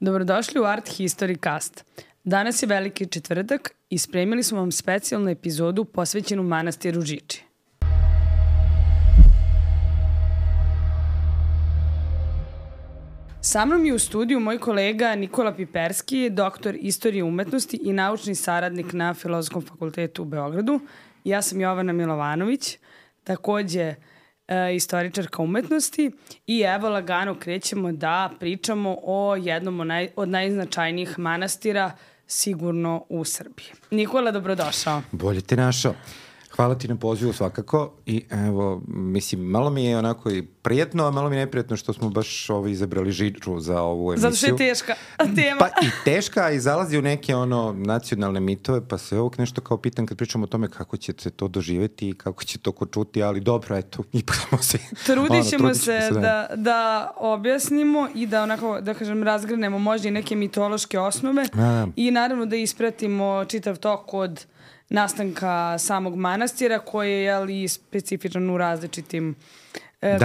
Dobrodošli u Art History Cast. Danas je Veliki četvrtak i spremili smo vam specijalnu epizodu posvećenu manastiru Žiči. Sa mnom je u studiju moj kolega Nikola Piperski, doktor istorije umetnosti i naučni saradnik na Filozofskom fakultetu u Beogradu. Ja sam Jovana Milovanović, takođe istoričarka umetnosti i evo lagano krećemo da pričamo o jednom od najznačajnijih manastira sigurno u Srbiji. Nikola, dobrodošao. Bolje te našao. Hvala ti na pozivu svakako i evo, mislim, malo mi je onako i prijetno, a malo mi je neprijatno što smo baš izabrali Žiču za ovu emisiju. Zato što je teška tema. Pa i teška i zalazi u neke nacionalne mitove, pa se ovog nešto kao pitam kad pričamo o tome kako će se to doživjeti i kako će to ko čuti, ali dobro, eto, ipak smo se... Trudit ćemo se da objasnimo i da onako, da kažem, razgranemo možda i neke mitološke osnove i naravno da ispratimo čitav tok od nastanka samog manastira koji je specifičan u različitim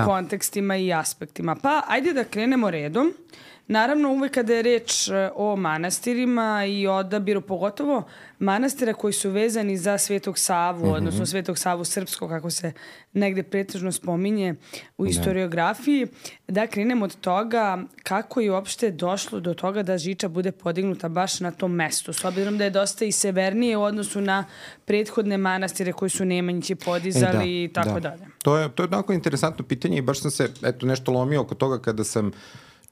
kontekstima i aspektima. Pa ajde da krenemo redom. Naravno, uvek kada je reč o manastirima i odabiru, pogotovo manastira koji su vezani za Svetog Savu, odnosno Svetog Savu srpskog, kako se negde pretežno spominje u historiografiji, da krenemo od toga kako je uopšte došlo do toga da Žiča bude podignuta baš na tom mestu, s obzirom da je dosta i severnije u odnosu na prethodne manastire koji su Nemanjići podizali i tako dalje. To je onako interesantno pitanje i baš sam se nešto lomio oko toga kada sam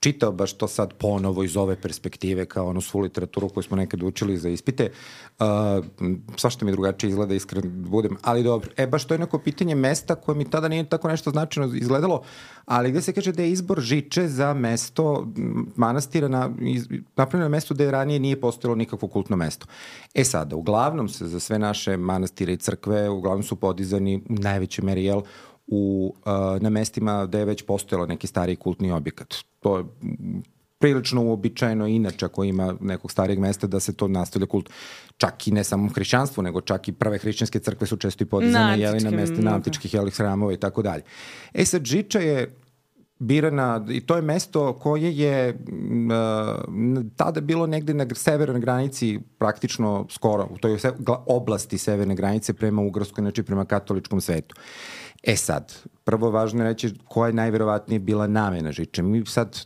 čitao baš to sad ponovo iz ove perspektive kao onu svu literaturu koju smo nekad učili za ispite. Svašta mi drugačije izgleda, iskreno budem, ali dobro. Baš to je neko pitanje mesta koje mi tada nije tako nešto značajno izgledalo, ali gde se kaže da je izbor Žiče za mesto manastira napravljeno na mestu gde ranije nije postojalo nikakvo kultno mesto. Sada, uglavnom se za sve naše manastire i crkve uglavnom su podizani u najvećoj meri, na mestima gde je već postojalo neki stariji kultni objekat. To je prilično uobičajeno inače ako ima nekog starijeg mesta da se to nastavlja kult. Čak i ne samo hrišćanstvo, nego čak i prve hrišćanske crkve su često i podizane na mestima antičkih hramova i tako dalje. Sad, Žiča je birana i to je mesto koje je tada bilo negde na severnoj granici, praktično skoro, u toj oblasti severne granice prema Ugarskoj, znači prema katoličkom svetu. Sad, prvo važno je reći koja je najverovatnije bila namena Žiče. Mi sad,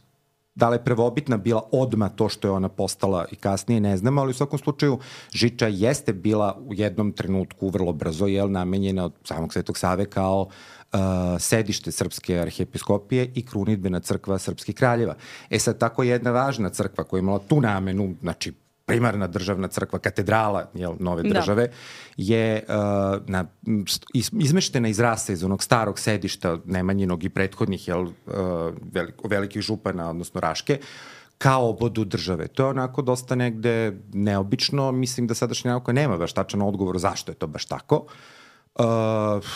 da li je prvobitna bila odmah to što je ona postala i kasnije, ne znamo, ali u svakom slučaju Žiča jeste bila u jednom trenutku vrlo brzo, namenjena od samog Svetog Save kao sedište Srpske arhijepiskopije i krunidbena crkva srpskih kraljeva. Sad, tako jedna važna crkva koja je imala tu namenu, znači primarna državna crkva, katedrala nove države, je izmeštena iz rase, iz onog starog sedišta Nemanjinog i prethodnih velikih župana, odnosno Raške, kao obodu države. To je onako dosta negde neobično. Mislim da sadašnja nauka nema baš tačan odgovor zašto je to baš tako.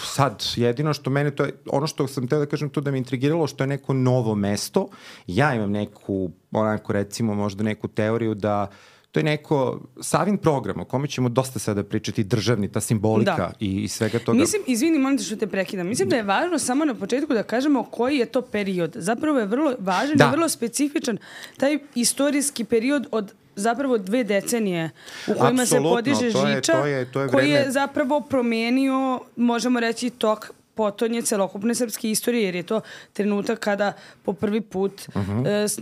Sad, jedino što mene, to je ono što sam teo da kažem tu da me intrigiralo, što je neko novo mesto. Ja imam neku, onako recimo možda neku teoriju da to je neko Savin program o kome ćemo dosta sada pričati, državni, ta simbolika i svega toga. Mislim, izvini, molim te što te prekidam. Mislim da je važno samo na početku da kažemo koji je to period. Zapravo je vrlo važan i vrlo specifičan taj istorijski period od zapravo 2 decenije u kojima se podiže Žiča, koji je zapravo promenio, možemo reći, tok potonje celokupne srpske istorije, jer je to trenutak kada po prvi put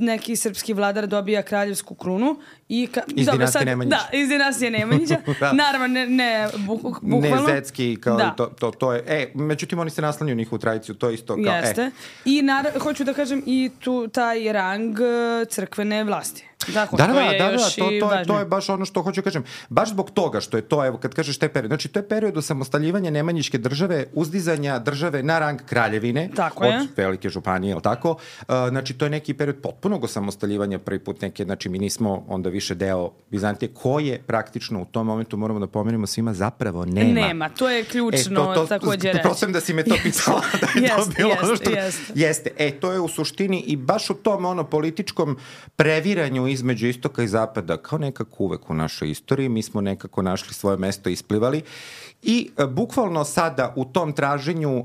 neki srpski vladar dobija kraljevsku krunu. Iz dinastije Nemanjića. Da, iz dinastije Nemanjića. Naravno, ne bukvalno. Ne zetski, kao to je. Međutim, oni se naslanjuju njihovu tradiciju, to je isto kao... Jeste. I hoću da kažem i taj rang crkvene vlasti. To je baš ono što hoću da kažem. Baš zbog toga što je to, evo, kad kažeš taj period, znači to je period osamostaljivanja Nemanjićke države, uzdizanja države na rang kraljevine od velike županije, je li tako? Znači to je neki period potpunog osamostaljivanja, prvi put neke, znači mi nismo onda više deo Bizantije, koje praktično u tom momentu, moramo da pomenemo svima, zapravo nema. Nema, to je ključno takođe reći. Prosim da si me to pitala da je to bilo ono što... Jeste. To je u suštini i baš u tom političkom previranju između istoka i zapada, kao nekako uvek u našoj istoriji, mi smo nekako našli svoje mesto i isplivali i bukvalno sada u tom traženju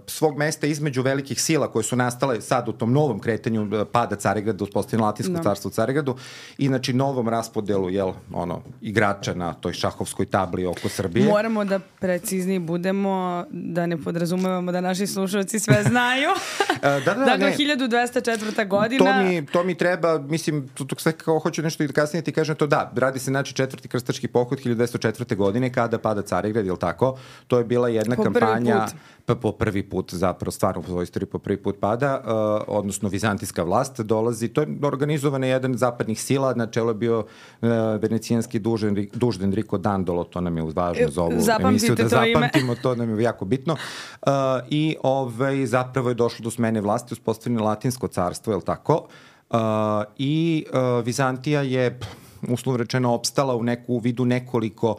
svog mesta između velikih sila koje su nastale sad u tom novom kretanju pada Carigrada, uspostavljeno Latinsko carstvo u Carigradu i znači novom raspodelu igrača na toj šahovskoj tabli oko Srbije. Moramo da precizniji budemo, da ne podrazumevamo da naši slušalci sve znaju. Dakle, 1204. godina. To mi treba, mislim, sve kao hoću nešto i kasnije ti kažem to radi se znači četvrti krstaški pohod 1204. godine kada pada Carigrad, jel tako? To je bila jedna kampanja po prvi put zapravo, stvarno u svojoj istoriji po prvi put pada, odnosno vizantijska vlast dolazi, to je organizovana jedan zapadnih sila, na čelu je bio venecijanski dužd Enrico Dandolo, to nam je važno za ovu emisiju da zapamtimo, to nam je jako bitno. I zapravo je došlo do smene vlasti, uspostavljeno Latinsko carstvo, jel tako? I Vizantija je, uslovno rečeno, opstala u vidu nekoliko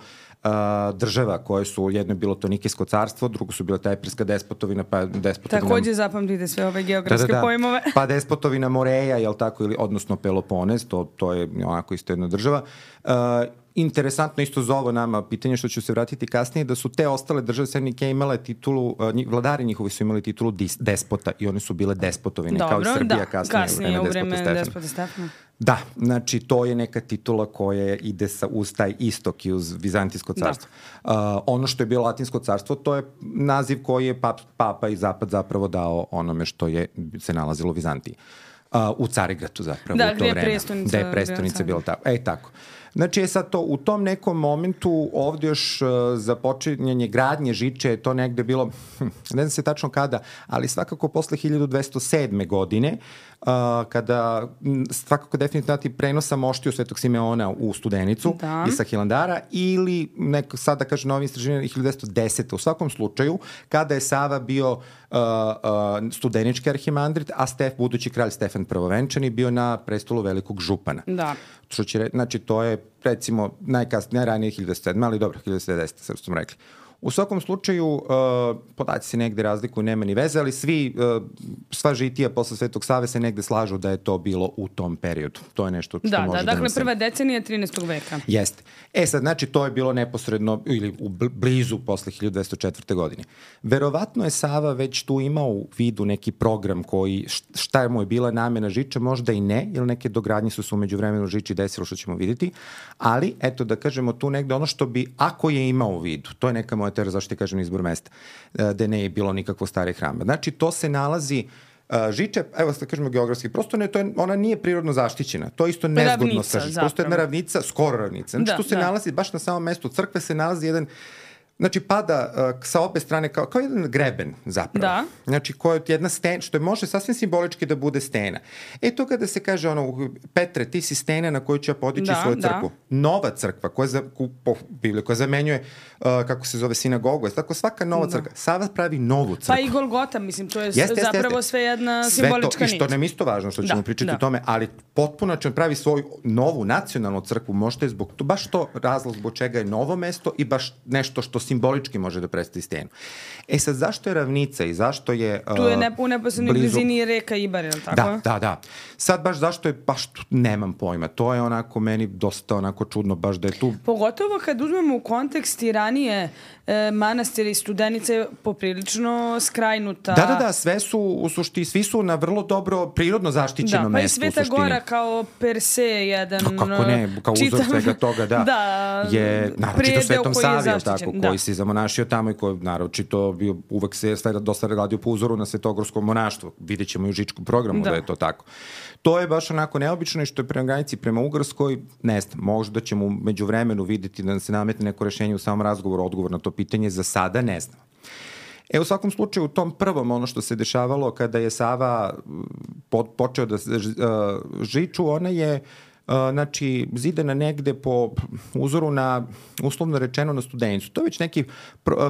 država koje su, jedno je bilo to Nikijsko carstvo, drugo su bila Tajperska despotovina, pa despotovina... Takođe zapamtite sve ove geografske pojmove. Pa despotovina Moreja, jel tako, odnosno Peloponez, to je onako isto jedna država. Interesantno isto za ovo nama pitanje što ću se vratiti kasnije, da su te ostale države Sernike imale titulu, vladari njihovi su imali titulu despota i one su bile despotovine, kao i Srbija kasnije u vreme despota Stefana. Da, znači to je neka titula koja ide uz taj istok i uz Vizantijsko carstvo. Ono što je bilo Latinsko carstvo, to je naziv koji je Papa i Zapad zapravo dao onome što se nalazilo u Vizantiji. U Carigradu zapravo u to vreme. Da je prestonica bila tako. Tako. Znači je sad to u tom nekom momentu ovdje još započinjanje gradnje žiče, to negde bilo, ne znam se tačno kada, ali svakako posle 1207. godine, kada svakako definitivno prenosa moštiju Svetog Simeona u Studenicu i sa Hilandara, ili sada kaže novi istraživanje 1210. U svakom slučaju, kada je Sava bio studenički arhimandrit, a budući kralj Stefan Prvovenčani bio na prestolu velikog župana. Da. Znači, to je, recimo, najranije 1207, ali dobro, 1210, sad smo rekli. U svakom slučaju, podaci se negde razlikuju, nema ni veze, ali sva žitija posle Svetog Save se negde slažu da je to bilo u tom periodu. To je nešto što može da dakle, prva decenija 13. veka. Jeste. Sad, znači, to je bilo neposredno ili blizu posle 1204. godine. Verovatno je Sava već tu imao u vidu neki program koji, šta mu je bila namena žiče, možda i ne, jer neke dogradnje su se umeđu vremenu žiči desilo, što ćemo vidjeti, ali, eto, da kažemo tu negde ono što bi, ako je imao u vidu, to je neka moja teorija, zašto ti kažem izbor mesta, da ne je bilo nikakvo stare hrama. Znači, to se nalazi žiče, evo da kažemo geografski, prosto ona nije prirodno zaštićena. To je isto nezgodno sa žičem. Prosto jedna ravnica, skoro ravnica. Znači, tu se nalazi, baš na samom mestu crkve se nalazi jedan, znači, pada sa obe strane kao jedan greben zapravo. Da. Znači, koja je jedna stena, što može sasvim simbolički da bude stena. To kada se kaže Petre, ti si stena na koju ću ja podići svoju crkvu. Nova crkva, koja zamenjuje, kako se zove, sinagogu. Tako svaka nova crkva. Sava pravi novu crkvu. Pa i Golgota, mislim, to je zapravo sve jedna simbolička nit. I što nam isto važno, što ćemo pričati o tome, ali potpuno ćemo pravi svoju novu nacionalnu crkvu. Možda je baš to razlog zbog čega je novo mesto i baš nešto što simbolički može da predstavi stenu. Sad, zašto je ravnica i zašto je tu je u neposrednoj blizini reka Ibar, je li tako? Da. Sad baš zašto je, baš nemam pojma. To je onako meni dosta onako čudno baš da je tu. Pogotovo kad uzmemo u kontekst i ranije manastiri i Studenice poprilično skrajnuta. Da, sve su u suštini, svi su na vrlo dobro prirodno zaštićeno mesto u suštini. Pa i Sveta Gora kao per se jedan kako ne, kao uzor svega toga, je naročito Svetom Savi, koji se zamonašio tamo i koji naročito bio uvek se dosta radio po uzoru na svetogorskom monaštvu. Vidjet ćemo i u žičkom programu da je to tako. To je baš onako neobično i što je prema granici prema Ugarskoj, ne znam, možda ćemo među vremenu vidjeti da se nametne neko rešenje u samom razgovoru, odgovor na to pitanje, za sada ne znam. U svakom slučaju, u tom prvom ono što se dešavalo kada je Sava počeo da žiču, ona je znači, zidana negde po uzoru na, uslovno rečeno, na Studenicu. To je već neki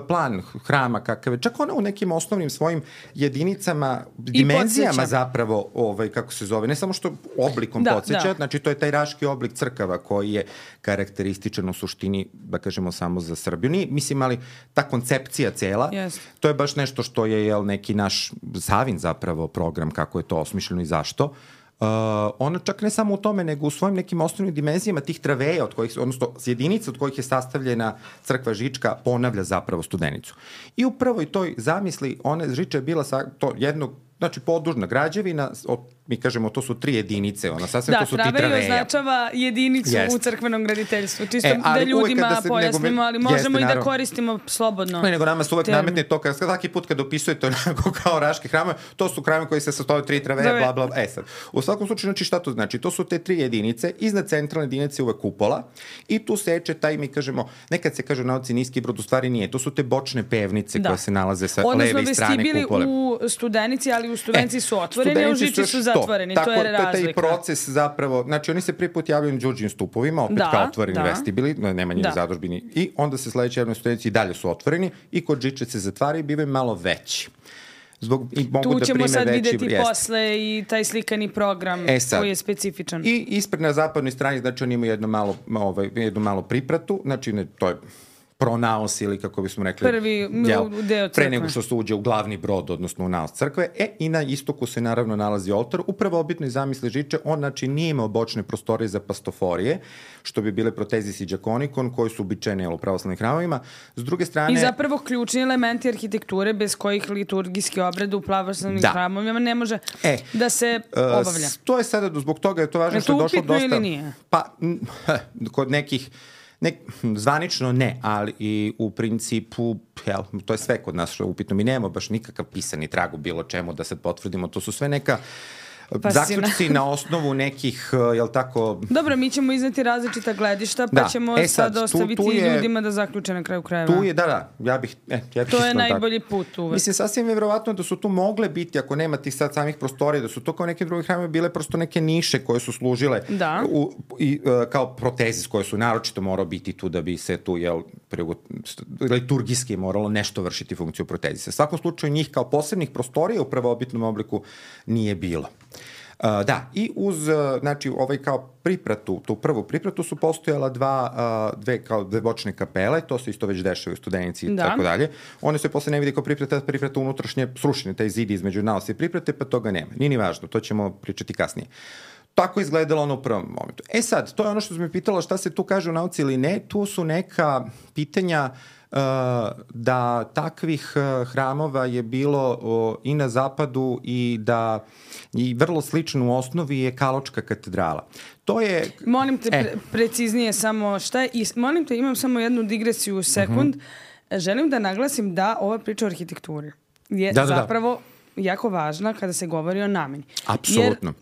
plan hrama kakav je, čak ona u nekim osnovnim svojim jedinicama, dimenzijama zapravo, kako se zove, ne samo što oblikom podsjeća, znači to je taj raški oblik crkava koji je karakterističan u suštini, da kažemo, samo za Srbiju. Nije, mislim, ali ta koncepcija cela, to je baš nešto što je neki naš Savin zapravo program, kako je to osmišljeno i zašto. Ona čak ne samo u tome, nego u svojim nekim osnovnim dimenzijama tih traveja, odnosno jedinica od kojih je sastavljena crkva Žička, ponavlja zapravo Studenicu. I u prvoj toj zamisli Žiča je bila to jednog, znači podužna građevina, mi kažemo to su 3 jedinice, to su ti traveja. Da, traveja označava jedinicu u crkvenom graditeljstvu, čisto da ljudima pojasnimo, ali možemo i da koristimo slobodno. Nego nama se uvek nametne to, svaki put kad opisujete onako kao raški hramove, to su hramove koji se sastoje 3 traveje, bla, bla, sad. U svakom slučaju, znači šta to znači? To su te 3 jedinice, iznad centralne jedinice uvek kupola i tu seče taj, mi kažemo, nekad se kaže u nauci niski brod, u stvari nije, to su te bočne pevnice koje se nalaze sa leve strane kupole. Odnosno, u Studenici, ali u Studenici su otvoreni, a u Žiči su zatvoreni, to je razlika. To je taj proces zapravo, znači oni se prvi put javljaju na Đurđevim stupovima, opet kao otvoreni vestibili, nema njih zadužbini, i onda se sledeće javljaju na Studenici i dalje su otvoreni i kod Žiče se zatvaraju i bivaju malo veći. Tu ćemo sad videti posle i taj slikani program koji je specifičan. I ispred na zapadnoj strani, znači oni imaju jednu malo pripratu, znači to je pronaos ili kako bismo rekli prvi deo crkve. Pre nego što se uđe u glavni brod, odnosno u naos crkve. I na istoku se naravno nalazi oltar. U prvobitnoj zamisli Žiče, on znači nije imao bočne prostorije za pastoforije, što bi bile protezis i džakonikon, koji su uobičajeni u pravoslavnim hramovima. S druge strane... I zapravo ključni elementi arhitekture bez kojih liturgijski obred u pravoslavnim hramovima ne može da se obavlja. To je sada, zbog toga je to važno što je došlo dosta... ili nije? Pa, kod nekih... zvanično ne, ali i u principu, to je sve kod nas što je upitno. Mi nemamo baš nikakav pisani trag u bilo čemu da sad potvrdimo. To su sve neka zaključci na osnovu nekih, jel tako... Dobro, mi ćemo izneti različita gledišta, pa ćemo sad ostaviti ljudima da zaključe na kraju krajeva. Tu je, ja bih to je najbolji put uvek. Mislim, sasvim je verovatno da su tu mogle biti, ako nema tih sad samih prostorija, da su to kao neke druge hramove bile prosto neke niše koje su služile kao protezis, koje su naročito morao biti tu da bi se tu, liturgijski moralo nešto vršiti funkciju protezisa. U svakom slučaju njih kao posebnih prostorija u prvobitnom obliku nije bilo. I uz, znači, kao pripratu, tu prvu pripratu su postojala dve bočne kapele, to se isto već dešava u Studenici i tako dalje. One se posle ne vidi kao priprata unutrašnje srušene, taj zid između naosa i priprate, pa toga nema. Nije ni važno, to ćemo pričati kasnije. Tako izgledalo ono u prvom momentu. Sad, to je ono što sam me pitala šta se tu kaže u nauci ili ne, tu su neka pitanja da takvih hramova je bilo i na zapadu i da i vrlo slično u osnovi je Kaločka katedrala. To je... Molim te preciznije samo šta je, molim te, imam samo jednu digresiju u sekund. Želim da naglasim da ova priča o arhitekturi je zapravo jako važna kada se govori o nameni. Apsolutno.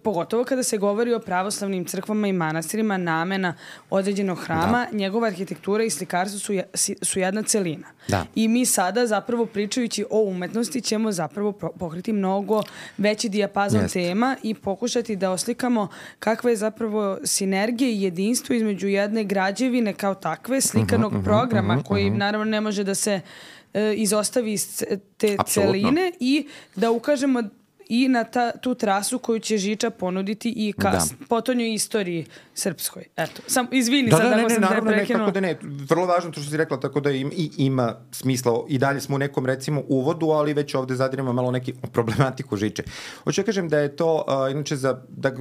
Pogotovo kada se govori o pravoslavnim crkvama i manastirima, namena određenog hrama, njegova arhitektura i slikarstvo su jedna celina. I mi sada zapravo pričajući o umetnosti ćemo zapravo pokriti mnogo veći dijapazon tema i pokušati da oslikamo kakva je zapravo sinergija i jedinstvo između jedne građevine kao takve, slikanog programa koji naravno ne može da se izostavi iz te celine i da ukažemo i na tu trasu koju će Žiča ponuditi i potonjoj istoriji srpskoj. Eto, izvini sad ako sam te prekinula. Tako da ne, vrlo važno to što si rekla, tako da ima smisla. I dalje smo u nekom, recimo, uvodu, ali već ovde zadiramo malo neki problematiku Žiče. Hoću da kažem da je to, inače, da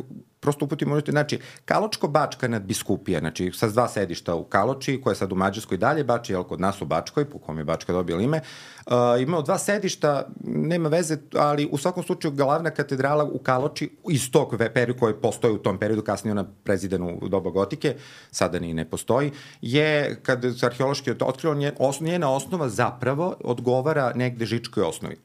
prosto uputimo, znači, Kaločko-Bačka nadbiskupija, znači, sa 2 sedišta u Kaloči, koja je sad u Mađarskoj dalje, Bača je kod nas u Bačkoj, po kom je Bačka dobila ime, imao 2 sedišta, nema veze, ali u svakom slučaju glavna katedrala u Kaloči, iz tog perioda koji postoji u tom periodu, kasnije ona prezidena u doba gotike, sada ni ne postoji, je, kad se arheološki otkrio, njena osnova zapravo odgovara negde žičkoj osnovi.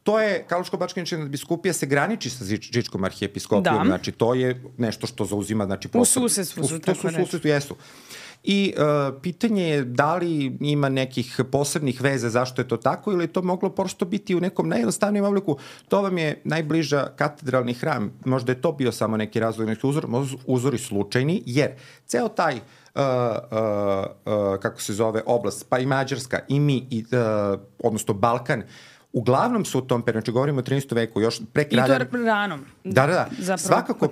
To je, Kaločko-Bačka nadbiskupija se graniči sa Žičkom arhijepiskopijom, znači to je nešto što zauzima, znači... U susedstvu su, tako reći. U susedstvu, jesu. I pitanje je da li ima nekih posebnih veza zašto je to tako ili je to moglo prosto biti u nekom najjednostavnijem obliku. To vam je najbliža katedralni hram. Možda je to bio samo neki razlog, neki uzori slučajni, jer ceo taj kako se zove oblast, pa i Mađarska i mi, odnosno Balkan, uglavnom su u tom periodu, znači govorimo o 13. veku, još pre kralja... I to ranom. Da. Svakako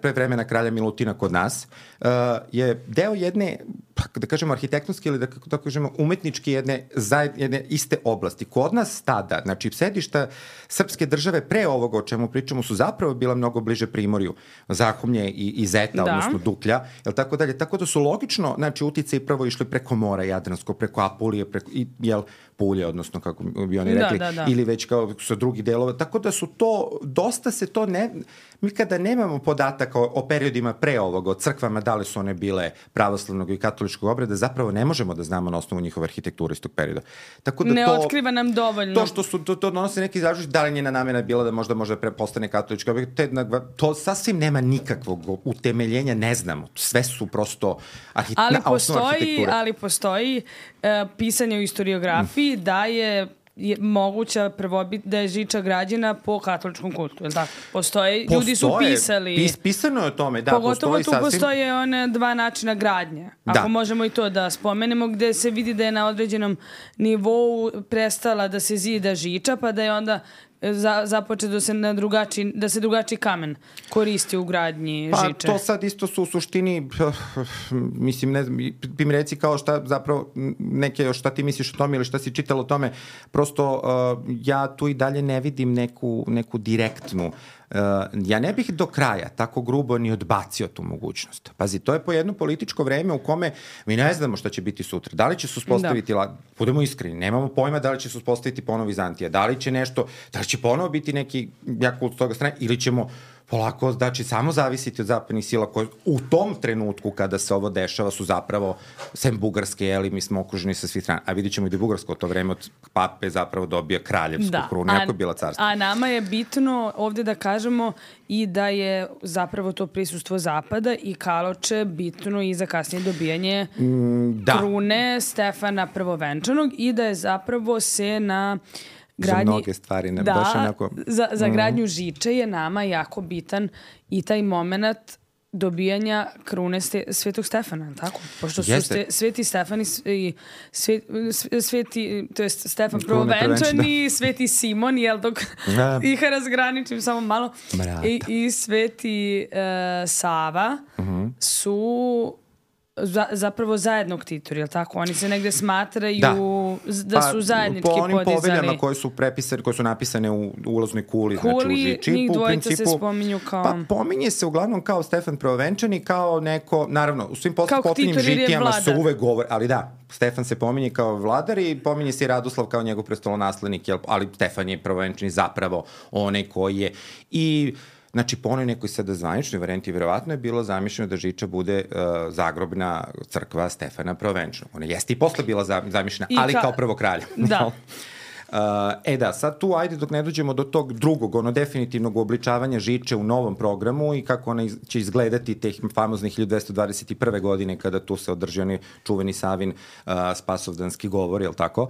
pre vremena kralja Milutina kod nas je deo jedne da kažemo arhitektonski ili da tako kažemo umetnički jedne iste oblasti. Kod nas tada, znači sedišta srpske države pre ovoga o čemu pričamo su zapravo bila mnogo bliže Primorju, Zahumlje i Zeta, odnosno Duklja, jel tako dalje. Tako da su logično, znači utice i prvo išli preko mora Jadransko, preko Apulije, Pulje, odnosno kako bi oni rekli, ili već kao sa drugi delova. Tako da su to, dosta se to mi kada nemamo podataka o periodima pre ovoga, o crkvama, da li su one bile pravoslavnog i katoličkog obreda, zapravo ne možemo da znamo na osnovu njihove arhitekture iz tog perioda. Tako da ne otkriva nam dovoljno. To što su, to donose neki izražuj, da li njena namena bila da možda postane katolička obred, to sasvim nema nikakvog utemeljenja, ne znamo. Sve su prosto osnova arhitekture. Ali postoji pisanje u historiografiji da je moguća prvobit da je Žiča građena po katoličkom kultu, je li tako? Ljudi su pisali. Pisano je o tome, da. Pogotovo tu postoje one dva načina gradnje. Ako možemo i to da spomenemo, gde se vidi da je na određenom nivou prestala da se zida Žiča, pa da je onda započe da se drugačiji kamen koristi u gradnji Žiče. Pa to sad isto su u suštini, mislim, ne znam, ti mi reci kao šta zapravo, neke šta ti misliš o tome ili šta si čitala o tome, prosto ja tu i dalje ne vidim neku direktnu. Ja ne bih do kraja tako grubo ni odbacio tu mogućnost. Pazi, to je po jedno političko vreme u kome mi ne znamo šta će biti sutra. Da li će se uspostaviti, budemo iskreni, nemamo pojma da li će se uspostaviti ponovo Vizantija, da li će nešto, da li će ponovo biti neki jak kult s toga strane, ili ćemo polako, znači, samo zavisiti od zapadnih sila koje u tom trenutku kada se ovo dešava su zapravo, sem Bugarske, jeli, mi smo okruženi sa svih strana. A vidit ćemo i da Bugarsko u to vreme od pape zapravo dobija kraljevsku krunu, jako je bila carstva. A nama je bitno ovde da kažemo i da je zapravo to prisustvo Zapada i Kaloče bitno i za kasnije dobijanje krune Stefana Prvovenčanog i da je zapravo se na gradnji, za mnoge stvari. Baš onako, za gradnju Žiče je nama jako bitan i taj moment dobijanja krune Svetog Stefana, tako? Pošto su Sveti Stefani to jest Stefan Prvovenčan i Sveti Simon, jel dok ih razgraničim samo malo, i Sveti Sava su zapravo zajedno ktitori, je li tako? Oni se negde smatraju da su zajednički podizali. Po onim poveljama koje su napisane u ulaznoj kuli, znači u Žiči, njih dvojica se spominju kao... Pa pominje se uglavnom kao Stefan Prvovenčan i kao neko, naravno, u svim posljednjim žitijama se uvek govori, ali da, Stefan se pominje kao vladar i pominje se i Radoslav kao njegov prestolonaslednik, ali Stefan je Prvovenčan zapravo onaj koji je i... Znači, po onoj nekoj sada zvaničnoj varijanti vjerovatno je bilo zamišljeno da Žiča bude zagrobna crkva Stefana Prvovenčanog. Ona jeste i posle bila zamišljena, ali kao prvo kralja. Da. Sad tu, ajde, dok ne dođemo do tog drugog, definitivnog uobličavanja Žiče u novom programu i kako ona će izgledati teh famoznih 1221. godine kada tu se održi onaj čuveni Savin spasovdanski govor, jel tako?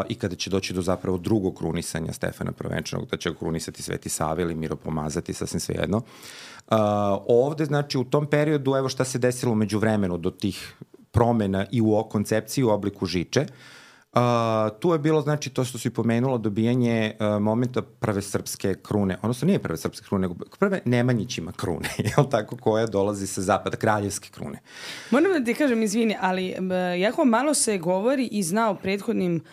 I kada će doći do zapravo drugog krunisanja Stefana Prvovenčanog, da će ga krunisati Sveti Sava ili miropomazati, sasvim svejedno. Ovde, znači, u tom periodu, evo šta se desilo umeđu vremenu do tih promena i u koncepciji u obliku Žiče. Tu je bilo, znači, to što si pomenulo, dobijanje momenta prve srpske krune, odnosno nije prve srpske krune, nego prve Nemanjićima krune, jel tako, koja dolazi sa zapada, kraljevske krune. Moram da ti kažem, izvini, ali jako malo se govori i zna o prethodnim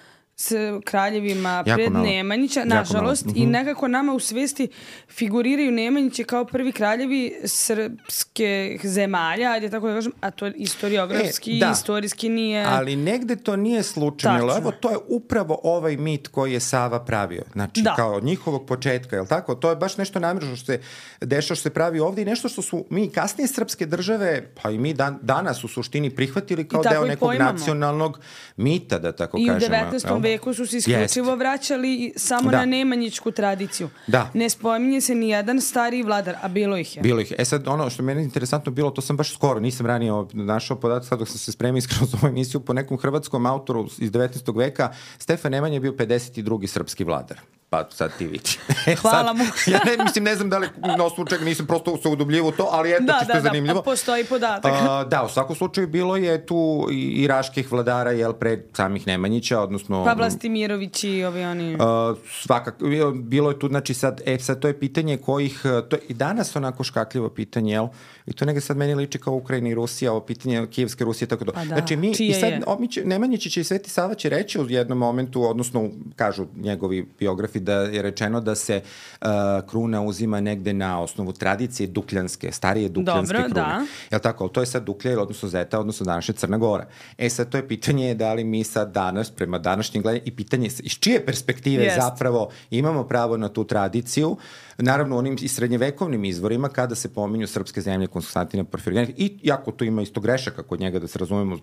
kraljevima pred Nemanjića, nažalost, i nekako nama u svesti figuriraju Nemanjiće kao prvi kraljevi srpske zemalja, ajde tako da kažem, a to istoriografski i istorijski nije... Ali negde to nije slučajno, evo to je upravo ovaj mit koji je Sava pravio, znači kao od njihovog početka, jel tako? To je baš nešto namjerno što se dešava, što se pravi ovde i nešto što su mi kasnije srpske države, pa i mi danas u suštini prihvatili kao deo nekog nacionalnog mita, da tako kažemo. I u 19. veku su se isključivo vraćali samo na nemanjičku tradiciju. Ne spominje se ni jedan stariji vladar, a bilo ih je. Bilo ih je. Sad, ono što meni je interesantno bilo, to sam baš skoro, nisam ranije našao podatak, sad dok sam se spremio iskreno za ovu emisiju, po nekom hrvatskom autoru iz 19. veka, Stefan Nemanja je bio 52. srpski vladar. pa sad ti vidi. Hvala mu. Ja ne znam da li na osnovu čega nisam prosto se udubljivo to, ali eto čisto je zanimljivo. Da, postoji podatak. Da, u svakom slučaju bilo je tu i raških vladara, pre samih Nemanjića, odnosno... Pa Vlastimirović i ovi oni... Svakako, bilo je tu, znači sad to je pitanje kojih, to je i danas onako škakljivo pitanje, jel? I to negde sad meni liči kao Ukrajina i Rusija, ovo pitanje Kijevske Rusije, tako da. Pa da, znači mi, i sad Nemanjić će i Sveti Sava će reći u jednom momentu, odnosno kažu njegovi biografi da je rečeno da se kruna uzima negde na osnovu tradicije dukljanske, starije dukljanske krune. Da. Jel tako? To je sad Duklja, odnosno Zeta, odnosno današnja Crna Gora. Sad to je pitanje da li mi sad danas, prema današnjem gledanju, i pitanje iz čije perspektive zapravo imamo pravo na tu tradiciju, naravno onim i srednjevekovnim izvorima kada se pominju srpske zemlje Konstantina Porfirijanika, i jako tu ima isto grešaka kod njega, da se razumemo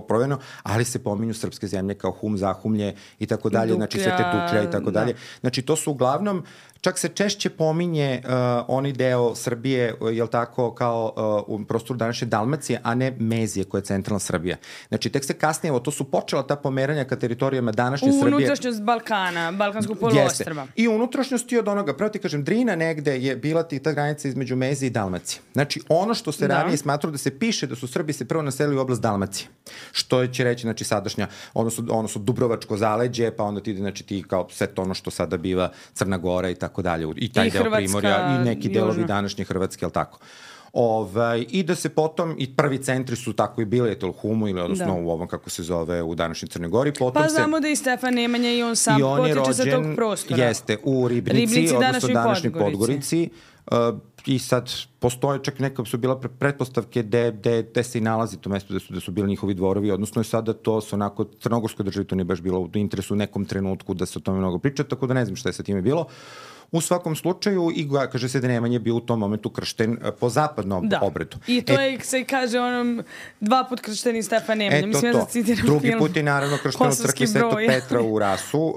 provjereno, ali se pominju srpske zemlje kao Hum, Zahumlje i tako dalje, znači Svete Duklja i tako dalje. Znači to su uglavnom, čak se češće pominje oni deo Srbije, jel tako, kao u prostoru današnje Dalmacije, a ne Mezije koja je centralna Srbija. Znači tek se kasnije, evo to su počela ta pomeranja ka teritorijama današnje Srbije. Unutrašnjost Balkana, Balkanskog poluostrva. I unutrašnjosti od onoga, pravo ti kažem, Drina negde je bila ta granica između Mezije i Dalmacije. Znači ono što se ranije smatralo da se piše da su Srbi se prvo naselili u oblast Dalmacije. Što će reći, znači sadašnja, odnosno Dubrovačko zaleđe, pa onda ti kao sve to ono što sada biva Crna Gora i tako dalje, i taj deo Primorja i neki delovi današnje Hrvatske, jel tako? I da se potom, i prvi centri su tako i bili, u Humu ili odnosno u ovom, kako se zove, u današnjoj Crnoj Gori. Pa znamo da i Stefan Nemanja i on sam potiče sa tog prostora. Jeste, u Ribnici, odnosno današnjoj Podgorici. I sad postoje čak neka su bila pretpostavke gde se i nalazi to mesto gde su bili njihovi dvorovi, odnosno je sada to su onako, Crnogorskoj državi to nije baš bilo u interesu u nekom trenutku da se o tome mnogo priča, tako da ne znam šta je sa time bilo. U svakom slučaju, i kaže se da Nemanja bio u tom momentu kršten po zapadnom obredu. I to se kaže onom 2 put kršteni Stefan Nemanja. Mislim da citiram drugi film. Put je naravno kršten u crkvi Svetog Petra u Rasu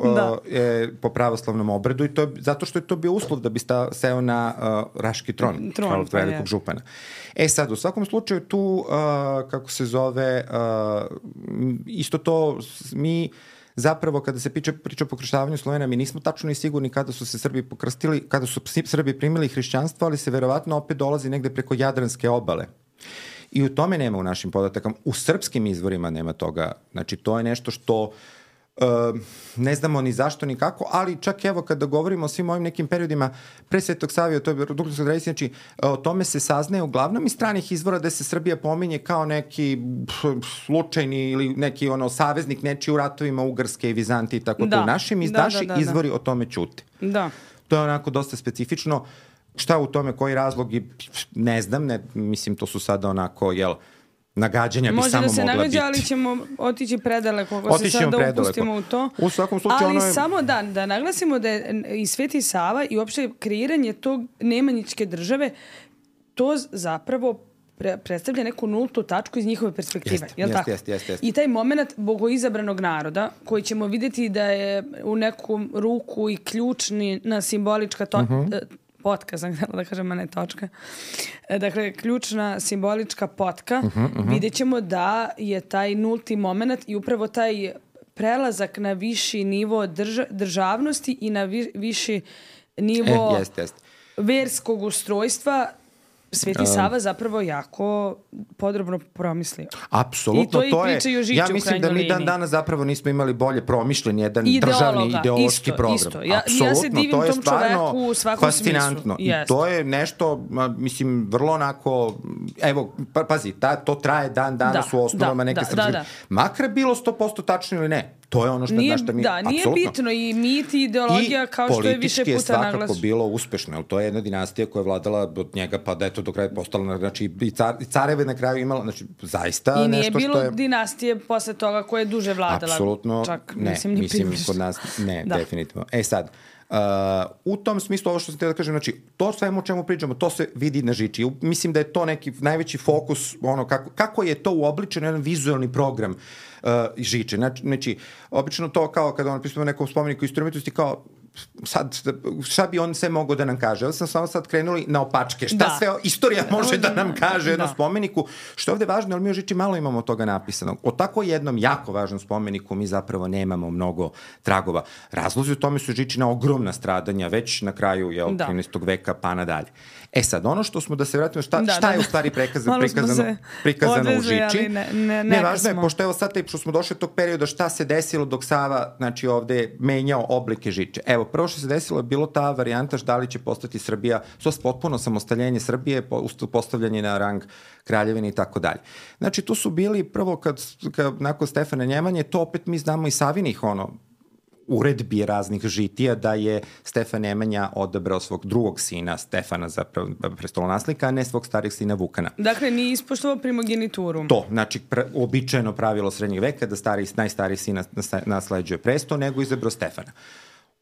po pravoslavnom obredu, i to je zato što je to bio uslov da bi seo na Raški tron velikog župana. Sad, u svakom slučaju tu, kako se zove, isto to mi zapravo kada se priča o pokrštavanju Slovena, mi nismo tačno i sigurni kada su se Srbi pokrstili, kada su Srbi primili hrišćanstvo, ali se verovatno opet dolazi negde preko Jadranske obale. I u tome nema u našim podatakama. U srpskim izvorima nema toga. Znači, to je nešto što ne znamo ni zašto ni kako, ali čak evo kada govorimo o svim ovim nekim periodima pre Svetog Savija, to je Dukljanska tradicija, znači o tome se saznaje uglavnom iz stranih izvora da se Srbija pominje kao neki slučajni ili neki saveznik nečiji u ratovima Ugarske i Vizantije i tako to. Naši izvori o tome ćute. Da. To je onako dosta specifično. Šta u tome, koji razlog, ne znam, mislim to su sada onako, nagađanja bi samo mogla biti. Može da se nagađa, ali ćemo otići predaleko, ako se sad da upustimo u to. U svakom slučaju ali samo da naglasimo da je i Sveti Sava i uopšte kreiranje tog Nemanjićke države, to zapravo predstavlja neku nultu tačku iz njihove perspektive. Jeste. I taj moment bogoizabranog naroda, koji ćemo vidjeti da je u neku ruku i ključna simbolička potka, sam htjela da kažem, a ne točka. Dakle, ključna simbolička potka, vidjet ćemo da je taj nulti moment i upravo taj prelazak na viši nivo državnosti i na viši nivo verskog ustrojstva Sveti Sava zapravo jako podrobno promislio. Apsolutno, I to je priča i o Žiču u krajnjoj liniji. Ja mislim da mi dan danas zapravo nismo imali bolje promišljen jedan državni ideološki program. Isto. Ja se divim tom čoveku u svakom fascinantno. smislu. I to je nešto, mislim, vrlo onako, evo, pazi, to traje dan danas u osnovama neke srpske. Makar bilo 100% tačno ili ne. To je ono što mi apsolutno. Da, nije bitno i mit i ideologija kao što je više puta naglašeno. I politički je svakako bilo uspešno, jer to je jedna dinastija koja je vladala od njega, pa da je to do kraja postala, znači i careve na kraju imala, znači zaista nešto što je... I nije bilo dinastije posle toga koja je duže vladala. Apsolutno ne, mislim kod nas ne, definitivno. Sad, u tom smislu ovo što sam htio da kažem, znači to svemu o čemu pričamo, to se vidi na Žiči. Mislim da je to neki najveći fokus, ono kako je to uobličeno jedan vizualni program Žiče. Znači, obično to kao kada pisamo nekom spomeniku istorije umetnosti, kao sad, šta bi on sve mogao da nam kaže? Ja sam samo sad krenuli na opačke. Šta sve istorija može da nam kaže jednom spomeniku? Što je ovde važno, ali mi u Žiči malo imamo toga napisanog. O tako jednom jako važnom spomeniku mi zapravo nemamo mnogo tragova. Razlozi u tome su Žičina ogromna stradanja, već na kraju 13. veka pa nadalje. Sad, ono što smo, da se vratimo, šta je u stvari prikazano u Žiči? Ne, važno je, pošto evo sad što smo došli od tog perioda, šta se desilo dok Sava, znači ovde menjao oblike Žiče. Evo, prvo što se desilo je bilo ta varijanta da li će postati Srbija, potpuno samostaljenje Srbije, postavljanje na rang kraljevine i tako dalje. Znači, tu su bili prvo kad nakon Stefana Nemanje, to opet mi znamo i Savinih uredbi raznih žitija da je Stefan Nemanja odabrao svog drugog sina Stefana za prestolonaslednika, a ne svog starijeg sina Vukana. Dakle, nije ispoštovao primogenituru. To, znači, običajno pravilo srednjeg veka da najstariji sin nasleđuje presto, nego izabrao Stefana.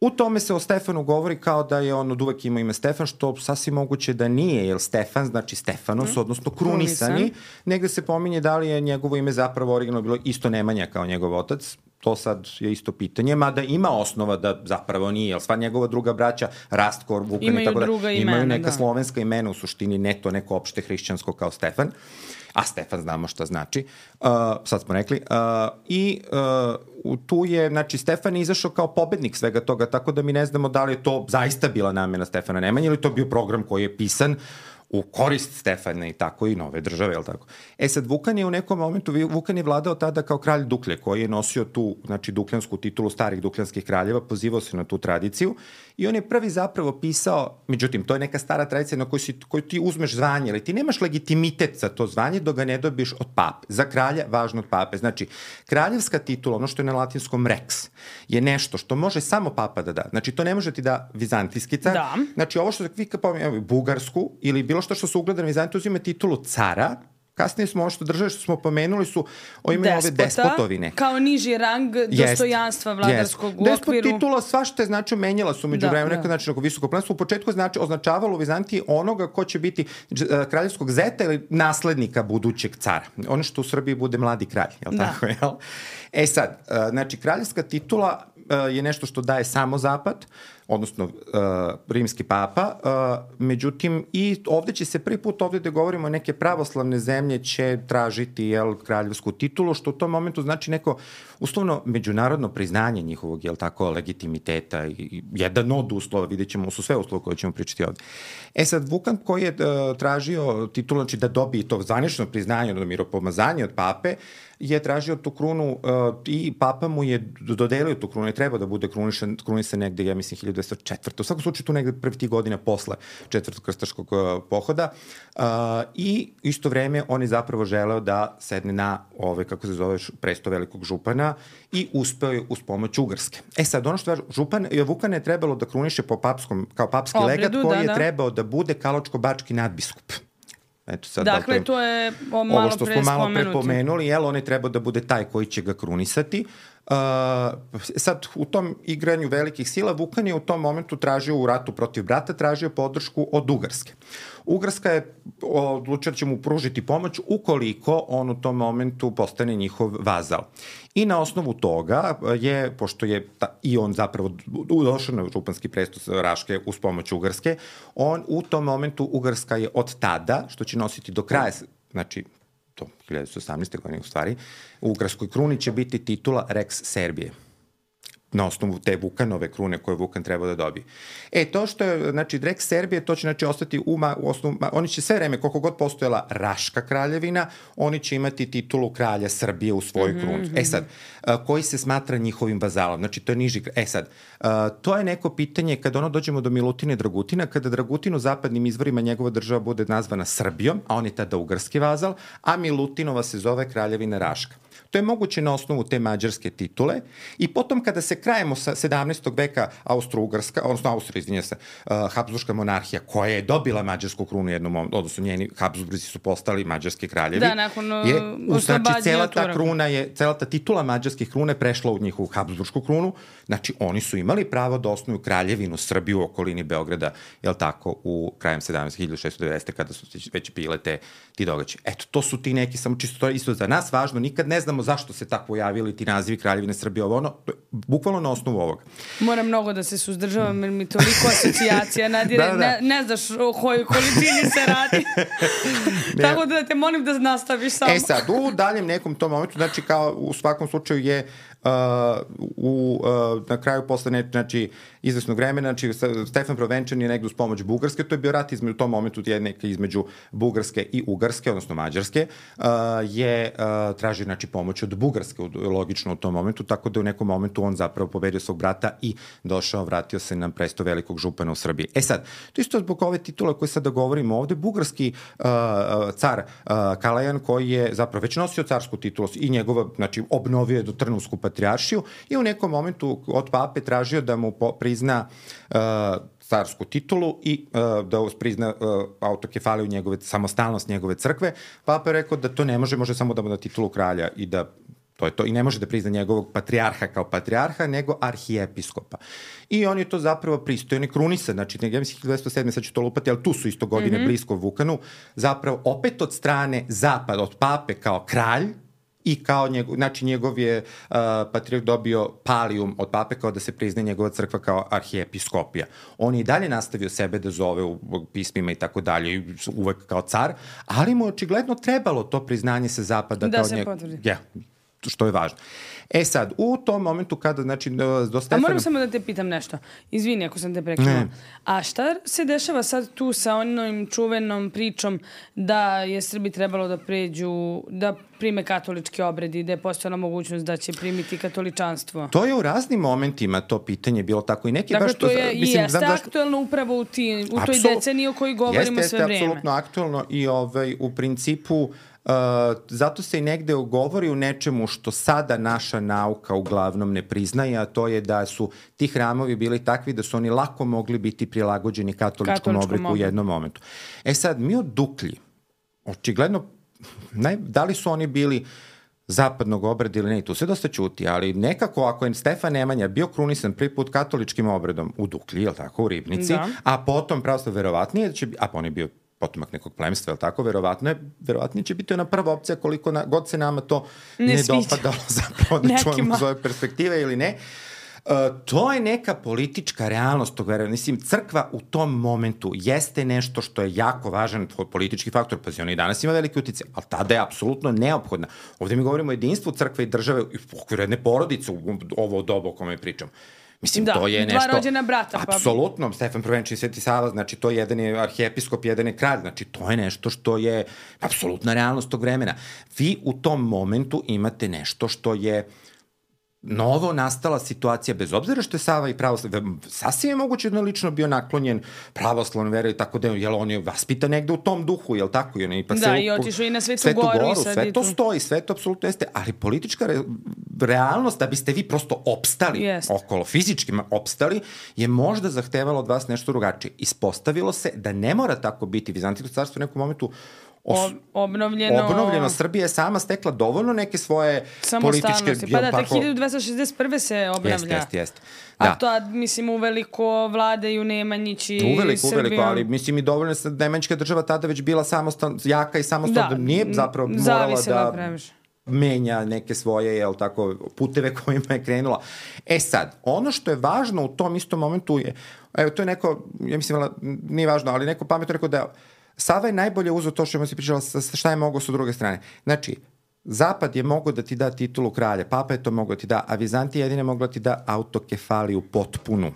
U tome se o Stefanu govori kao da je on od uvek imao ime Stefan, što sasvim moguće da nije, jer Stefan znači Stefanos, odnosno krunisani. Negde se pominje da li je njegovo ime zapravo originalno bilo isto Nemanja kao njegov otac. To sad je isto pitanje, mada ima osnova da zapravo nije, jer sva njegova druga braća, Rastkor, Vukan i tako da, imaju neka slovenska imena, u suštini ne to neko opšte hrišćansko kao Stefan, a Stefan znamo šta znači, sad smo rekli, i tu je, znači, Stefan je izašao kao pobednik svega toga, tako da mi ne znamo da li je to zaista bila namena Stefana Nemanje ili to bio program koji je pisan u korist Stefana i tako i nove države, je li tako? Sad, Vukan je u nekom momentu, Vukan je vladao tada kao kralj Duklje, koji je nosio tu, znači, dukljansku titulu starih dukljanskih kraljeva, pozivao se na tu tradiciju i on je prvi zapravo pisao, međutim, to je neka stara tradicija na koju ti uzmeš zvanje, ali ti nemaš legitimitet za to zvanje dok ga ne dobiš od pape. Za kralja, važno od pape. Znači, kraljevska titula, ono što je na latinskom rex, je nešto što može samo papa da da. Znači, to ne može ti da vizantijski car. Znači, ovo što vi bugarsku ili bilo što se ugleda na Vizantiju uzime titulu cara, kasnije smo ovo što države što smo pomenuli su imaju ove despotovine. Kao niži rang dostojanstva vladarskog u okviru. Despot titula svašta je znači menjala su među vremenu, nekad znači visoko plemstvo. U početku označavalo u Vizantiji onoga ko će biti kraljevskog zeta ili naslednika budućeg cara. Ono što u Srbiji bude mladi kralj, je li tako? Sad, znači kraljevska titula je nešto što daje samo Zapad, odnosno rimski papa, međutim i ovde će se prvi put ovde da govorimo neke pravoslavne zemlje će tražiti kraljevsku titulu, što u tom momentu znači neko uslovno međunarodno priznanje njihovog legitimiteta i jedan od uslova, vidjet ćemo, su sve uslova koje ćemo pričati ovde. Sad, Vukan koji je tražio titulu, znači da dobije to zvanično priznanje, odnosno miropomazanje od pape, je tražio tu krunu i papa mu je dodelio tu krunu, je trebao da bude krunisan negde, ja mislim, 1204. U svakom slučaju tu negde prvi tih godina posle četvrtog krstaškog pohoda i isto vreme on je zapravo želeo da sedne na kako se zove, presto velikog župana i uspeo je uz pomoć Ugarske. Sad, ono što je Vukan je trebalo da kruniše kao papski legat koji je trebao da bude kaločko-bački nadbiskup. Dakle, to je malo što smo malo prepomenuli, on je trebao da bude taj koji će ga krunisati. Sad, u tom igranju velikih sila, Vukan je u tom momentu tražio u ratu protiv brata, tražio podršku od Ugarske. Ugarska je odlučila da će mu pružiti pomoć ukoliko on u tom momentu postane njihov vazal. I na osnovu toga je, pošto je i on zapravo došao na županski presto Raške uz pomoć Ugarske, on u tom momentu Ugarska je od tada, što će nositi do kraja, znači to 1918. godine u stvari, u Ugarskoj kruni će biti titula Rex Serbije, na osnovu te Vukanove krune koje Vukan treba da dobije. To što je, znači, Rex Serbije, to će, znači, ostati u osnovu, oni će sve vreme, koliko god postojala Raška kraljevina, oni će imati titulu kralja Srbije u svojoj kruni. Sad, koji se smatra njihovim vazalom, znači, to je niži, sad, to je neko pitanje kada dođemo do Milutina i Dragutina, kada Dragutin u zapadnim izvorima njegova država bude nazvana Srbijom, a on je tada ugarski vazal, a Milutinova se zove kraljevina Raška. To je moguće na osnovu te mađarske titule i potom kada se krajemo sa 17. veka Austro-Ugarska, odnosno Habsburška monarhija koja je dobila mađarsku krunu jednom, odnosno njeni Habsburzi su postali mađarski kraljevi. Da, nakon znači cela ta kruna cela ta titula mađarskih krune prešla u njihovu Habsburšku krunu, znači oni su imali pravo da osnuju kraljevinu Srbiju u okolini Beograda, jel tako, u krajem 1690. kada su već bile ti događaji. To su ti neki, samo čisto to je isto za nas važno, nikad ne znamo zašto se tako pojavili ti nazivi kraljevine Srbije, bukvalno bukvalno na osnovu ovoga. Moram mnogo da se suzdržavam jer mi toliko asocijacija nadire, ne znaš o kojoj količini se radi. Tako da te molim da nastaviš samo. Sad, u daljem nekom tom momentu, znači kao u svakom slučaju je na kraju posle izvesnog vremena, znači Stefan Prvenčan je negde uz pomoć Bugarske, to je bio rat u tom momentu između Bugarske i Ugarske, odnosno Mađarske, je tražio pomoć od Bugarske, logično u tom momentu, tako da u nekom momentu on zapravo pobedio svog brata i vratio se na presto velikog župana u Srbiji. Sad, to isto zbog ove titule koje sada govorimo ovde, bugarski car Kalajan, koji je zapravo već nosio carsku titulu i njegova, obnovio je do Trnovsku patrijaršiju i u nekom momentu od pape tražio da mu prizna carsku titulu i da prizna autokefaliju samostalnost njegove crkve. Papa je rekao da to ne može samo da mu da titulu kralja i da to je to. I ne može da prizna njegovog patrijarha kao patrijarha, nego arhijepiskopa. I on je to zapravo pristojno krunisan. Znači, ja mislim 1207. sad ću to lupati, ali tu su isto godine blisko Vukanu. Zapravo, opet od strane zapada, od pape kao kralj, i kao njegov je patrijarh dobio palijum od pape kao da se prizna njegova crkva kao arhijepiskopija. On je i dalje nastavio sebe da zove u pismima i tako dalje, uvek kao car, ali mu je očigledno trebalo to priznanje sa zapada. Da se potvrdi. Što je važno. Sad, u tom momentu kada, do Stefana... A moram samo da te pitam nešto. Izvini ako sam te prekinula. A šta se dešava sad tu sa onom čuvenom pričom da je Srbi trebalo da prime katolički obred i da je postojala mogućnost da će primiti katoličanstvo? To je u raznim momentima to pitanje bilo tako i neki dakle, baš... Dakle, to je i jeste aktuelno upravo u toj deceniji o kojoj govorimo sve vreme. Jeste apsolutno aktuelno i u principu zato se i negde govori u nečemu što sada naša nauka uglavnom ne priznaje, a to je da su ti hramovi bili takvi da su oni lako mogli biti prilagođeni katoličkom obliku u jednom momentu. Sad, mi od Duklji, očigledno, da li su oni bili zapadnog obreda ili ne, tu se dosta ćuti, ali nekako ako je Stefan Nemanja bio krunisan prvi put katoličkim obredom u Duklji, je li tako, u Ribnici, a potom pravoslavno verovatnije, a on je bio potomak nekog plemstva, je li tako? Verovatnije će biti ona prva opcija koliko god se nama to ne dopadalo zapravo da čujemo iz ove perspektive ili ne. To je neka politička realnost tog verovanja. Mislim, crkva u tom momentu jeste nešto što je jako važan politički faktor, pa on i danas ima veliki uticaj, ali tada je apsolutno neophodna. Ovde mi govorimo o jedinstvu crkve i države u okviru jedne porodice u ovo dobu o kome pričamo. Mislim, to je nešto... dva rođena brata. Apsolutno, Stefan Prvenčan i Sveti Sava, znači to jedan je arhijepiskop, jedan je kralj, znači to je nešto što je apsolutna realnost tog vremena. Vi u tom momentu imate nešto što je novo nastala situacija, bez obzira što je Sava i pravoslavlje, sasvim je moguće da je lično bio naklonjen pravoslavnom veru i tako da, jel on je vaspitan negde u tom duhu, jel tako? I otišao i na Svetu Goru. Sve to stoji, sve to apsolutno jeste, ali politička realnost, da biste vi prosto opstali okolo, fizički opstali, je možda zahtevalo od vas nešto drugačije. Ispostavilo se da ne mora tako biti. Vizantijsko carstvo u nekom momentu obnovljeno. Srbija je sama stekla dovoljno neke svoje političke... Pa da, tek 1261. se obnavlja. Jeste. A to, mislim, uveliko vladaju Nemanjići i Uveliko, ali mislim i dovoljno da Nemanjićka država tada već bila jaka i samostalna, nije zapravo morala da menja neke svoje, jel tako, puteve kojima je krenula. Sad, ono što je važno u tom istom momentu je, evo, to je neko, ja mislim, nije važno, ali neko pametno rekao da Sava je najbolje uzeo to što si pričala šta je mogao sa druge strane. Znači, Zapad je mogao da ti da titulu kralja, Papa je to mogao da ti da, a Vizantija jedine mogla da ti da autokefaliju potpunu.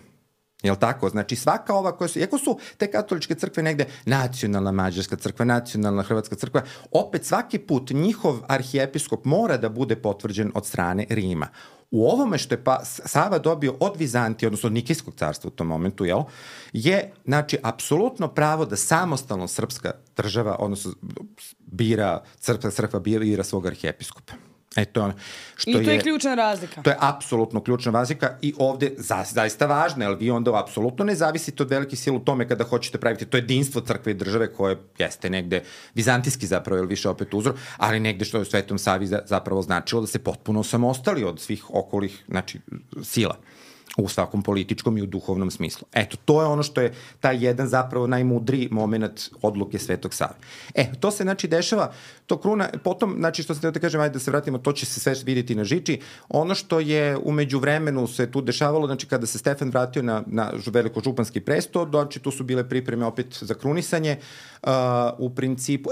Jel tako? Znači svaka ova koja su, iako su te katoličke crkve negde nacionalna mađarska crkva, nacionalna hrvatska crkva, opet svaki put njihov arhijepiskop mora da bude potvrđen od strane Rima. U ovome što je Sava dobio od Vizantije, odnosno od Nikejskog carstva u tom momentu, je, znači, apsolutno pravo da samostalno srpska država, odnosno srpska crkva bira svog arhijepiskopa. I to je ključna razlika. To je apsolutno ključna razlika i ovde zaista važno, jer vi onda apsolutno ne zavisite od velike sile u tome kada hoćete praviti to jedinstvo crkve i države koje jeste negde vizantijski zapravo, ili više opet uzor, ali negde što je u Svetom Savi zapravo značilo da se potpuno samostali od svih okolih, znači, sila. u svakom političkom i u duhovnom smislu. Eto, to je ono što je taj jedan zapravo najmudriji moment odluke Svetog Save. To se znači dešava, to kruna, potom, znači što se da kažem, ajde da se vratimo, to će se sve vidjeti na Žiči. Ono što je umeđu vremenu se tu dešavalo, znači kada se Stefan vratio na velikožupanski presto, znači tu su bile pripreme opet za krunisanje, u principu,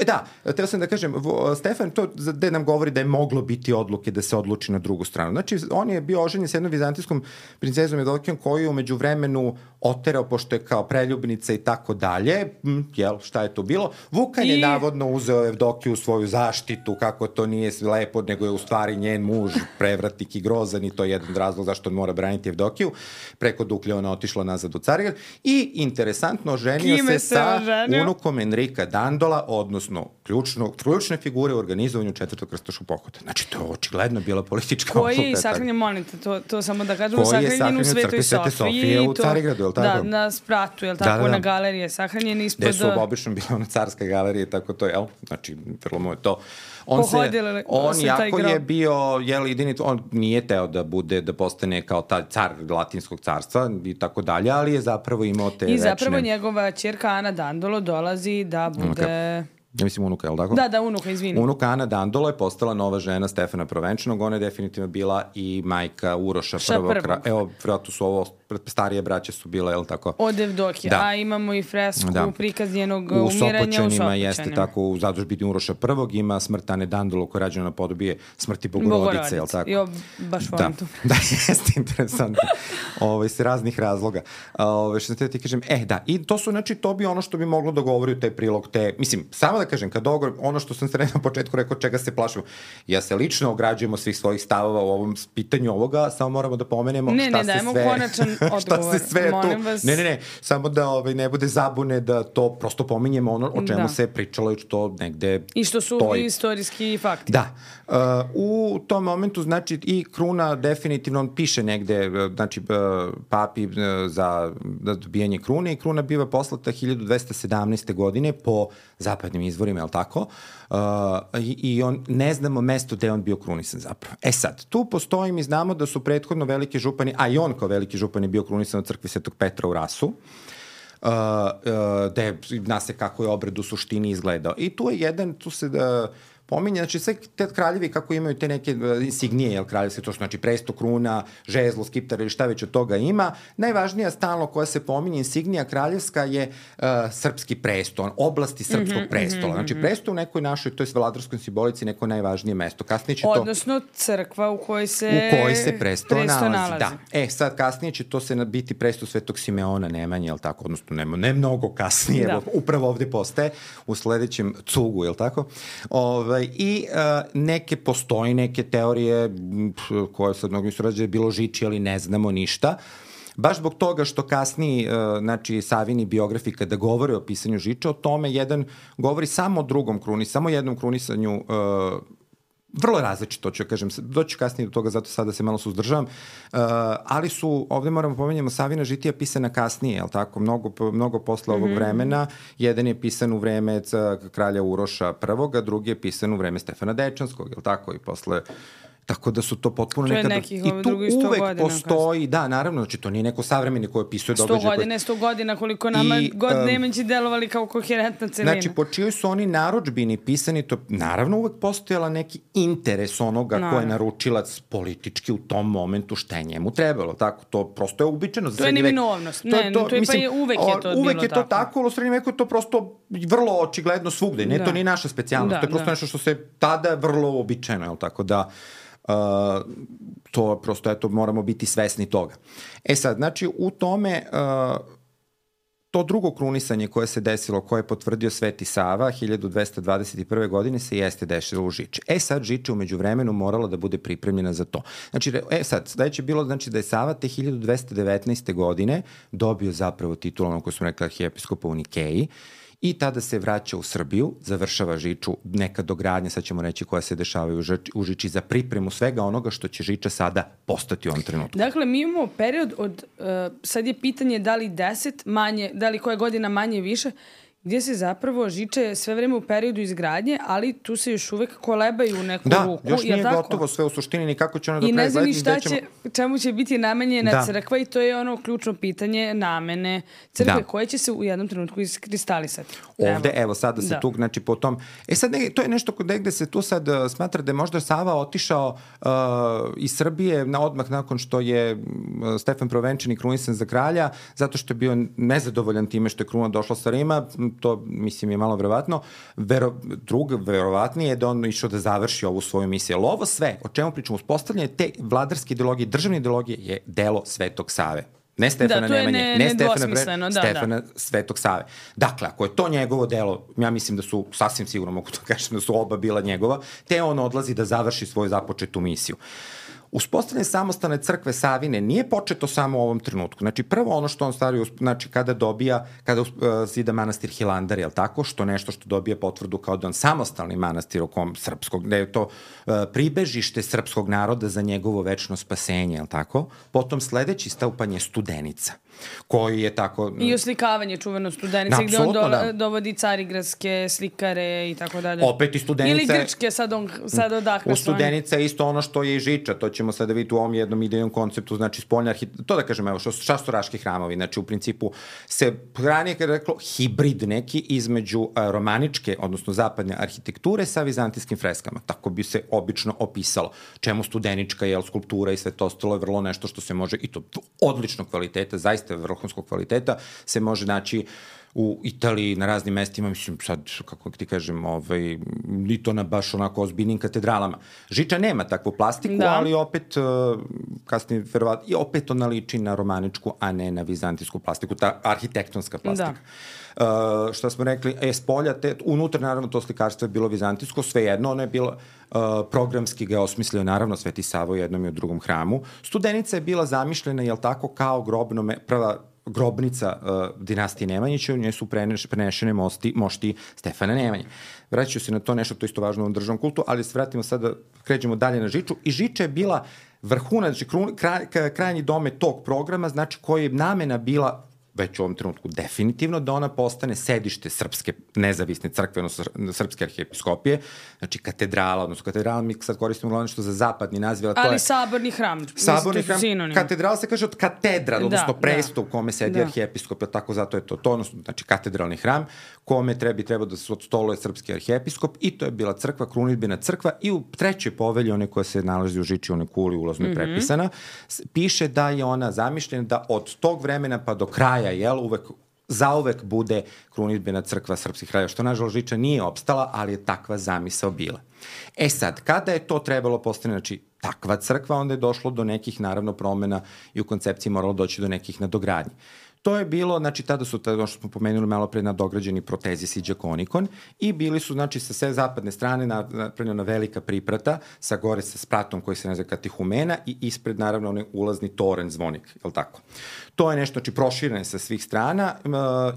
teo sam da kažem, Stefan to gde nam govori da je moglo biti odluke da se odluči na drugu stranu. Znači, on je bio oženjen s jednom vizantijskom princezom Evdokijom koju je umeđu vremenu oterao, pošto je kao preljubnica i tako dalje. Šta je to bilo? Vukan je navodno uzeo Evdokiju u svoju zaštitu, kako to nije lepo, nego je u stvari njen muž prevratnik i grozan i to je jedan razlog zašto on mora braniti Evdokiju. Preko Duklje ona otišla nazad u Carigrad i interesantno ženio se sa unukom Enrika Dandola, odnosno ključne figure u organizovanju Četvrtog krstaškog pohoda. Znači, to je očigledno bila politička odluka. Koji je sahranjen, molite, to samo da kažemo, sahranjen u Svetoj Sofiji. U Carigradu, je li tako? Da, na spratu, je li tako, na galeriji je sahranjen ispod... Gde su obično bila ona carska galerija, tako to, jel? Znači, vrlo mu je to... On jako je bio, on nije teo da postane kao taj car Latinskog carstva i tako dalje, ali je zapravo imao te večne... I zapravo njegova ćerka Ana Dandolo dolazi da bude... Ja mislim unuka, je li tako? Da, unuka, izvini. Unuka Ana Dandolo je postala nova žena Stefana Provenčanog, ona je definitivno bila i majka Uroša prvog. Evo, vjerojatno su ovo, starije braće su bile, je li tako? Od Evdokije, a imamo i fresku, prikaz njenog umiranja u Sopoćanima. Jeste tako, u zadužbini Uroša prvog ima smrt Ane Dandolo koja je rađena na podobije smrti Bogorodice, je li tako? Jo, baš volim to. Da, jeste interesantno. Iz raznih razloga. Što sam ti kažem, i to su, znači, to bi ono što bi moglo da govori u taj prilog, mislim, samo da kažem, kad ono što sam se na početku rekao, čega se plašimo, ja se lično ograđujem od svih svojih stavova u ovom pitanju ovoga, samo moramo da pomenemo šta se sve tu... Ne, samo da ne bude zabune da to prosto pominjemo ono o čemu se pričalo i što negde i što su istorijski fakti. Da. U tom momentu, znači, i kruna definitivno, on piše negde, znači, papi za dobijanje krune i kruna biva poslata 1217. godine po zapadnim izvorima, je li tako? I on, ne znamo mesto gde on bio krunisan zapravo. Sad, tu postoji, mi znamo da su prethodno veliki župani, a i on kao veliki župan je bio krunisan u crkvi Svetog Petra u Rasu, gde zna se kako je obred u suštini izgledao. I tu se pominje, znači sve te kraljevi kako imaju te neke insignije, jel, kraljevske, to su znači presto, kruna, žezlo, skiptar ili šta već od toga ima. Najvažnija stalno koja se pominje insignija kraljevska je srpski presto, oblasti srpskog prestola. Znači presto u nekoj našoj, to je vladarskoj simbolici, neko najvažnije mesto. Kasnije će to... Odnosno crkva u kojoj se presto nalazi. Da. Sad kasnije će to se biti presto Svetog Simeona Nemanje, jel tako? Odnosno ne mnogo kasnije, upravo ovde postaje u sledećem cugu, jel tako? I postoji neke teorije koje sad mnogo misle da je bilo Žiči, ali ne znamo ništa. Baš zbog toga što kasniji, znači, Savini biografi kada govore o pisanju Žiča, o tome jedan govori samo o drugom krunisanju, samo jednom krunisanju, vrlo različito, ću kažem, doći kasnije do toga, zato sada se malo suzdržavam, ali su, ovde moramo pomenjamo, Savina žitija pisana kasnije, jel tako, mnogo posle ovog vremena, jedan je pisan u vreme kralja Uroša I, drugi je pisan u vreme Stefana Dečanskog, jel tako, i posle... Tako da su to potpuno nekada... I tu uvek postoji, da, naravno, znači to nije neko savremeni koji opisuje događaje... 100 godina, koliko nama god Nemanji delovali kao koherentna celina. Znači, po čijoj su oni narudžbini pisani, to naravno uvek postojala neki interes onoga ko je naručilac politički u tom momentu šta je njemu trebalo, tako, to prosto je uobičajeno. To je neminovnost, uvek je to bilo tako. Uvek je to tako, ali u srednjem veku je to prosto vrlo očigledno svugde, ne, to nije naša specijalnost, to je prosto nešto što se tada vrlo uobičajeno, jel tako, da... to prosto, eto, moramo biti svesni toga. Sad, znači, u tome to drugo krunisanje koje se desilo, koje je potvrdio Sveti Sava 1221. godine se jeste desilo u Žiči. Sad, Žiča umeđu vremenu morala da bude pripremljena za to. Znači, sad, sledeće je bilo, znači, da je Sava te 1219. godine dobio zapravo titul, ono koje smo rekli, arhijepiskopa u Nikeji, i tada se vraća u Srbiju, završava Žiču, neka dogradnja, sad ćemo reći, koja se dešavaju u Žiči za pripremu svega onoga što će Žiča sada postati u ovom trenutku. Dakle, mi imamo period od, sad je pitanje da li 10 manje, da li koja godina manje više, gdje se zapravo Žiče sve vreme u periodu izgradnje, ali tu se još uvek kolebaju u neku ruku. Da, još nije gotovo sve u suštini, ni kako će ono do kraja. I ne znam ni čemu će biti namenjena crkva i to je ono ključno pitanje namene crkve koje će se u jednom trenutku iskristalisati. Ovde, evo sada se tu, znači po tom... sad to je nešto gde se tu sad smatra da je možda Sava otišao iz Srbije odmah nakon što je Stefan Prvenčanin krunisan za kralja, zato što je bio nezadovoljan time što je kruna došla sa Rima, to mislim je malo verovatno. Verovatnije je da on išao da završi ovu svoju misiju. Ali ovo sve, o čemu pričamo, uspostavljanje te vladarske ideologije, državne ideologije je delo Svetog Save. Ne Stefana Nemanje, ne Stefana Svetog Save. Dakle, ako je to njegovo delo, ja mislim da su, sasvim sigurno mogu to kažem, da su oba bila njegova, te on odlazi da završi svoju započetu misiju. Uspostavljanje samostalne crkve Savine nije početo samo u ovom trenutku. Znači, prvo ono što on stavio, znači, kada zida manastir Hilandar, je li tako? Što nešto što dobije potvrdu kao da on samostalni manastir srpskog, da je to pribežište srpskog naroda za njegovo večno spasenje, je li tako? Potom sledeći stupanj je Studenica, koji je tako... I oslikavanje čuveno Studenice, gde on dovodi carigradske slikare i tako dalje. Opet i Studenica... Ili grčke, sad odakle. U Studenica je isto ono što je i Žiča, to ćemo sada vidjeti u ovom jednom idejnom konceptu, znači spoljna to da kažem, evo, šastoraški hramovi, znači u principu se ranije kada je reklo hibrid neki između romaničke, odnosno zapadne arhitekture sa vizantijskim freskama. Tako bi se obično opisalo. Čemu studenička, skulptura i sve to ostalo je vrlo nešto što se može, i to odličnog kvaliteta, zaista vrhunskog kvaliteta, se može naći u Italiji, na raznim mestima, mislim sad, kako ti kažem, ni to na baš onako ozbiljnim katedralama. Žiča nema takvu plastiku, ali opet, kasnije, verovatno, i opet ona liči na romaničku, a ne na vizantijsku plastiku, ta arhitektonska plastika. Šta smo rekli, spolja, unutra naravno to slikarstvo je bilo vizantijsko, svejedno, ono je bilo programski ga osmislio naravno Sveti Sava u jednom i u drugom hramu. Studenica je bila zamišljena, jel tako, kao prva grobnica dinastije Nemanjića, u njoj su prenešene mošti Stefana Nemanje. Vraćaju se na to nešto, to isto važno u ovom državnom kultu, ali se vratimo sada, krećemo dalje na Žiču. I Žiča je bila vrhuna, znači krajnji domet tog programa, znači koji je namena bila već u ovom trenutku definitivno da ona postane sedište srpske nezavisne crkve, odnosno srpske arhijepiskopije, znači katedrala, odnosno katedrala mi sad koristimo glavno što za zapadni naziv, ali saborni hram. Saborni hram, katedrala se kaže od katedra, odnosno presto u kome sedi arhijepiskop, tako zato je to, odnosno znači katedralni hram, kome trebao da se odstoluje srpski arhijepiskop, i to je bila crkva, krunidbena crkva, i u trećoj povelji, one koja se nalazi u Žiči, one kuli ulazno je prepisana, piše da je ona zamišljena da od tog vremena pa do kraja zauvek bude krunidbena crkva srpskih kralja, što nažalost Žiča nije opstala, ali je takva zamisao bila. Sad, kada je to trebalo postane, znači takva crkva, onda je došlo do nekih naravno promena i u koncepciji moralo doći do nekih nadogradnji. To je bilo, znači tada su, što smo pomenuli malo pre, nadograđeni protezis i džakonikon, i bili su, znači, sa sve zapadne strane napravljena velika priprata, sa gore sa spratom koji se naziva katihumena, i ispred naravno onaj ulazni toren zvonik, je li tako? To je nešto, znači, proširene sa svih strana,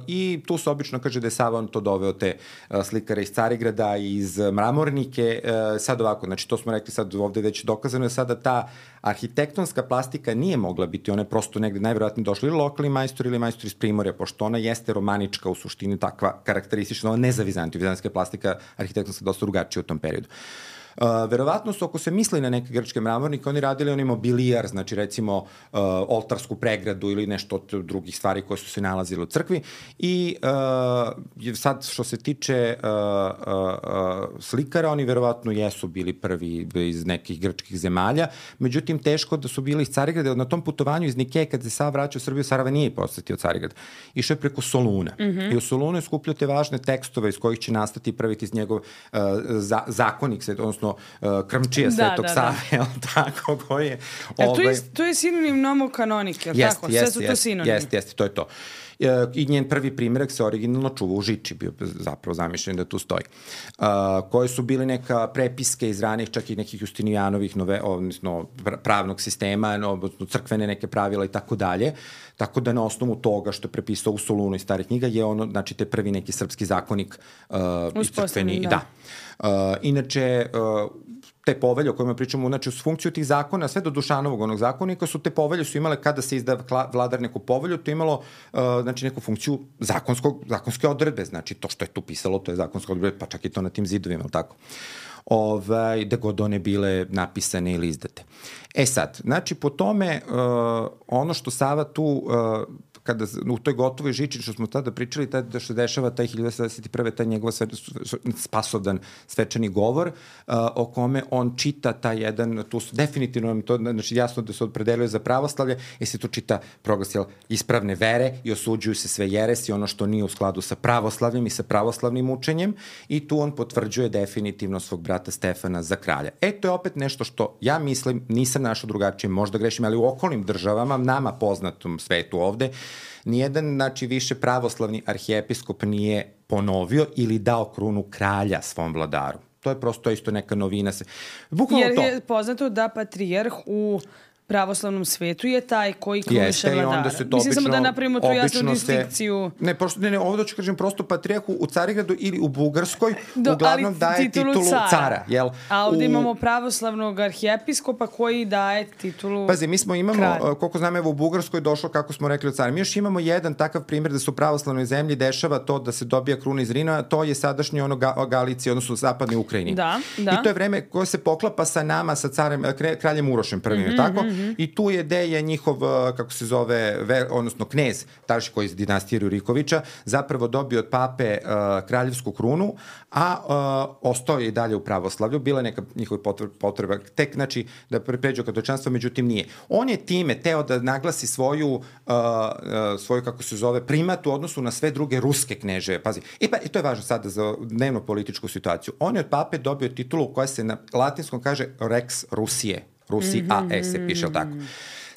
i tu se obično kaže da je Sava on to doveo te slikare iz Carigrada, iz Mramornike, sad ovako, znači to smo rekli sad ovde već dokazano je sada ta arhitektonska plastika nije mogla biti, ona je prosto negde najverovatnije došla ili lokalni majstor ili majstor iz Primorja, pošto ona jeste romanička u suštini, takva karakteristična, ona ne za Vizantiju, vizantijska plastika arhitektonska dosta drugačija u tom periodu. Verovatno su, ako se misli na neke grčke mramornike, oni radili onaj mobilijar, znači recimo oltarsku pregradu ili nešto od drugih stvari koje su se nalazile u crkvi, i sad što se tiče slikara, oni verovatno jesu bili prvi iz nekih grčkih zemalja, međutim teško da su bili iz Carigrada. Na tom putovanju iz Nikeje, kad se Sava vraćao u Srbiju, Sarava nije posetio Carigrad, išao je preko Soluna, i u Solunu je skupljao te važne tekstove iz kojih će nastati prvi iz njegov zakonik, odnosno krmčija Svetog Save, tako, koji je... To je sinonim nomokanonike, je li tako? Sve su to sinonimi. Jeste, to je to. I njen prvi primjerak se originalno čuva u Žiči, bio zapravo zamišljen da tu stoji. Koje su bili neka prepiske iz ranih, čak i nekih Justinijanovih odnosno pravnog sistema, crkvene neke pravila i tako dalje. Tako da na osnovu toga što je prepisao u Solunu iz starih knjiga je ono, znači, te prvi neki srpski zakonik uspostavljen, da. Inače, te povelje o kojima pričamo, znači uz funkciju tih zakona, sve do Dušanovog onog zakonika su te povelje su imale kada se izda vladar neku povelju, to je imalo znači neku funkciju zakonske odredbe, znači to što je tu pisalo, to je zakonska odredbe, pa čak i to na tim zidovima, ali tako. Gde god one bile napisane ili izdate. Sad, znači po tome ono što Sava tu kada u toj gotovoj žiči što smo tada pričali, da što dešava taj 1921. taj njegov spasovdan svečani govor o kome on čita taj jedan, tu su definitivno to, znači jasno da se opredeluje za pravoslavlje, se tu čita proglas ispravne vere i osuđuju se sve jeresi, ono što nije u skladu sa pravoslavljem i sa pravoslavnim učenjem i tu on potvrđuje definitivno svog brata Stefana za kralja. To je opet nešto što ja mislim, nisam našao drugačije, možda grešim, ali u okolnim državama, nama poznatom svetu ovde, nijedan, znači, više pravoslavni arhijepiskop nije ponovio ili dao krunu kralja svom vladaru. To je prosto isto neka novina. Jer je poznato da patrijarh u pravoslavnom svetu je taj koji kruniše vladara. Mislim samo da napravimo tu jasnu distinkciju. Ne, ovdje ću kažem prosto patrijarhu u Carigradu ili u Bugarskoj uglavnom daje titulu cara. A ovdje imamo pravoslavnog arhijepiskopa koji daje titulu Pazi, mi imamo, koliko znam, evo u Bugarskoj došlo, kako smo rekli, od cara. Mi još imamo jedan takav primjer da se u pravoslavnoj zemlji dešava to da se dobija kruna iz Rina, to je sadašnji Galicija, odnosno zapadnoj Ukrajini. I to je vreme koje se poklapa sa nama, sa kraljem Urošem prvim, tako? I tu je gde je njihov, kako se zove, odnosno knez, taš koji iz dinastije Rurikovića, zapravo dobio od pape kraljevsku krunu, a ostao je i dalje u pravoslavlju. Bila je neka njihova potreba, tek, znači, da pređe katoličanstvo, međutim nije. On je time teo da naglasi svoju, kako se zove, primat u odnosu na sve druge ruske kneže. Pazi, i to je važno sada za dnevno političku situaciju. On je od pape dobio titulu koja se na latinskom kaže Rex Rusije. Rusi AE se piše, tako.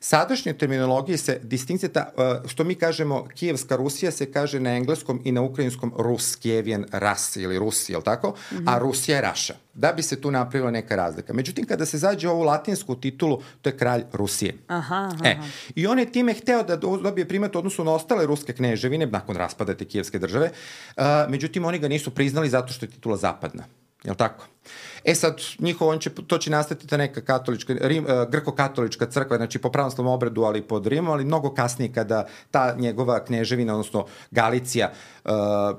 Sadašnje terminologije se distinkcija, što mi kažemo Kijevska Rusija se kaže na engleskom i na ukrajinskom Rus, Kijevijan Ras ili Rusi, jel tako? A Rusija je Raša. Da bi se tu napravila neka razlika. Međutim, kada se zađe ovu latinsku titulu, to je kralj Rusije. I on je time hteo da dobije primat u odnosu na ostale ruske kneževine, nakon raspada te kijevske države, međutim, oni ga nisu priznali zato što je titula zapadna. Jel tako? Sad, to će nastati ta neka grko-katolička crkva, znači po pravoslavnom obredu, ali pod Rimom, ali mnogo kasnije kada ta njegova kneževina, odnosno Galicija,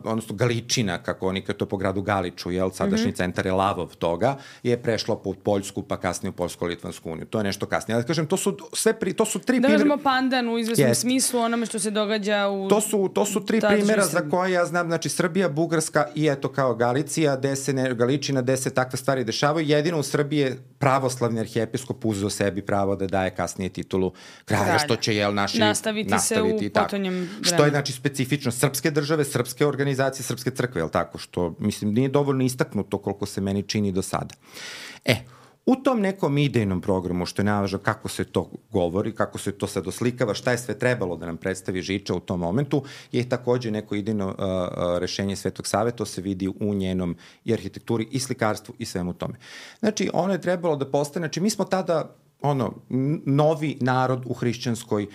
odnosno Galičina, kako oni to po gradu Galiču, sadašnji centar je Lavov toga, je prešlo pod Poljsku, pa kasnije u Poljsko-Litvansku uniju. To je nešto kasnije. Ali kažem, to su tri da kažemo pandan u izvesnom smislu onome što se događa u... To su tri primjera za koje ja znam, znači Srbija, Bugarska i eto kao Galicija, Galičina, gde se takve stvari dešavaju. Jedino u Srbiji je pravoslavni arhijepiskop uzeo sebi pravo da daje kasnije titulu kralja, što će naši nastaviti se u potonjem vremenu. Što je znači specifično srpske države, srpske organizacije, srpske crkve, jel tako? Što, mislim, nije dovoljno istaknuto koliko se meni čini do sada. U tom nekom idejnom programu, što je najvažno kako se to govori, kako se to sad oslikava, šta je sve trebalo da nam predstavi Žiča u tom momentu, je takođe neko idejno rešenje Svetog Save, to se vidi u njenom i arhitekturi i slikarstvu i svemu tome. Znači, ono je trebalo da postane, znači mi smo tada novi narod u hrišćanskoj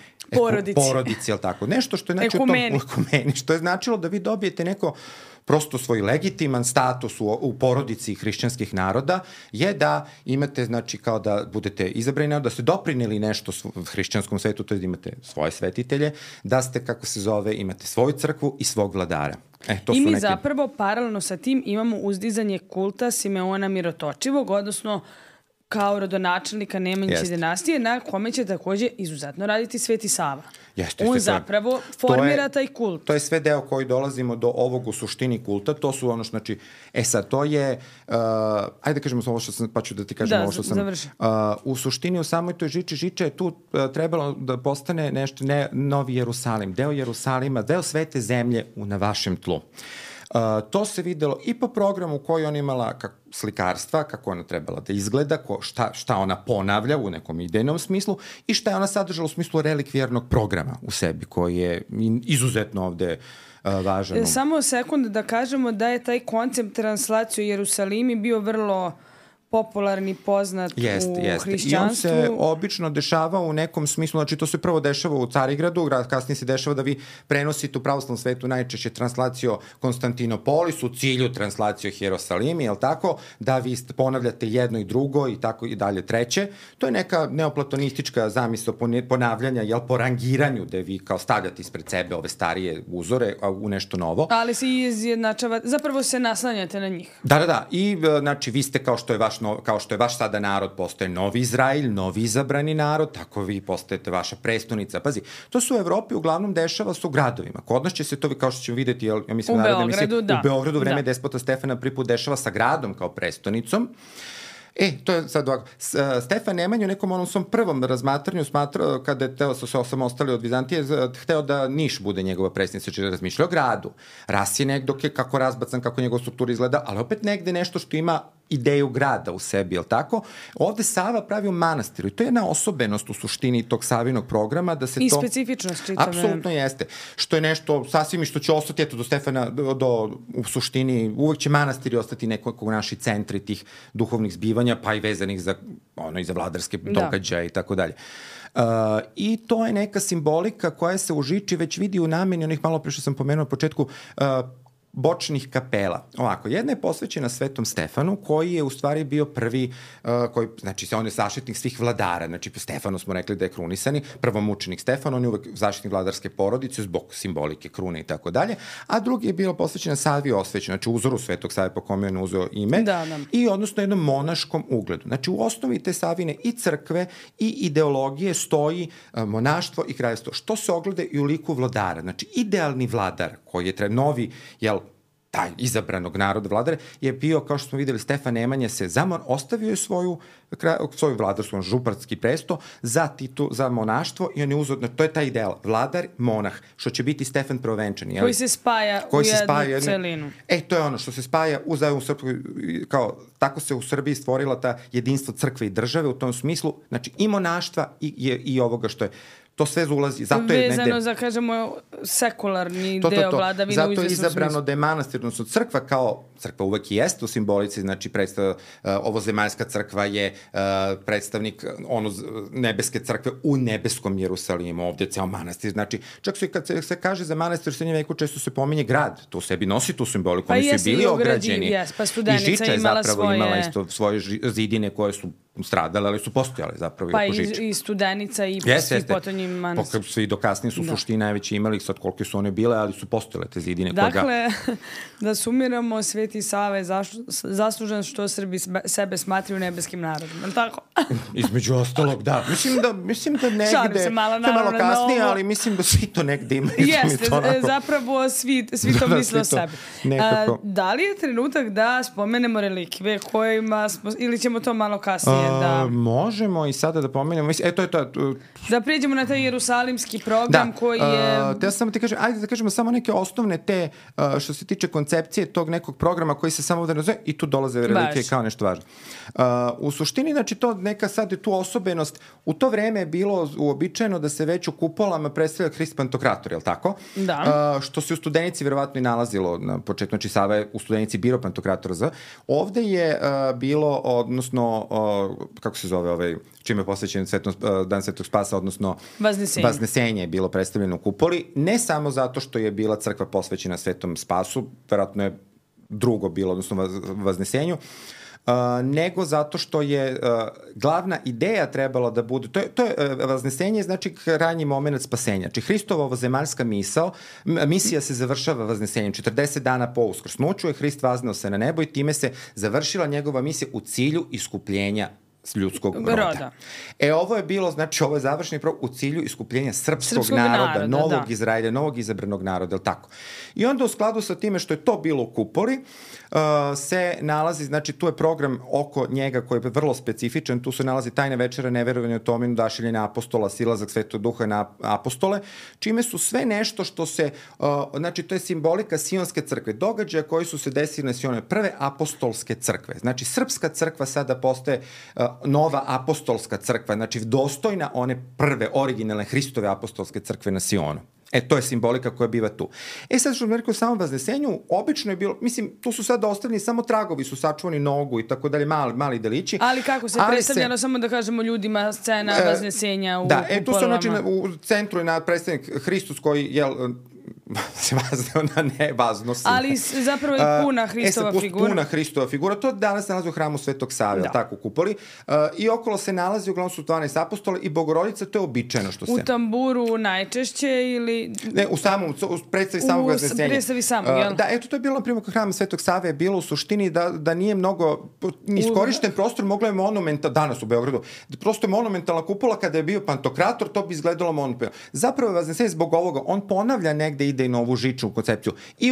porodici, jel tako? Nešto što je znači ekumeni, što je značilo da vi dobijete neko prosto svoj legitiman status u porodici hrišćanskih naroda je da imate, znači, kao da budete izabrani, da ste doprineli nešto hrišćanskom svetu, to je da imate svoje svetitelje, da ste, kako se zove, imate svoju crkvu i svog vladara. I mi zapravo paralelno sa tim imamo uzdizanje kulta Simeona Mirotočivog, odnosno kao rodonačelnika Nemanjiće dinastije, na kome će takođe izuzetno raditi Sveti Sava. On zapravo formira taj kult. To je sve deo koji dolazimo do ovog u suštini kulta. To su ono, znači, sad to je, ajde kažemo ovo što sam, pa ću da ti kažem ovo što sam. U suštini u samoj toj Žiča je tu trebalo da postane nešto, Novi Jerusalim, deo Jerusalima, deo svete zemlje na vašem tlu. To se videlo i po programu koji on imala slikarstva, kako ona trebala da izgleda, šta ona ponavlja u nekom idejnom smislu i šta je ona sadržala u smislu relikvijarnog programa u sebi, koji je izuzetno ovde važan. Samo sekund da kažemo da je taj koncept translacije u Jerusalimi bio vrlo popularni, poznat u hrišćanstvu. I on se obično dešava u nekom smislu, znači to se prvo dešava u Carigradu, kasnije se dešava da vi prenosite u pravoslavnom svetu najčešće translacio Konstantinopolis u cilju translacio Hierosalimi, je li tako, da vi ponavljate jedno i drugo i tako i dalje treće. To je neka neoplatonistička zamisao ponavljanja, jel, po rangiranju, da vi kao stavljate ispred sebe ove starije uzore u nešto novo. Ali se izjednačava, zapravo se naslanjate na njih. Da. I znači vi ste kao što je vaš sada narod, postoje novi Izrael, novi izabrani narod, tako vi postajete vaša prestonica. Pazi, to se u Evropi uglavnom dešava u gradovima. Kod nas će se to, kao što ćemo videti, ja mislim, u Beogradu vreme despota Stefana prvi put dešava sa gradom kao prestonicom. To je sad ovako. Stefan Nemanja u nekom onom svom prvom razmatranju smatrao, kada je teo se osamostali od Vizantije, hteo da Niš bude njegova prestonica, znači razmišljao o gradu. Ras je negdje kako razbacan, kako njegova struktura izgleda, ali opet negde nešto što ima ideju grada u sebi, je li tako? Ovde Sava pravi u manastiru i to je jedna osobenost u suštini tog Savinog programa da se to... I specifičnost čitave. Apsolutno jeste. Što je nešto sasvim i što će ostati, eto, do Stefana, u suštini, uvek će manastiri ostati nekako naši centri tih duhovnih zbivanja, pa i vezanih za vladarske događaje i tako dalje. I to je neka simbolika koja se u Žiči već vidi u nameni onih malo pre što sam pomenuo na početku bočnih kapela. Ovako, jedna je posvećena Svetom Stefanu, koji je u stvari bio prvi, znači on je zaštitnik svih vladara, znači po Stefanu smo rekli da je krunisani, prvomučenik Stefan, on je uvek zaštitnik vladarske porodice zbog simbolike krune i tako dalje, a drugi je bilo posvećena Savi Osvećen, znači uzoru Svetog Save po kome je on uzeo ime, i odnosno jednom monaškom ugledu. Znači u osnovi te Savine i crkve i ideologije stoji monaštvo i kraljevstvo, što se ogleda i u liku vladara, znači idealni vladar koji je novi, taj izabranog naroda vladare, je bio, kao što smo videli, Stefan Nemanja se ostavio je svoju vladarsku, župarski presto za monaštvo i on je uzeo, to je taj ideal, vladar, monah, što će biti Stefan Prvovenčani. Koji se spaja u jednu celinu. To je ono što se spaja u Srpskoj, kao tako se u Srbiji stvorila ta jedinstvo crkve i države u tom smislu, znači i monaštva i ovoga što je. To sve ulazi. Vezano za, kažemo, sekularni deo vladavine. Zato je izabrano da je manastir, odnosno crkva uvek i jeste u simbolici, znači ovozemaljska crkva je predstavnik nebeske crkve u nebeskom Jerusalimu, ovdje je ceo manastir. Znači, čak kad se kaže za manastir u srednjem veku, često se pominje grad, to u sebi nosi tu simboliku, oni su bili ograđeni. Pa Studenica je imala svoje zidine koje su stradale, ali su postojale zapravo pa i oko Žiče. I Studenica i svi potonji manastir. Svi do kasnije su suštini najveći imali, sad koliko su one bile, ali su postojale te zidine. Dakle, da sumiramo, Sveti Sava je zaslužen što Srbi sebe smatraju nebeskim narodom. Tako? Između ostalog, da. Mislim da negde, to je malo kasnije, ali mislim da svi to negde imaju. Jeste, zapravo svi to misle o sebi. Da li je trenutak da spomenemo relikve kojima smo, ili ćemo to malo kasnije da... Možemo i sada da pomenemo. To je to. Da priđemo na taj jerusalimski program koji je... Te samo ti kažem, ajde da kažemo samo neke osnovne te, što se tiče koncepcije tog nekog programa koji se samo ovdje nazove i tu dolaze relikvije kao nešto važno. U suštini, znači to neka sad je tu osobenost. U to vreme je bilo uobičajeno da se već u kupolama predstavlja Hrist Pantokrator, je li tako? Da. Što se u Studenici verovatno i nalazilo na početku, znači Sava je u Studenici birao Pantokratora. Ovde je bilo, odnosno, kako se zove čime je posvećen Dan Svetog Spasa, odnosno Vaznesenje je bilo predstavljeno u kupoli, ne samo zato što je bila crkva posvećena Svetom Spasu, verovatno je drugo bilo, odnosno Vaznesenju, nego zato što je glavna ideja trebala da bude, to je Vaznesenje, znači ranji moment spasenja. Znači Hristova ovozemaljska misija se završava Vaznesenjem. 40 dana po uskrsnuću je Hrist vazneo se na nebo i time se završila njegova misija u cilju iskupljenja ljudskog roda. Ovo je bilo, znači ovo je završni program u cilju iskupljenja srpskog naroda, novog Izraelja, novog izabranog naroda, ili tako. I onda u skladu sa time što je to bilo u kupoli, se nalazi, znači tu je program oko njega koji je vrlo specifičan, tu se nalazi tajna večera, neverovanje u Tominu, dašiljenja apostola, silazak Svetog Duha na apostole, čime su sve nešto što se, znači to je simbolika Sionske crkve, događaja koji su se desili na Sionu, prve apostolske crkve. Znači srpska crkva sada postaje nova apostolska crkva, znači dostojna one prve originalne Hristove apostolske crkve na Sionu. To je simbolika koja biva tu. Sad što bih rekao, u samom Vaznesenju, obično je bilo, mislim, tu su sad ostavljeni samo tragovi, su sačuvani nogu i tako dalje, mali delići. Ali kako se predstavljalo, samo da kažemo ljudima, scena Vaznesenja u kupolama? Tu su, znači, u centru je predstavnik Hristos koji, se vazneo na nevaznost. Ali zapravo je puna Hristova figura. Puna Hristova figura. To danas se nalazi u hramu Svetog Save, tako u kupoli. I okolo se nalazi, uglavnom su 12 apostola i Bogorodica, to je običajno što se... U tamburu najčešće ili... Ne, u predstavi samog Vaznesenja. U predstavi samog, jel? To je bilo, na primjer, kod hrama Svetog Save je bilo u suštini da nije mnogo iskorišten prostor, moglo je monumental, danas u Beogradu, prosto je monumentalna kupola, kada je bio Pantokrator, to bi izgledalo monumentalno. Zapravo Vaznesenje zbog ovoga, on ponavlja negde ide i novu žičnu koncepciju. I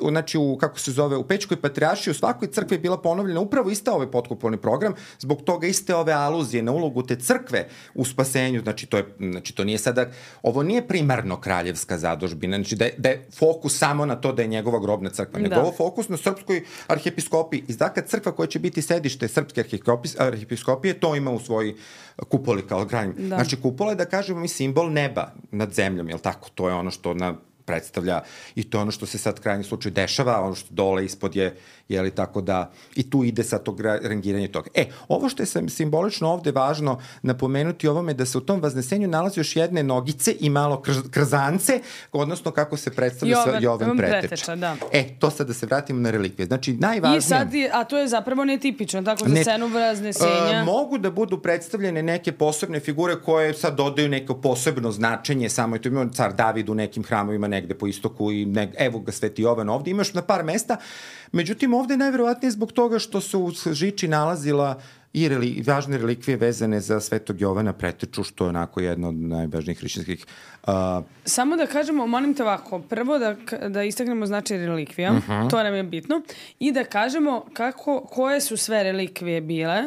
znači kako se zove, u Pećkoj patrijaršiji, u svakoj crkvi je bila ponovljena upravo ista ovaj potkupolni program, zbog toga iste ove aluzije na ulogu te crkve u spasenju, znači to nije sada, ovo nije primarno kraljevska zadužbina, znači da je fokus samo na to da je njegova grobna crkva, nego ovo fokus na srpskoj arhijepiskopiji. I dakle, crkva koja će biti sedište srpske arhijepiskopije, to ima u svojoj kupoli kao granj. Znači, kupola je, da kažemo, mi simbol neba nad zemljom, jel tako? To je ono što predstavlja i to ono što se sad krajnji slučaj dešava, ono što dole ispod je, jeli, tako da i tu ide sad to rangiranje toga. Ovo što je simbolično ovde važno napomenuti ovome da se u tom Vaznesenju nalazi još jedne nogice i malo krzance, odnosno kako se predstavlja Jovan Preteča. To sad da se vratimo na relikvije. Znači, najvažnije... A to je zapravo netipično, tako za scenu Vaznesenja? Mogu da budu predstavljene neke posebne figure koje sad dodaju neko posebno značenje, samo je to imao car David u nekim hramovima negde po istoku i evo ga Sveti Jovan ovde, imaš na par mesta. Međutim, ovde je najverovatnije zbog toga što se u žiči nalazila i važne relikvije vezane za Svetog Jovana Preteču, što je onako jedna od najvažnijih hrišćanskih... Samo da kažemo, molim te ovako, prvo da istaknemo značaj relikvija, to nam je bitno, i da kažemo koje su sve relikvije bile,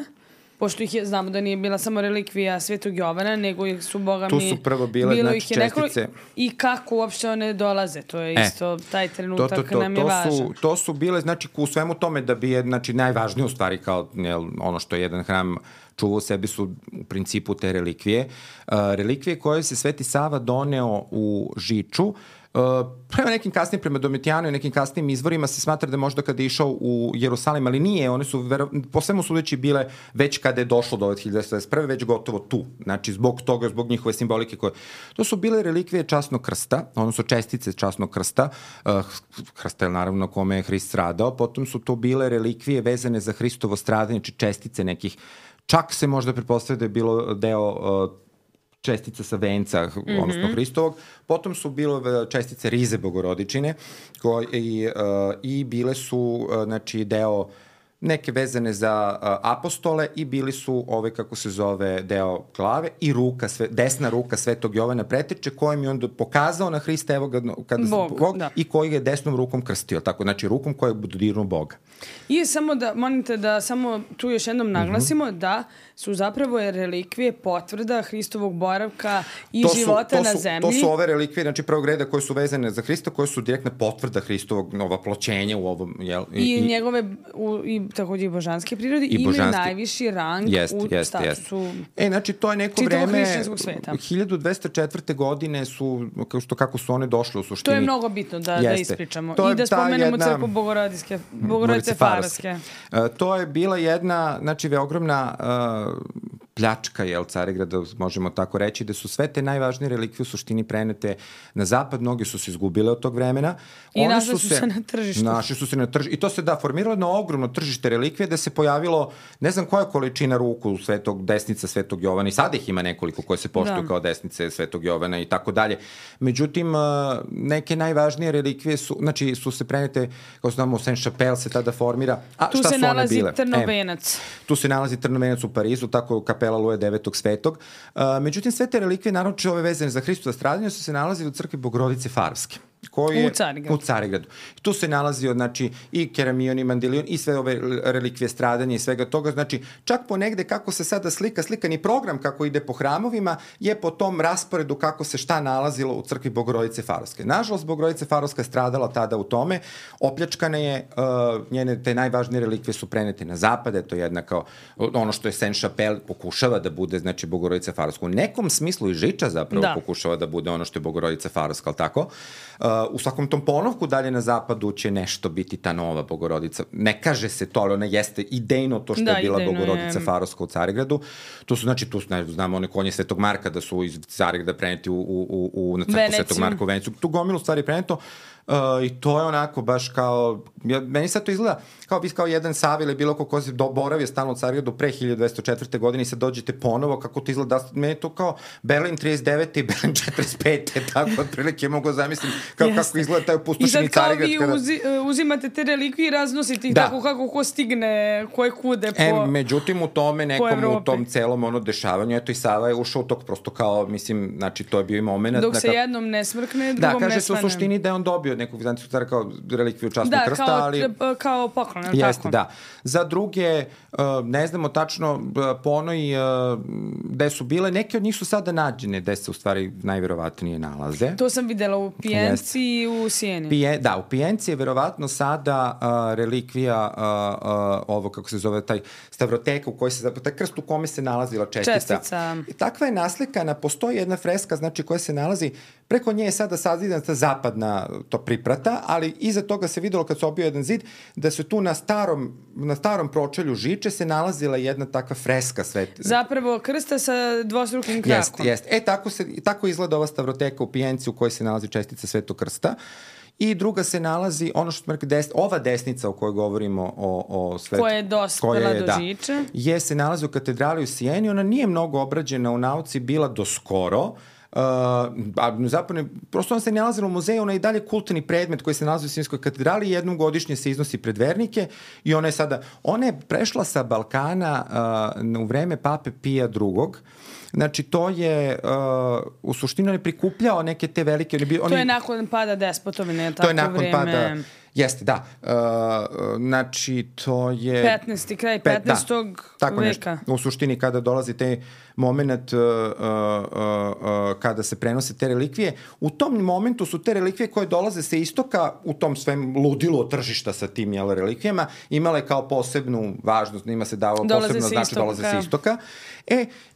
pošto znamo da nije bila samo relikvija Svetog Jovana, nego su, boga mi, tu su prvo bile, znači, čestice. I kako uopšte one dolaze, to je isto taj trenutak nam je važan. To su bile, znači, u svemu tome da bi je, znači, najvažnije u stvari kao ono što je jedan hram čuvao sebi su u principu te relikvije. Relikvije koje se Sveti Sava doneo u žiču, prema nekim kasnim, prema Domitijanu i nekim kasnim izvorima se smatra da možda kada je išao u Jerusalim, ali nije, one su po svemu sudeći bile već kada je došlo do ove 1921. već gotovo tu. Znači, zbog toga, zbog njihove simbolike koje... To su bile relikvije časnog krsta, odnosno čestice časnog krsta, krsta je naravno na kome je Hrist stradao, potom su to bile relikvije vezane za Hristovo stradanje, znači čestice nekih, čak se možda pretpostavlja da je bilo deo čestica sa venca, odnosno Hristovog. Potom su bile čestice rize Bogorodičine i bile su, znači, deo neke vezane za apostole i bili su kako se zove, deo glave i desna ruka Svetog Jovana Preteče, kojim je on pokazao na Hrista, evo ga, Bog, i koji je desnom rukom krstio, tako, znači rukom koja je dodirnuo Boga. I samo da, molite da samo tu još jednom naglasimo da su zapravo relikvije potvrda Hristovog boravka i života na zemlji. To su ove relikvije, znači prvog reda koje su vezane za Hrista, koje su direktna potvrda Hristovog vaploćenja u ovom, jel? I njegove, i takođe i božanske prirode, imaju najviši rang u statusu znači to je neko vreme, 1204. godine su, kako su one došle u suštini. To je mnogo bitno da ispričamo. I da spomenemo crkvu Bogorodice Farske. To je bila jedna, znači, ogromna pljačka, Carigrada, možemo tako reći, da su sve te najvažnije relikvije u suštini prenete na zapad, mnogi su se izgubile od tog vremena. I našli su se na tržištu. I to se formiralo na ogromno tržište relikvije, da se pojavilo, ne znam koja količina ruku desnica Svetog Jovana, i sada ih ima nekoliko koje se poštuju kao desnice Svetog Jovana i tako dalje. Međutim, neke najvažnije relikvije su se prenete, kao znamo, Saint-Chapelle se tada formira. Tu se nalazi Trnovenac. Tu se nalazi Trnovenac u Parizu, tako kapela Luje 9. Svetog. Međutim, sve te relikvije, naravno ove vezane za Hristova stradanje, su se nalazili u crkvi Bogorodice Farske. koji je u Carigradu. Tu se nalazio, znači, i keramion i mandilion i sve ove relikvije stradanja i svega toga. Znači, čak ponegde kako se sada slikani program kako ide po hramovima je po tom rasporedu kako se šta nalazilo u crkvi Bogorodice Farovske. Nažalost, Bogorodice Farovska je stradala tada u tome. Opljačkana je, njene te najvažnije relikvije su prenete na zapad, to je jedna kao ono što je Saint-Chapelle pokušava da bude, znači, Bogorodica Farovska. U nekom smislu i Žiča zapravo pokušava da bude ono što je Bogorodica Farovska, ali tako? U svakom tom ponovku dalje na zapadu će nešto biti ta nova Bogorodica. Ne kaže se to, ali ona jeste idejno to što je bila Bogorodica Farovska u Carigradu. To su, znači, tu znamo one konje Svetog Marka da su iz Carigrada preneti na crkvu Svetog Marka u Veneciju. Tu gomilu stvari preneto. I to je onako baš kao, meni sad to izgleda kao jedan Sava ili bilo ko se boravio stalno u Carigradu pre 1204. godine i sad dođete ponovo, kako to izgleda, meni je to kao Berlin 39. i Berlin 45. tako otprilike mogu zamislim kako izgleda taj opustošeni Carigrad. I sad kao vi uzimate te relikvije i raznosite ih tako kako ko stigne, koje kude po međutim u tome nekom u tom celom dešavanju, eto i Sava je ušao u tog prosto kao, mislim, znači to je bio i moment. Dok se jednom ne smrkne, drugom ne svane. Da, kaže se u suštini da je on dobio nekog vizantijskog cara kao relikviju časnog krsta, ali... Da, kao poklon, tako? Jeste, da. Za druge, ne znamo tačno po onoj gde su bile, neke od njih su sada nađene, gde se u stvari najverovatnije nalaze. To sam videla u Pijenci i u Sijeni. Da, u Pijenci je verovatno sada relikvija ovo, kako se zove, taj stavroteka u kojoj se, taj krst u kome se nalazila čestica. I takva je naslikana, postoji jedna freska, znači koja se nalazi, preko nje je sada sazidana ta zapadna to priprata, ali iza toga se videlo kad se obio jedan zid, da se tu na starom pročelju Žiče se nalazila jedna takva freska zapravo krsta sa dvostrukim krakom. Jeste. Tako izgleda ova stavroteka u Pijenci u kojoj se nalazi čestica Svetog krsta. I druga se nalazi, ono što smo rekli, ova desnica o kojoj govorimo o svetu... Koja je dospela do Žiče. Se nalazi u katedrali u Sijeni, ona nije mnogo obrađena u nauci, bila do skoro, zapravo, prosto ona se nalazila u muzeju, ona je i dalje kultni predmet koji se nalazi u Sijenskoj katedrali i jednom godišnje se iznosi pred vernike i ona je prešla sa Balkana u vreme pape Pija II. Znači, to je, u suštini, on je prikupljao neke te velike... To je nakon pada despotovine, tako vreme... To je nakon pada... Jeste, da. Znači, to je... kraj 15. Tako veka. Nešto. U suštini, kada dolazi taj moment kada se prenose te relikvije, u tom momentu su te relikvije koje dolaze sa istoka, u tom svem ludilu od tržišta sa tim relikvijama, imale kao posebnu važnost, njima se dao posebno znači dolaze sa istoka.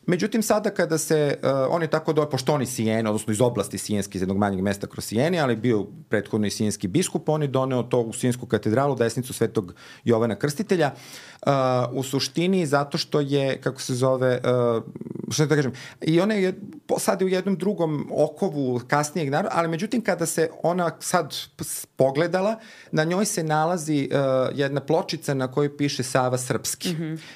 Međutim, sada kada se, on je tako pošto on je Sijen, odnosno iz oblasti Sijenske, iz jednog manjeg mesta kroz Sijeni, ali bio prethodno i sijenski biskup, on je doneo to u Sijensku katedralu, desnicu Svetog Jovana Krstitelja, u suštini zato što je, kako se zove, što da kažem, i ona je sad u jednom drugom okovu kasnijeg naroda, ali međutim kada se ona sad pogledala, na njoj se nalazi jedna pločica na kojoj piše Sava srpski.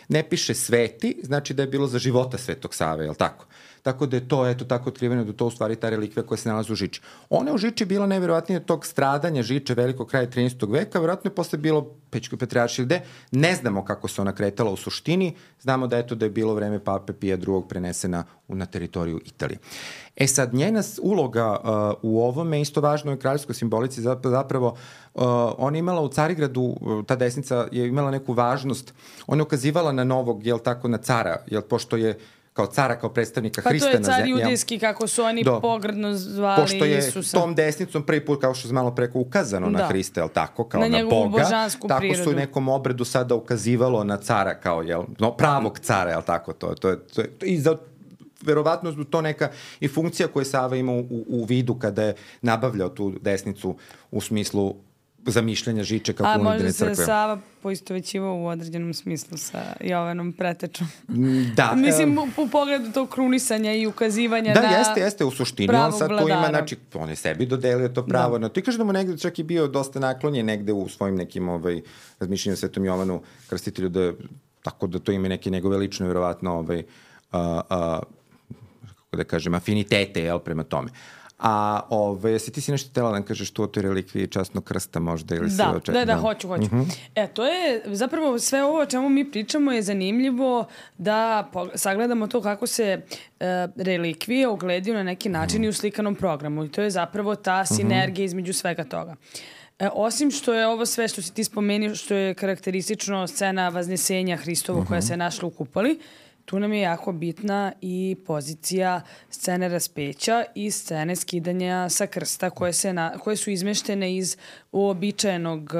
Ne piše Sveti, znači da je bilo za života Svetog Save, je li tako? Tako da je to, eto, tako otkriveno da to u stvari ta relikvija koja se nalazi u Žiči. Ona u Žiči bila najverovatnije tog stradanja Žiče velikog kraja 13. veka, verovatno je posle bilo Pećkoj patrijaršiji gde, ne znamo kako se ona kretala u suštini, znamo da je bilo vreme pape Pija II. Prenesena na teritoriju Italije. Sad, njena uloga u ovome, isto važno je kraljevskoj simbolici, zapravo ona imala u Carigradu, ta desnica je imala neku važnost, ona je ukazivala na novog, jel tako, na cara, jel pošto je kao cara, kao predstavnika Hrista na zemlji. Pa to je car judijski, kako su oni pogrdno zvali Isusa. Pošto je tom desnicom prvi put, kao što je malo preko ukazano na Hrista, jel tako, kao na Boga. Na njegovu božansku tako prirodu. Tako su u nekom obredu sada ukazivalo na cara, kao, pravog cara, jel tako, to je i za verovatno to neka i funkcija koju Sava ima u vidu kada je nabavljao tu desnicu u smislu zamišljanja Žiče kako unidene crkve. A možda se Sava poistovećivao u određenom smislu sa Jovanom Pretečom. Da. Mislim, u pogledu tog krunisanja i ukazivanja na pravog vladara. Jeste, u suštini. On sad tu ima, znači, on je sebi dodelio to pravo. No, ti kažeš da mu negde čak i bio dosta naklonjen negde u svojim nekim razmišljanju Svetom Jovanu Krstitelju, tako da to ima neke njegove lične, verovatno, kako da kažem, afinitete, prema tome. A jesi ti si nešto htjela da kažeš tu o toj relikviji časnog krsta možda? Ili Da, hoću. To je zapravo sve ovo o čemu mi pričamo je zanimljivo da sagledamo to kako se relikvije ogledaju na neki način i u slikanom programu. I to je zapravo ta sinergija između svega toga. Osim što je ovo sve što si ti spomenuo, što je karakteristično scena Vaznesenja Hristovo koja se našla u kupoli, tu nam je jako bitna i pozicija scene raspeća i scene skidanja sa krsta koje su izmeštene iz uobičajenog,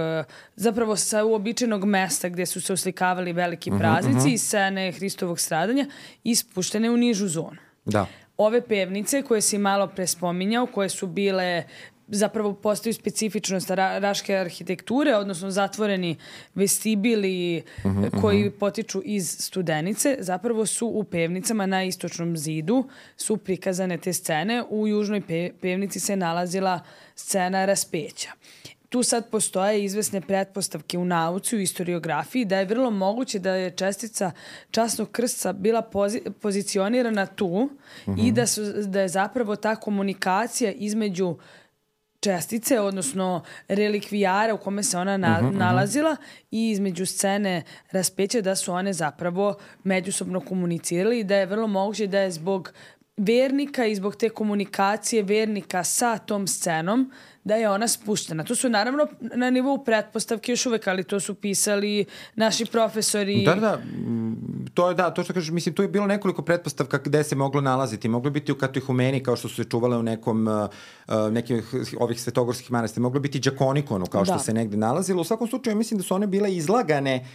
zapravo sa uobičajenog mesta gdje su se oslikavali veliki praznici i scene Hristovog stradanja i spuštene u nižu zonu. Da. Ove pevnice koje si malo pre spominjao, koje su bile zapravo postaju specifičnost raške arhitekture, odnosno zatvoreni vestibili koji potiču iz Studenice, zapravo su u pevnicama na istočnom zidu su prikazane te scene. U južnoj pevnici se nalazila scena raspeća. Tu sad postoje izvesne pretpostavke u nauci, u istoriografiji, da je vrlo moguće da je čestica časnog krsta bila pozicionirana tu i da je zapravo ta komunikacija između čestice, odnosno relikvijara u kome se ona nalazila i između scene raspeća da su one zapravo međusobno komunicirali i da je vrlo moguće da je zbog vernika i zbog te komunikacije vernika sa tom scenom da je ona spuštena. To su naravno na nivou pretpostavke još uvek, ali to su pisali naši profesori. To što kažeš, mislim, tu je bilo nekoliko pretpostavka gde se moglo nalaziti. Moglo biti u Katihumeni, kao što su se čuvale u nekim ovih svetogorskih manastira. Moglo biti Đakonikonu, kao što se negde nalazilo. U svakom slučaju, mislim da su one bile izlagane,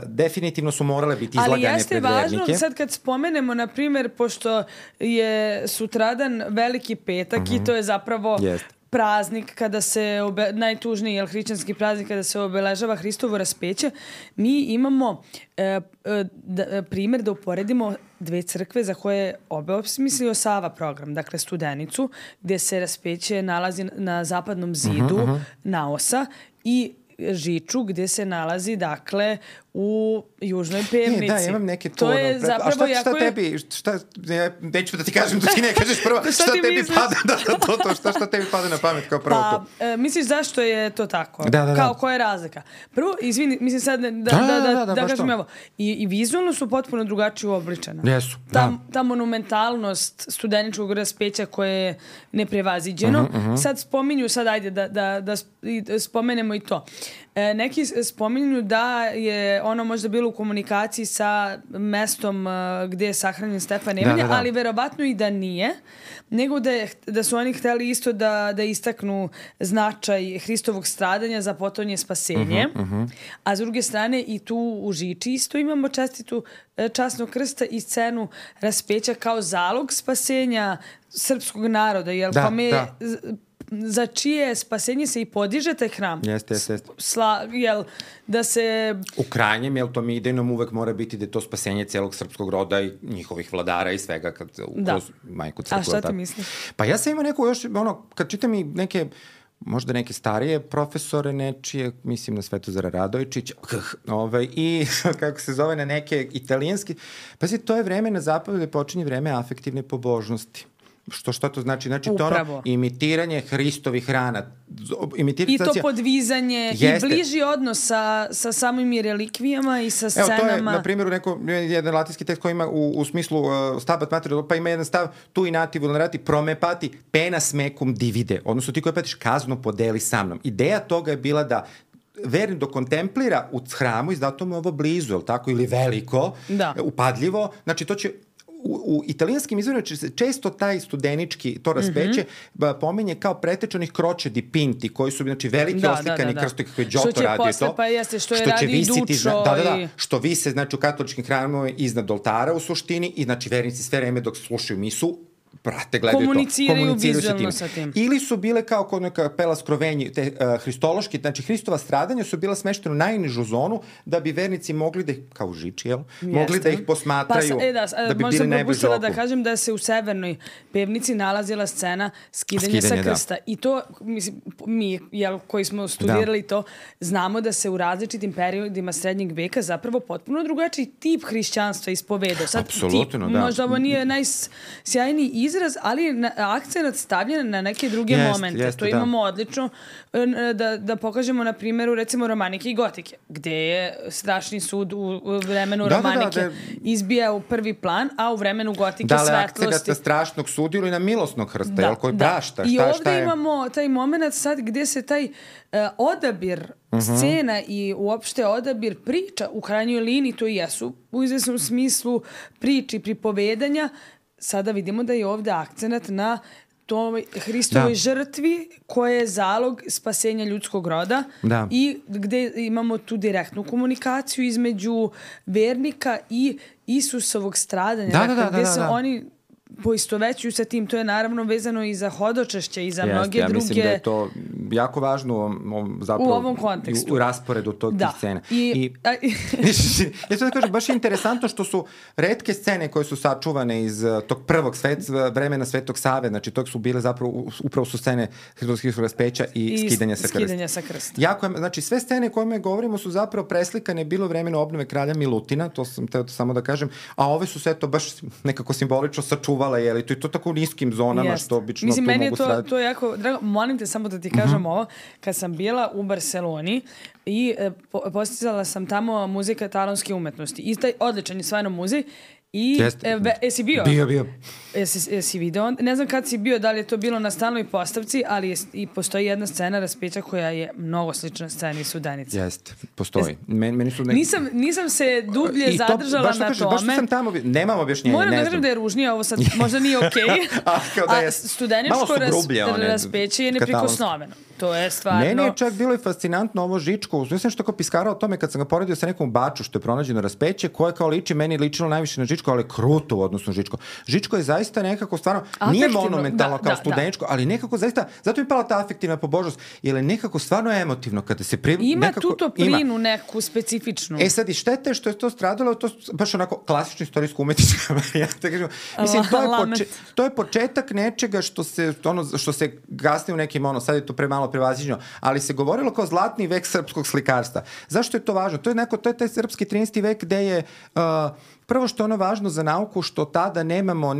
definitivno su morale biti izlagane pred vernike. Ali jeste važno, sad kad spomenemo, na primjer, pošto je sutradan Veliki petak i to je zapravo praznik kada se, najtužniji hrišćanski praznik kada se obeležava Hristovo raspeće, mi imamo primjer da uporedimo dve crkve za koje je osmislio Sava program, dakle Studenicu, gdje se raspeće nalazi na zapadnom zidu naosa i Žiču, gdje se nalazi, dakle, u južnoj pevnici. Da, imam neke to je zapravo jako tebi, neću da ti kažem da ti ne kažeš prvo, šta tebi pada, šta tebi pada na pamet kao prvo to? Misliš zašto je to tako? Kao koja je razlika? Prvo, izvini, mislim sad da kažem ovo, i vizualno su potpuno drugačije uobličena. Jesu, ta monumentalnost studeničkog raspeća koje je neprevaziđeno. Sad spominju, ajde da spomenemo i to. Neki spominju da je ono možda bilo u komunikaciji sa mestom gdje je sahranjen Stefan Nemanja, ali verovatno i da nije, nego da su oni hteli isto da istaknu značaj Hristovog stradanja za potonje spasenje. A s druge strane i tu u Žiči isto imamo čestitu časnog krsta i scenu raspeća kao zalog spasenja srpskog naroda, za čije spasenje se i podiže taj hram. Jeste. Da se... U krajnjem, to mi idejnom uvek mora biti da je to spasenje celog srpskog roda i njihovih vladara i svega kroz majku crkvu. A šta ti misliš? Pa ja sam imao neku još, kad čitam i možda neke starije profesore nečije, mislim na Svetozara Radojčića, i kako se zove na neke italijanski, to je vreme na zapadu gde počinje vreme afektivne pobožnosti. Šta to znači? Znači to imitiranje Hristovih rana. I to podvizanje i bliži odnos sa samim relikvijama i sa scenama. To je, na primjer, jedan latinski tekst koji ima u smislu stabat material, pa ima jedan stav tu inati vulnerati promepati penas mecum divide. Odnosno ti koji patiš kaznu podeli sa mnom. Ideja toga je bila da vernik dok kontemplira u hramu i zato mu je ovo blizu, ili veliko, upadljivo, znači to će u italijanskim izvorima često taj studenički, to raspeće, pominje kao pretečanih kroče di pinti, koji su veliki oslikani krstovi kako je Giotto radio to. Pa jeste, što je radi Dučo. Što vise u katoličkim hramama iznad oltara u suštini i vernici sve vreme dok slušaju misu prate, gledaju komuniciraju vizualno sa tim. Ili su bile kao kod neka kapela Skrovenji, te hristološki, znači Hristova stradanja su bila smeštena u najnižu zonu da bi vernici mogli da ih, kao u Žiči, mogli da ih posmatraju, da bi bili najbliže oku. Da kažem da se u severnoj pevnici nalazila scena skidanja sa krsta. I to, mislim, mi, koji smo studirali to, znamo da se u različitim periodima srednjeg veka zapravo potpuno drugačiji tip hrišćanstva ispovedao. Apsolutno, da. Možda ovo nije najsjajniji izraz, ali akcenat stavljen na neke druge momente. To imamo odlično da pokažemo na primjeru recimo romanike i gotike, gde je strašni sud u vremenu romanike izbija u prvi plan, a u vremenu gotike svetlosti. Da, akcenat strašnog suda ili na milosnog hrsta, koji prašta. I ovdje imamo taj moment sad gdje se taj odabir scena i uopšte odabir priča u krajnjoj liniji, to i jesu u izvesnom smislu priči, pripovedanja. Sada vidimo da je ovdje akcenat na toj Hristovoj žrtvi koja je zalog spasenja ljudskog roda i gde imamo tu direktnu komunikaciju između vernika i Isusovog stradanja. Gde se oni poistovećuju sa tim. To je naravno vezano i za hodočašće i za mnoge druge... Mislim da je to jako važno zapravo, u ovom kontekstu. U rasporedu tih scena. Ja ću da kažem, baš je interesantno što su retke scene koje su sačuvane iz tog prvog vremena Svetog Save, znači tog su bile zapravo, upravo su scene Hristovskog raspeća i skidanja sa krsta. Jako je, znači sve scene kojima govorimo su zapravo preslikane bilo vremena obnove kralja Milutina, to sam teo samo da kažem, a ove su sve to baš nekako simbolično sačuvale, to je to tako u niskim zonama što obično tu meni mogu sraditi. To je jako drago. Molim te samo da ti kažem ovo. Kad sam bila u Barceloni i posticala sam tamo muzej katalonske umetnosti. I taj odličan je stvarno muzej. I jesi bio? Bio. Jesi video? Ne znam kad si bio, da li je to bilo na stalnoj postavci, ali i postoji jedna scena raspeća koja je mnogo slična sceni Sudenice. Jeste, postoji. Meni su nisam se dublje zadržala na tome. Baš sam tamo, nemam objašnjenja. Moram da kažem da je ružnije, ovo sad možda nije okej. A studeničko raspeće je neprikosnoveno. To je stvarno... Meni je čak bilo i fascinantno ovo Žičko. Ja sam što kao piskarao o tome kad sam ga poredio sa nekom Baču što je pronađeno raspeće, koje kao meni ličilo najviše na Žičko, ali kruto u odnosu na Žičko. Žičko je zaista nekako stvarno, nije monumentalno kao studeničko, ali nekako zaista, zato mi je pala ta afektivna pobožnost, jer je nekako stvarno emotivno kada se ima tu toplinu neku specifičnu. Sad i štete što je to stradalo, to baš onako klasično istorijsko umetnička varijanta. Mislim, to je početak nečega što se gasne u nekim, sad je to premalo prevaziđeno, ali se govorilo kao zlatni vek srpskog slikarstva. Zašto je to važno? To je taj srpski 13. vek gde je prvo što je ono važno za nauku što tada nemamo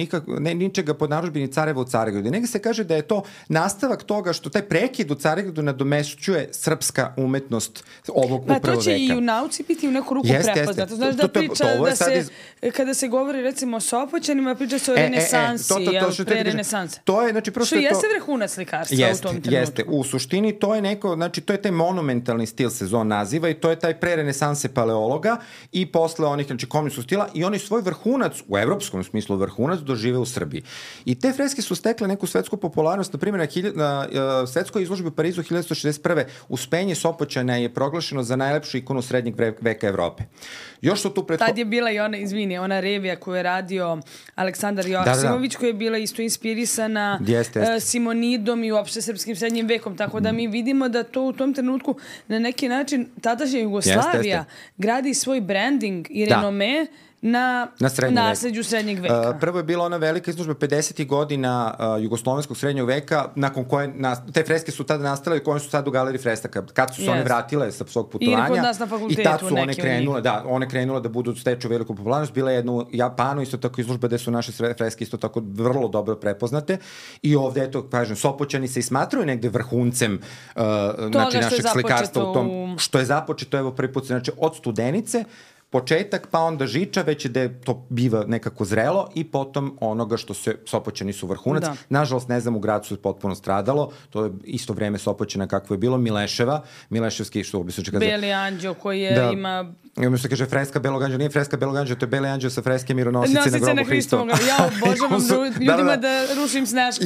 ničega pod narudžbini Careva u Carigradu. Nego se kaže da je to nastavak toga što taj prekid u Carigradu nadomešćuje srpska umetnost ovog upravo veka. Pa to će i u nauci biti u neku ruku prepoznato. Znaš da priča da se, kada se govori recimo o Sopoćanima, priča se o renesansi, pre renesanse. To je, znači, što jeste vrhunac slikarstva u tom trenutku. Jeste, u suštini to je neko, znači to je taj monumentalni stil se zon naziva i to je taj pre renesanse paleologa i posle onih, znači komunistskog stila i oni svoj vrhunac, u evropskom smislu vrhunac, dožive u Srbiji. I te freske su stekle neku svetsku popularnost, na primjer na svetskoj izložbi u Parizu 1961. Uspenje Sopoćana je proglašeno za najlepšu ikonu srednjeg veka Evrope. Još su tu Tad je bila i ona revija koju je radio Aleksandar Joksimović, koja je bila isto inspirisana Simonidom i uopšte srpskim srednjim vekom, tako da mi vidimo da to u tom trenutku na neki način tadašnja Jugoslavija gradi svoj branding i renome na nasleđu srednjeg veka. Prvo je bila ona velika izložba 50. godina jugoslovenskog srednjeg veka, nakon koje te freske su tada nastale i koje su sad u galeriji fresaka. Kad su se one vratile sa svog putovanja i tad su one krenule da budu steču veliku popularnost. Bila je jedna u Japanu isto tako izložba gde su naše freske isto tako vrlo dobro prepoznate i ovde, eto, kažem, Sopoćani se i smatraju negde vrhuncem našeg slikarstva u tom što je započeto, evo prvi put, znači od Studenice, početak, pa onda Žiča, već da to biva nekako zrelo i potom onoga što se Sopoćani su vrhunac. Nažalost, ne znam, u gradu su potpuno stradalo, to je isto vreme Sopoćana kakvo je bilo, Mileševski, što bi se kaže... Beli anđeo koji ima... Ima što kaže freska Belog anđela, nije freska Belog anđela, to je Beli anđeo sa freske Mironosice na grobu Hristova. Ja obožavam ljudima da rušim Sneška.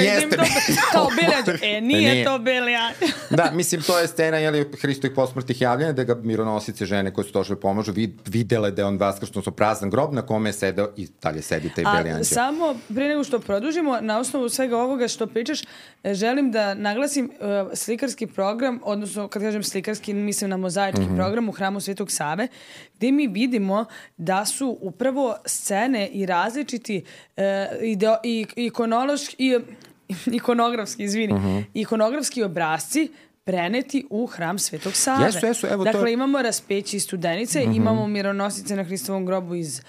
Kao Beli anđeo. Nije to Beli anđeo. Da, mislim, to je scena, Hristovih posmrtnih javljanja, da ga Mironosice, žene koje su došle pomožu, videle da je on vaskršno prazan grob na kome je sedeo i dalje sedi taj Beli anđeo. Samo pre nego što produžimo, na osnovu svega ovoga što pričaš, želim da naglasim slikarski program, odnosno kad kažem slikarski, mislim na mozaički program u Hramu Svetog Save, gde mi vidimo da su upravo scene i različiti ikonografski obrazci preneti u Hram Svetog Save. Jesu, evo dakle, imamo raspeći Studenice, imamo mironosice na Hristovom grobu iz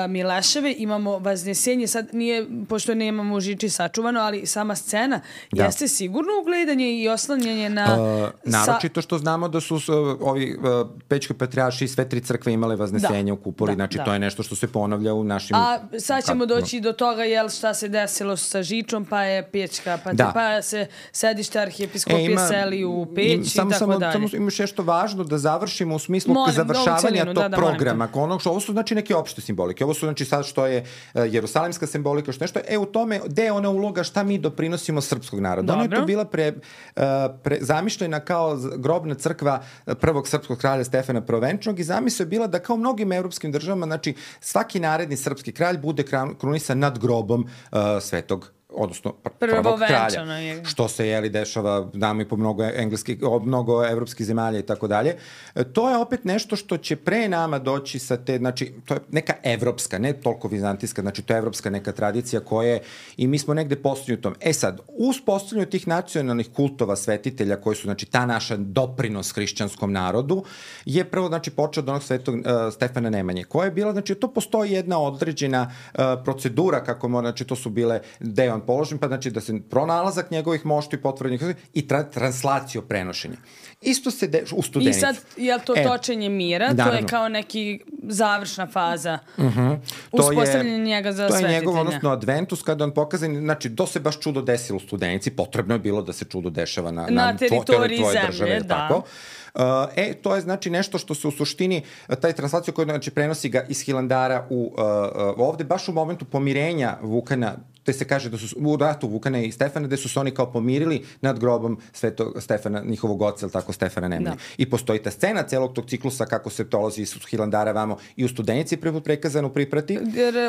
Mileševe, imamo Vaznesenje, sad nije, pošto nemamo u Žiči sačuvano, ali sama scena jeste sigurno ugledanje i oslanjanje na... naročito što znamo da su ovi Pećki patrijarši i sve 3 crkve imale Vaznesenje u kupoli, znači to je nešto što se ponavlja u našim... A sad ćemo doći do toga, šta se desilo sa Žičom, pa je Pećka pa se sedište arhijepiskopije seli u Peć i tako dalje. Samo imaš nešto važno da završimo u smislu završavanja tog programa. Ovo su znači neke opšte simbolike. Ovo su znači sad što je jerusalimska simbolika, što nešto. U tome, gde je ona uloga, šta mi doprinosimo srpskog naroda. Ona je to bila zamišljena kao grobna crkva prvog srpskog kralja Stefana Prvenčanog i zamisao je bila da kao u mnogim evropskim državama, znači svaki naredni srpski kralj bude krunisan nad grobom svetog, odnosno prvog kralja, što se dešava znamo i po mnogo evropskih zemalja i tako dalje. To je opet nešto što će pre nama doći sa te, znači to je neka evropska, ne toliko vizantijska, znači to je evropska neka tradicija koja i mi smo negde postavljeni u tom. Sad, uz postavljanju tih nacionalnih kultova svetitelja koji su, znači, ta naša doprinos hrišćanskom narodu, je prvo, znači, počeo od onog svetog Stefana Nemanje, koja je bila, znači, to postoji jedna određena procedura kako mora, znači, to su bile deo položen, pa znači da se pronalazak njegovih mošti potvrđenih i translacijo prenošenja. Isto se u Studenicu. I sad, je li to točenje mira? Naravno. To je kao neki završna faza uspostavljanja njega za svetitelja. To je njegov, odnosno Adventus, kada on pokazan, znači, to se baš čudo desilo u Studenici, potrebno je bilo da se čudo dešava na teritoriji tvoje države, tako. To je znači nešto što se u suštini, taj translacija koja znači prenosi ga iz Hilandara ovde, baš u momentu pomirenja Vukana, te se kaže da su u ratu Vukana i Stefana, gde su se oni kao pomirili nad grobom svetog Stefana, njihovog oca, ili tako, Stefana Nemanje. I postoji ta scena celog tog ciklusa kako se dolazi iz Hilandara vamo i u Studenici prikazano u Priprati.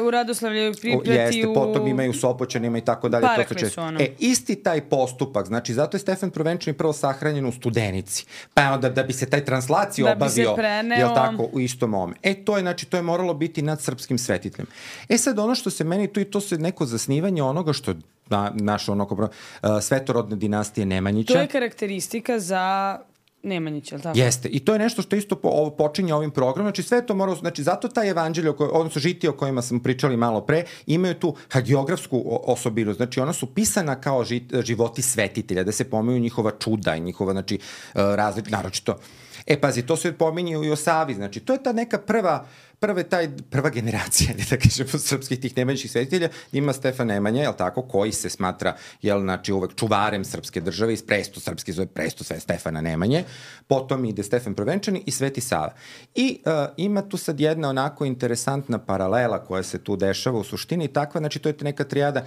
U Radoslavlju Priprati. Jeste, potom imaju u Sopoćanima i tako dalje. Parekli su ono. Isti taj postupak, znači zato je Stefan Prvenčani prvo sahranjen u Studenici. Pa onda da bi se taj translaciju obavio, jel tako, u istom ome. To je, znači, to je moralo biti nad srpskim svetiteljem. Sad ono što se meni tu i to se neko zasnivanje onoga što naša svetorodne dinastije Nemanjića. To je karakteristika za Nemanjića, ili tako? Jeste. I to je nešto što isto počinje ovim programom. Znači sve to mora, znači zato taj evanđelje, odnosno žitije o kojima smo pričali malo pre, imaju tu hagiografsku osobinu. Znači ona su pisana kao životi svetitelja, da se pominju njihova čuda i njihova, znači, naročito. Pazi, to se pominje i o Savi, znači to je ta neka prva generacija, da kažemo, srpskih tih nemanjičkih svetitelja, ima Stefan Nemanja, jel tako, koji se smatra, jel, znači, uvek čuvarem srpske države, iz presto srpski zove presto sve Stefana Nemanje, potom ide Stefan Prvenčani i Sveti Sava. I ima tu sad jedna onako interesantna paralela koja se tu dešava u suštini, takva, znači to je neka trijada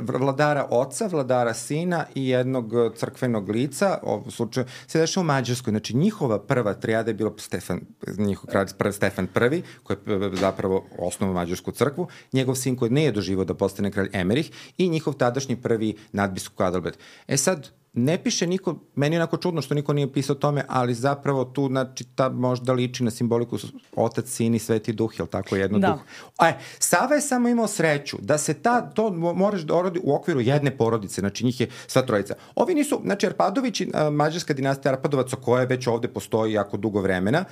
vladara oca, vladara sina i jednog crkvenog lica, u slučaju se dešava u Mađarskoj, znači njihova prva trijada je bila njihov kralj Stefan I, koji je zapravo osnovao Mađarsku crkvu, njegov sin koji nije doživao da postane kralj Emerih i njihov tadašnji prvi nadbiskup Adalbert. Sad, ne piše niko, meni je onako čudno što niko nije pisao o tome, ali zapravo tu, znači, ta možda liči na simboliku otac, sin i sveti duh, jel tako, jedno duh. Sava je samo imao sreću da se to moraš da orodi u okviru jedne porodice, znači njih je sva trojica. Ovi nisu, znači, Arpadovići, mađarska dinastija Arpadovaca, koja već ovde postoji jako dugo vremena,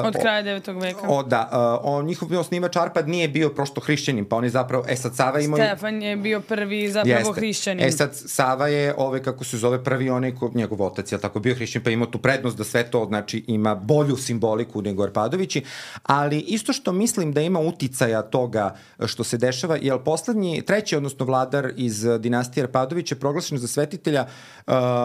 od kraja 9. veka. Njihov osnivač Arpad nije bio prosto hrišćanin, pa oni zapravo, sad Sava imao... Stefan je bio prvi zapravo hrišćanin. Sad Sava je, kako se zove, prvi onaj, njegov otac je tako bio hrišćanin, pa imao tu prednost da sve to, znači, ima bolju simboliku nego Arpadovići, ali isto što mislim da ima uticaja toga što se dešava, jer treći, odnosno vladar iz dinastije Arpadovića je proglašen za svetitelja,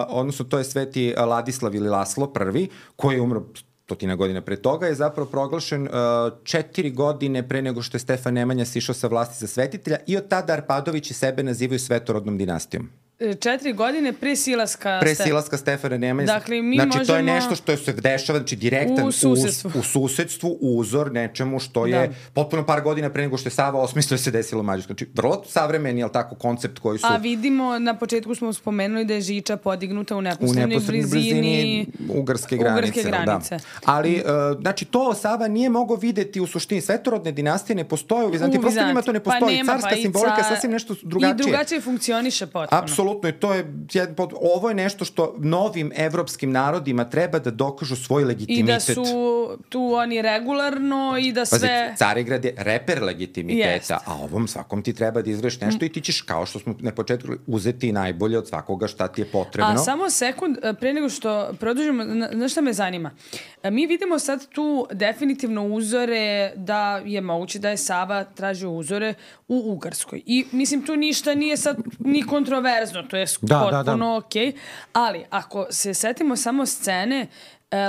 odnosno to je sveti Ladislav ili Laslo I, koji je umro 100 godina pre toga, je zapravo proglašen 4 godine pre nego što je Stefan Nemanja sišao sa vlasti za svetitelja i od tada Arpadovići sebe nazivaju svetorodnom dinastijom. 4 godine pre silaska Stefana Nemanje. Dakle, mi znači, možemo... to je nešto što se dešava, znači direktan u susedstvu, uzor nečemu što je potpuno par godina pre nego što je Sava osmislio se desilo u Mađarskoj. Znači, vrlo savremeni, jel tako, koncept koji su... A vidimo, na početku smo spomenuli da je Žiča podignuta u neposrednoj blizini Ugarske granice. Ali, znači, to Sava nije mogao videti u suštini. Svetorodne dinastije ne postoje u Vizantiji, prosto njima to ne postoji. Carska simbolika je sasvim nešto drugačije. I drugačije funkcioniše potpuno. apsolutno, i to je ovo je nešto što novim evropskim narodima treba da dokažu svoj legitimitet. I da su tu oni regularno i da sve... Pazi, Carigrad je reper legitimiteta, a ovom svakom ti treba da izvršiš nešto i ti ćeš, kao što smo na početku, uzeti najbolje od svakoga šta ti je potrebno. A samo sekund, pre nego što produžimo, znaš šta me zanima? Mi vidimo sad tu definitivno uzore da je moguće da je Sava tražio uzore u Ugarskoj. I mislim, tu ništa nije sad ni kontroverzno, to je potpuno okej. Ali, ako se setimo samo scene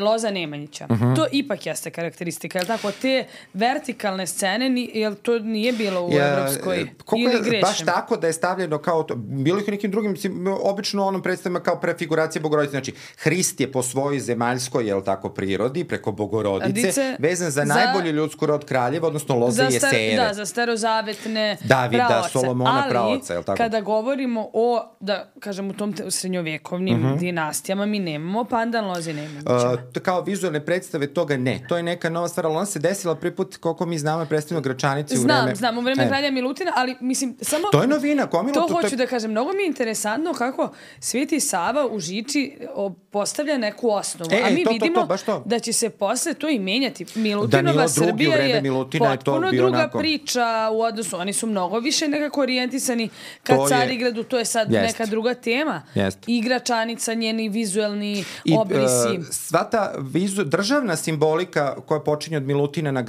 Loza Nemanjića. To ipak jeste karakteristika, je li tako? Te vertikalne scene, jel to nije bilo u Evropskoj? Ili grešim? Baš tako da je stavljeno kao to. Bilo ih u nekim drugim, obično onom predstavima kao prefiguracija Bogorodice. Znači, Hrist je po svojoj zemaljskoj, jel tako, prirodi, preko Bogorodice, vezan za najbolju ljudsku rod kraljeva, odnosno Loze i Jesejeve. Da, za starozavetne Davida, praoce. Solomona praoca, jel tako? Ali, kada govorimo o, da kažem, u tom srednjovekovnim dinastijama, mi nemamo pandan Loze Nemanjića. Kao vizualne predstave toga ne. To je neka nova stvar, ali ona se desila prvi put, koliko mi znamo, predstavljeno Gračanici u vreme... Znam, u vreme kralja Milutina, ali mislim, samo... To je novina, To hoću da kažem, mnogo mi je interesantno kako Sveti Sava u Žiči postavlja neku osnovu, a mi vidimo da će se posle to i menjati. Milutinova Srbija je potpuno druga priča u odnosu, oni su mnogo više nekako orijentisani ka Carigradu, to je sad neka druga tema. I Gračanica, njeni vizuelni obrisi. Sva ta državna simbolika koja počinje od Milutina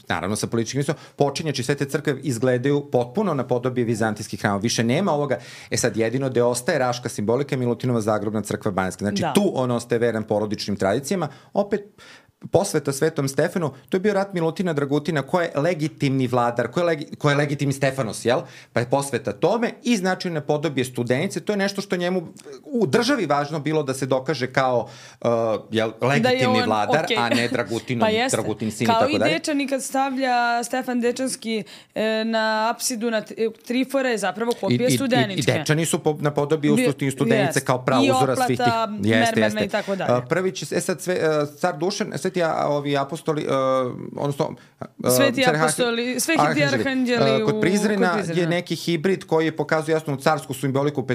naravno sa političkim mislom, počinjači sve te crkve izgledaju potpuno na podobi vizantijskih hrama. Više nema ovoga. Sad jedino gde ostaje raška simbolika je Milutinova zagrobna crkva Banjska. Znači tu on ostaje veran porodičnim tradicijama. Opet posveta Svetom Stefanu, to je bio rat Milutina Dragutina, ko je legitimni vladar, ko je legitimni Stefanos, jel? Pa je posveta tome i značajne podobije Studenice. To je nešto što njemu u državi važno bilo da se dokaže kao legitimni vladar, a ne Dragutin sin i tako dalje. Kao i Dečani kad stavlja Stefan Dečanski na apsidu na trifore je zapravo kopija Studeničke. I Dečani su na podobiju Studenice kao prauzora svih tih. I oplata mermerna i tako dalje. Prvi će, sad car Dušan, Sveti apostoli, odnosno Sveti arhanđeli kod Prizrena je neki hibrid koji pokazuje jasnu carsku simboliku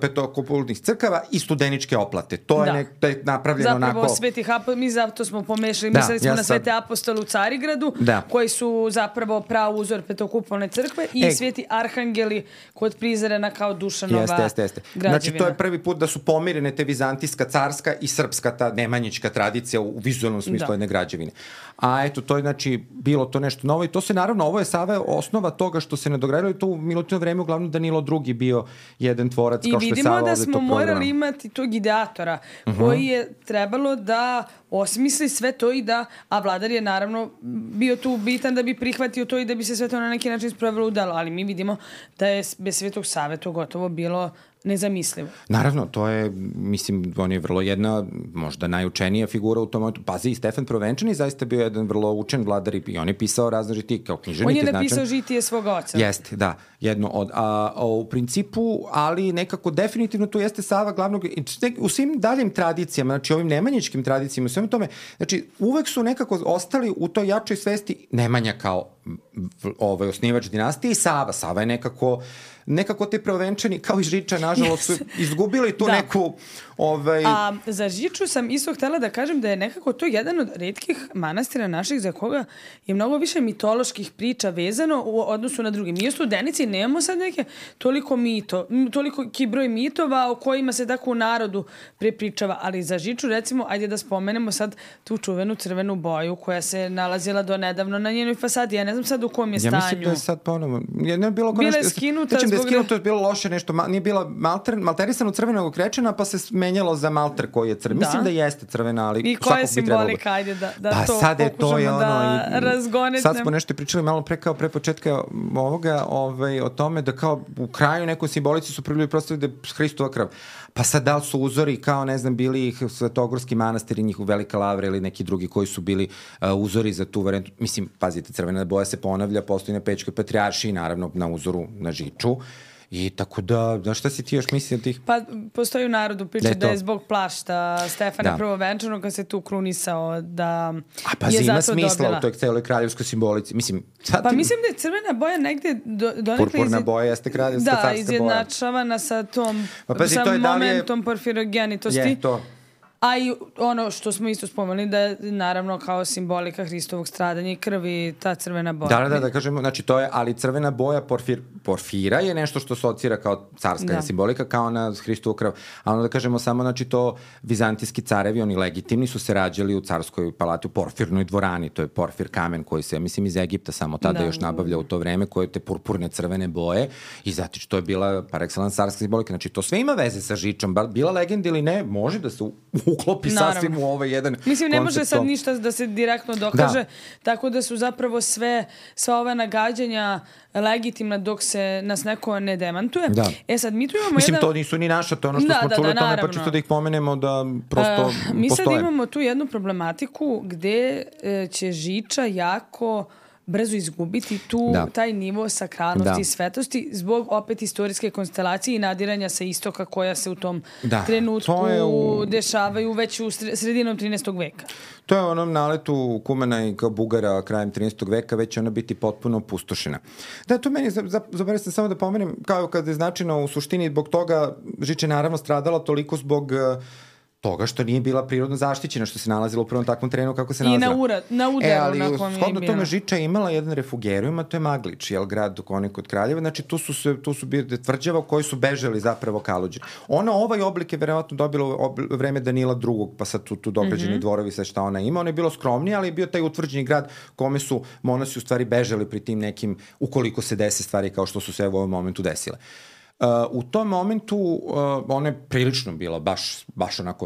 petokupolnih crkava i studeničke oplate. To je napravljeno onako... Zapravo Sveti mi zato smo pomešali, mislili smo na Svete apostole u Carigradu, koji su zapravo prav uzor petokupolne crkve i Sveti arhanđeli kod Prizrena kao Dušanova građevina. Znači to je prvi put da su pomirene te vizantijska, carska i srpska ta nemanjička tradicija u vizualnom smislu jedne građevine. A eto, to je znači bilo to nešto novo i to se naravno, ovo je Sava osnova toga što se nadogradilo i to u Milutino vreme uglavnom Danilo II bio jedan tvorac kao što je Sava ovde to vidimo da smo morali imati tog ideatora koji je trebalo da osmisli sve to i da, a vladar je naravno bio tu bitan da bi prihvatio to i da bi se sve to na neki način sprovelo u delo, ali mi vidimo da je bez Svetog Save to gotovo bilo nezamislivo. Naravno, to je, mislim, on je vrlo jedna, možda najučenija figura u tom momentu. Pazi, i Stefan Provenčani zaista bio jedan vrlo učen vladar i on je pisao razne žitije kao književnik. On je napisao žitije svoga oca. Jeste, da, jedno od. U principu, ali nekako definitivno tu jeste Sava glavnog, u svim daljim tradicijama, znači ovim nemanjičkim tradicijama, u svemu tome, znači uvek su nekako ostali u toj jačoj svesti Nemanja kao osnivač dinastije i Sava. Sava je nekako te Provenčani, kao i Žiča, nažalost, su izgubili tu neku... A za Žiču sam isto htjela da kažem da je nekako to jedan od retkih manastira naših za koga je mnogo više mitoloških priča vezano u odnosu na drugi. Mi u Studenici nemamo sad neke toliko broj mitova o kojima se tako u narodu prepričava, ali za Žiču recimo, ajde da spomenemo sad tu čuvenu crvenu boju koja se nalazila do nedavno na njenoj fasadi. Ja ne znam sad u kom je stanju. Ja mislim da je sad ponovno... Bila je skinuta da je skinuto, je bilo loše nešto, nije bila malterisano crvenog krečena, pa se menjalo za malter koji je crven. Mislim da jeste crvena, ali i koja je simbolika, ajde da to pokušamo da razgonetnem. Sad smo nešto pričali malo pre početka ovoga, o tome da kao u kraju nekoj simbolici su prvi prostavili da je Hristova krv. Pa sad da li su uzori kao, ne znam, bili ih Svetogorski manastir i njihov Velika Lavra ili neki drugi koji su bili uzori za tu varijantu. Mislim, pazite, crvena boja se ponavlja, postoji na Pećkoj patrijaršiji, naravno na uzoru na Žiču. I tako da šta si ti još misli od tih? Pa postoji u narodu priča da je zbog plašta Stefana Prvovenčanog kad se tu krunisao da je zato dobila. Ima smisla u toj celoj kraljevskoj simbolici. Mislim da je crvena boja negde donekle... Purpurna boja jeste kraljevska carska boja. Da, izjednačavana sa tom sa momentom porfirogenitosti. Je to. A i ono što smo isto spomenuli da je naravno kao simbolika Hristovog stradanja i krvi ta crvena boja. Da kažemo, znači to je, ali crvena boja porfira je nešto što asocira kao carska simbolika, kao na Hristovu krv. A ono da kažemo samo, znači to vizantijski carevi, oni legitimni su se rađali u carskoj palati, u porfirnoj dvorani, to je porfir kamen koji se, mislim, iz Egipta samo tada još nabavlja u to vreme, koje te purpurne crvene boje i zato što je bila par excellence carska simbolika. Znači to sve ima veze sa žičom, bila legenda ili ne, može da se uklopi sasvim u ovaj jedan koncept. Mislim, ne može sad ništa da se direktno dokaže, tako da su zapravo sva ova nagađanja legitimna dok se nas neko ne demantuje. Sad mi tu imamo mislim, to nisu ni naša, to ono što smo čuli, to ne pa čisto da ih pomenemo da prosto postoje. Mi sad imamo tu jednu problematiku gde će žiča jako brzo izgubiti taj nivo sakralnosti i svetosti zbog opet istorijske konstelacije i nadiranja sa istoka koja se u tom trenutku dešavaju već u sredinom 13. veka. To je onom naletu Kumana i kao Bugara krajem 13. veka već ona biti potpuno opustošena. Da, to meni, zaboravio sam samo da pomenem, kao kada je značajno u suštini, zbog toga žiča naravno stradala toliko zbog toga što nije bila prirodno zaštićena, što se nalazila u prvom takvom terenu kako se nalazila. I na udaru ali na kom je bila. Shodno tome žiča je imala jedan refugerijum, a to je Maglič, grad kod Kraljeva. Znači tu su bili tvrđava koji su bežali zapravo Kaluđeri. Ovaj oblik je verovatno dobilo vreme Danila II, pa sad tu dograđeni dvorovi, sve šta ona ima. Ono je bilo skromnije, ali je bio taj utvrđeni grad kome su monasi u stvari bežali pri tim nekim, ukoliko se dese stvari kao što su se u ovom momentu desile. U tom momentu ona je prilično bila baš onako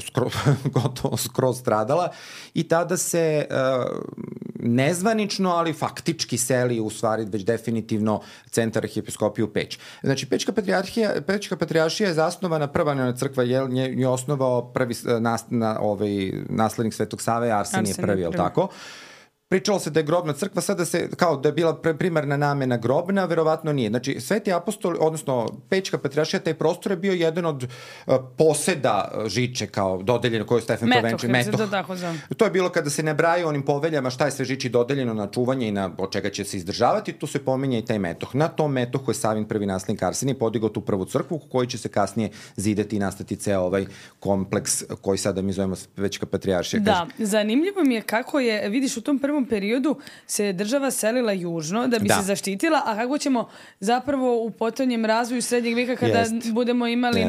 gotovo skroz stradala i tada se nezvanično, ali faktički seli u stvari već definitivno centar arhijepiskopije u Peć. Znači, Pečka patrijaršija je zasnovana, prva crkva je osnovao prvi naslednik Svetog Save, Arsenije prvi, je li tako? Pričalo se da je grobna crkva, sada se, kao da je bila primarna namena grobna, verovatno nije. Znači, Sveti apostol, odnosno Pečka patrijaršija, taj prostor je bio jedan od poseda žiče, kao dodeljeno, koje je Stefan Prvenčanin. Metoh. To je bilo kada se ne braju onim poveljama šta je sve žiči dodeljeno na čuvanje i od čega će se izdržavati, tu se pominje i taj metoh. Na tom metohu je Savin prvi naslednik Arsenije podigao tu prvu crkvu, koji će se kasnije zidati i nastati ceo ovaj kompleks koji sada mi zovemo Pečka patrijaršija. Da, zanimljivo mi je kako je, vidiš, u tom prvom periodu se država selila južno da bi se zaštitila, a kako ćemo zapravo u potonjem razvoju srednjeg veka kada budemo imali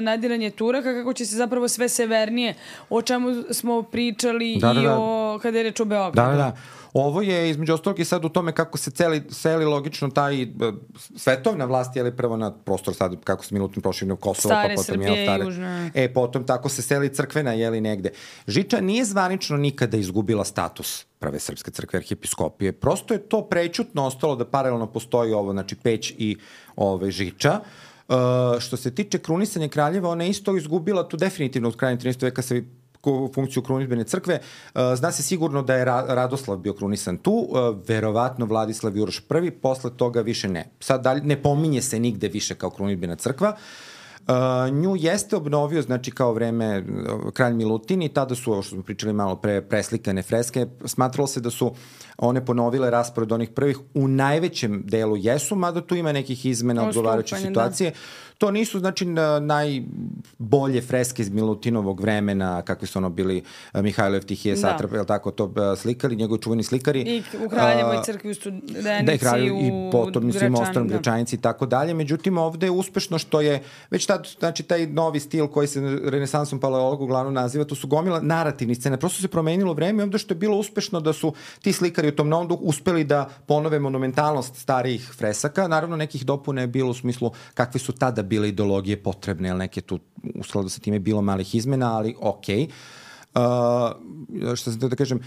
nadiranje Turaka, kako će se zapravo sve severnije, o čemu smo pričali kada je reč o Beogradu. Da. Ovo je između ostalog i sad u tome kako se seli logično taj svetovna vlast, prvo na prostor sad, kako se Milutin proširno Kosova, pa potom Južna. Potom tako se seli crkvena, negde. Žiča nije zvanično nikada izgubila status prve srpske crkve arhijepiskopije. Prosto je to prećutno ostalo da paralelno postoji ovo, znači Peć i Žiča. Što se tiče krunisanja kraljeva, ona je isto izgubila tu definitivno od kraja 13. veka se funkciju krunidbene crkve. Zna se sigurno da je Radoslav bio krunisan tu, verovatno Vladislav Juroš I, posle toga više ne. Sad ne pominje se nigde više kao krunidbena crkva. Nju jeste obnovio, znači kao vreme kralj Milutin i tada su, ovo što smo pričali malo pre, preslikane freske. Smatralo se da su one ponovile raspored onih prvih, u najvećem delu jesu, mada tu ima nekih izmena odgovarajuće situacije. To nisu, znači, najbolje freske iz Milutinovog vremena, kakvi su bili Mihajlo Eftihije Satrap, je li tako to slikali, njegovi čuveni slikari. I u Kraljevoj crkvi u Studenici, i potom svim ostalim Gračanici i tako dalje. Međutim, ovde je uspešno što je već tad, znači, taj novi stil koji se renesansom paleologu uglavnom naziva, to su gomila narativnih scena. Prosto se promenilo vreme i ovde što je bilo uspešno da su ti slikari u tom novom duhu uspeli da ponove monumentalnost starijih fresaka. Naravno, nekih dopuna je bilo u smislu kakve su tada bile ideologije potrebne, ali neke tu u skladu sa time bilo malih izmena, ali okej. Što sam da kažem,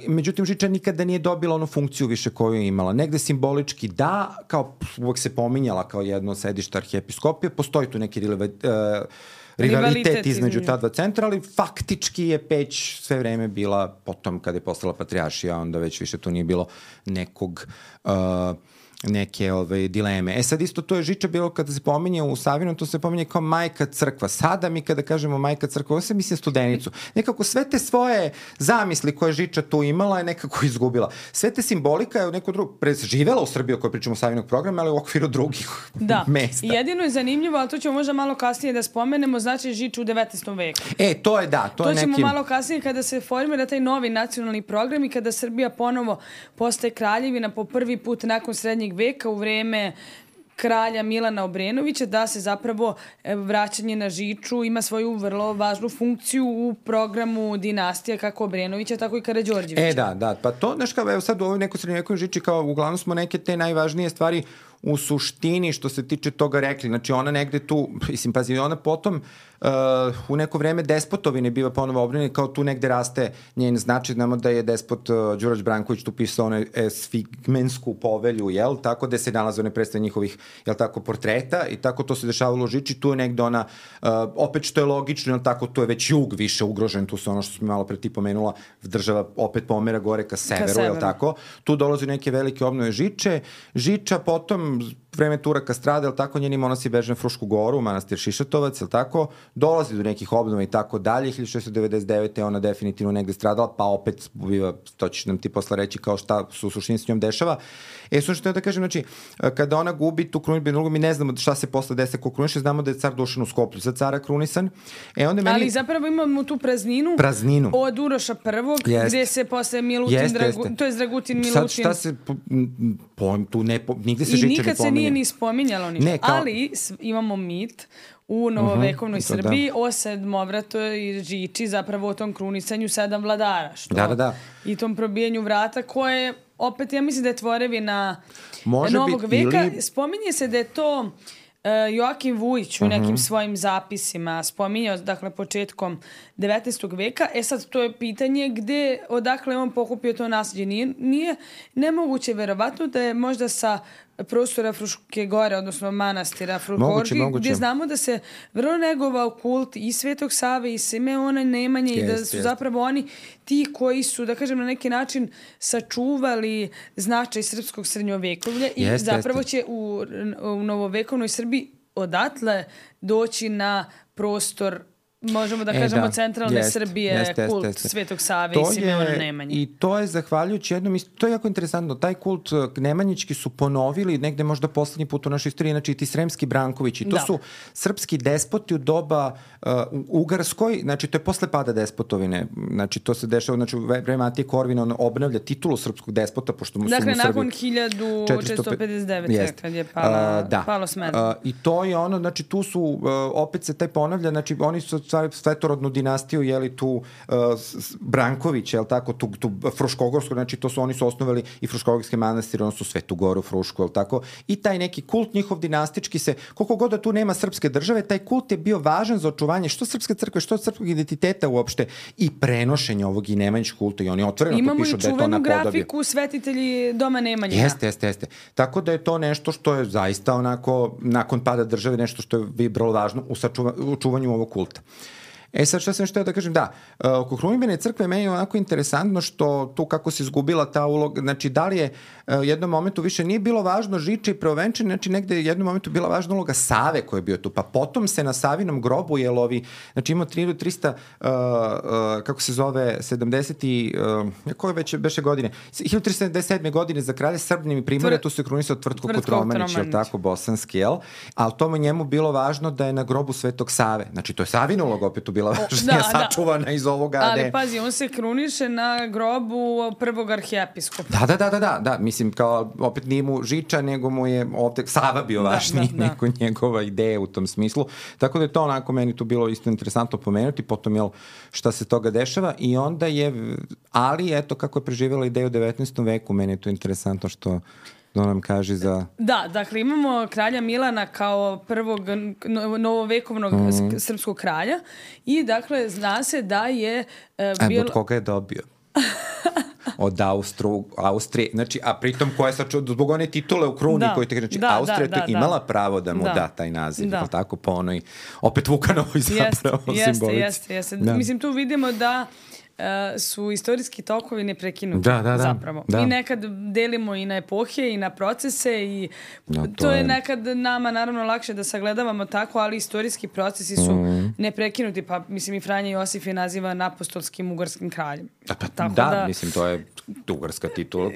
međutim, Žiča nikada nije dobila onu funkciju više koju je imala. Negde simbolički da, kao uvek se pominjala kao jedno sedište arhijepiskopije, postoji tu neki rivalitet između ta dva centra, ali faktički je Peć sve vreme bila, potom kada je postala patrijaršija, onda već više tu nije bilo nekog neke dileme. Sad isto to je Žiča bilo kada se pominje u Savinom, to se pominje kao majka crkva. Sada mi kada kažemo majka crkva, ovo se mislim Studenicu. Nekako sve te svoje zamisli koje Žiča tu imala je nekako izgubila. Sve te simbolika je u neko drugo preživela u Srbiji, ako pričamo o Savinog programa, ali u okviru drugih mesta. Jedino je zanimljivo, ali to ćemo možda malo kasnije da spomenemo, znači Žiču u 19. veku. To je da. To ćemo malo kasnije kada se formira taj novi nacionalni program i kada Srbija ponovo postaje kraljevina po prvi put nakon srednjeg veka u vreme kralja Milana Obrenovića, da se zapravo vraćanje na Žiču ima svoju vrlo važnu funkciju u programu dinastija kako Obrenovića, tako i Karađorđevića. Da. Pa to, znaš kao, evo sad u ovoj nekoj srednjovekovnoj Žiči, kao uglavnom smo neke te najvažnije stvari u suštini što se tiče toga rekli. Znači ona negde tu, mislim, pazi, ona potom u neko vreme despotovine biva ponovo obnovljena, kao tu negde raste njen značaj. Znamo da je despot Đurađ Branković tu pisao onu Sfigmensku povelju, jel? Tako da se nalaze one predstave njihovih, jel tako, portreta i tako to se dešavalo u Žiči. Tu je negde ona, opet što je logično, jel tako, tu je već jug više ugrožen, tu se ono što smo malo pre ti pomenula, država opet pomera gore ka severu, jel tako? Tu dolazi neke velike obnove Žiča, potom vreme Turaka strada, jel tako, njeni monasi beže na Frušku goru, manastir Šišatovac, jel tako, dolazi do nekih obnova i tako dalje, 1699. je ona definitivno negde stradala, pa opet biva, to ćeš nam ti posle reći kao šta su u suštini s njom dešava. Što da kažem, znači, kada ona gubi tu krunidbenu ulogu, mi ne znamo šta se posle desi ko kruniše, znamo da je car Dušan u Skoplju za cara krunisan. Onda meni... Ali zapravo imamo tu prazninu. Od Uroša I, gde se posle Milutin, to je Dragutin Milutin. Sad šta se, tu nigde se Žiča ne pominje. I nikad se nije ni spominjalo ništa. Ali imamo mit u novovekovnoj Srbiji o sedmovratoj Žiči, zapravo o tom krunisanju 7 vladara. I tom probijanju vrata koje, opet, ja mislim da je tvorevina novog veka. Spominje se da je to Joakim Vujić u nekim svojim zapisima spominjao, dakle, početkom 19. veka. Sad, to je pitanje odakle on pokupio to nasljeđe. Nije nemoguće, verovatno, da je možda sa prostora Fruške gore, odnosno manastira Fruškorgi, gdje znamo da se vrlo negovao kult i Svetog Save i Simeona Nemanje i da su zapravo oni ti koji su, da kažem, na neki način sačuvali značaj srpskog srednjovekovlja i zapravo će u novovekovnoj Srbiji odatle doći na prostor, možemo da kažemo, centralne Srbije, kult Svetog Save i Simeona Nemanje. I to je zahvaljujući jednom, to je jako interesantno, taj kult nemanjički su ponovili negde možda poslednji put u našoj istoriji, znači ti Sremski Brankovići, to su srpski despoti u doba Ugarskoj, znači to je posle pada despotovine, znači to se dešava, znači u vreme Matije Korvina on obnavlja titulu srpskog despota, pošto mu su dakle, nakon 1459. kad je palo Smederevo. I to je ono, znači tu su, opet se taj ponavlja, znači oni su svetorodnu dinastiju, jeli tu Branković, jel tako, tu Fruškogorsko, znači to su, oni su osnovali i Fruškogorske manastire, ono su Svetu Goru, Frušku, jel tako, i taj neki kult njihov dinastički se, koliko god da tu nema srpske države, taj kult je bio važan za očuvanje što srpske crkve, što srpskog identiteta uopšte i prenošenje ovog i nemanjičkog kulta i oni otvoreno to pišu da je to napodobje. Imamo i čuvenu grafiku Svetitelji doma Nemanja. Jeste. Tako da je to nešto što je zaista onako, nakon pada države, nešto što je vrlo važno u čuvanju ovog kulta. Sad šta sam da kažem, oko krunidbene crkve meni je onako interesantno što tu kako se izgubila ta uloga, znači da li je u jednom momentu više nije bilo važno Žiče i Preovenčani, znači negde je u jednom momentu bila važna uloga Save koja je bio tu, pa potom se na Savinom grobu, znači imao 300, kako se zove, 70 koje već beše godine, 1377. godine za kralja Srbnjem i Primorja, tu se krunisao Tvrtko Kotromanić, jel tako, bosanski, jel? Ali tomu njemu bilo važno da je na grobu Svetog Save, znači to je Savina uloga opet tu bila važnija, sačuvana iz ovoga. Ali pazi, on se kruniše na grobu prvog arhijepiskopa. Da, mislim, kao opet nije mu Žiča, nego mu je ovde Sava bio važniji, nego njegova ideja u tom smislu. Tako da je to onako meni tu bilo isto interesantno pomenuti, potom jel šta se toga dešava i onda je, ali eto kako je preživjela ideju u 19. veku, meni je to interesantno što nam kaže za... Da, dakle imamo kralja Milana kao prvog novovekovnog srpskog kralja i dakle zna se da je... Od koga je dobio? Od Austrije, znači, a pritom koja je zbog one titule u kruni koji te znači, Austrija je imala pravo da mu da taj naziv, tako po onoj, opet Vukanovoj zapravo simbolici. Jeste. Mislim, tu vidimo da su istorijski tokovi neprekinuti zapravo. Da. Mi nekad delimo i na epohe i na procese i to je nekad nama naravno lakše da sagledavamo tako, ali istorijski procesi su neprekinuti, pa mislim i Franja Josif je naziva apostolskim ugarskim kraljem. Mislim to je ugarska titula,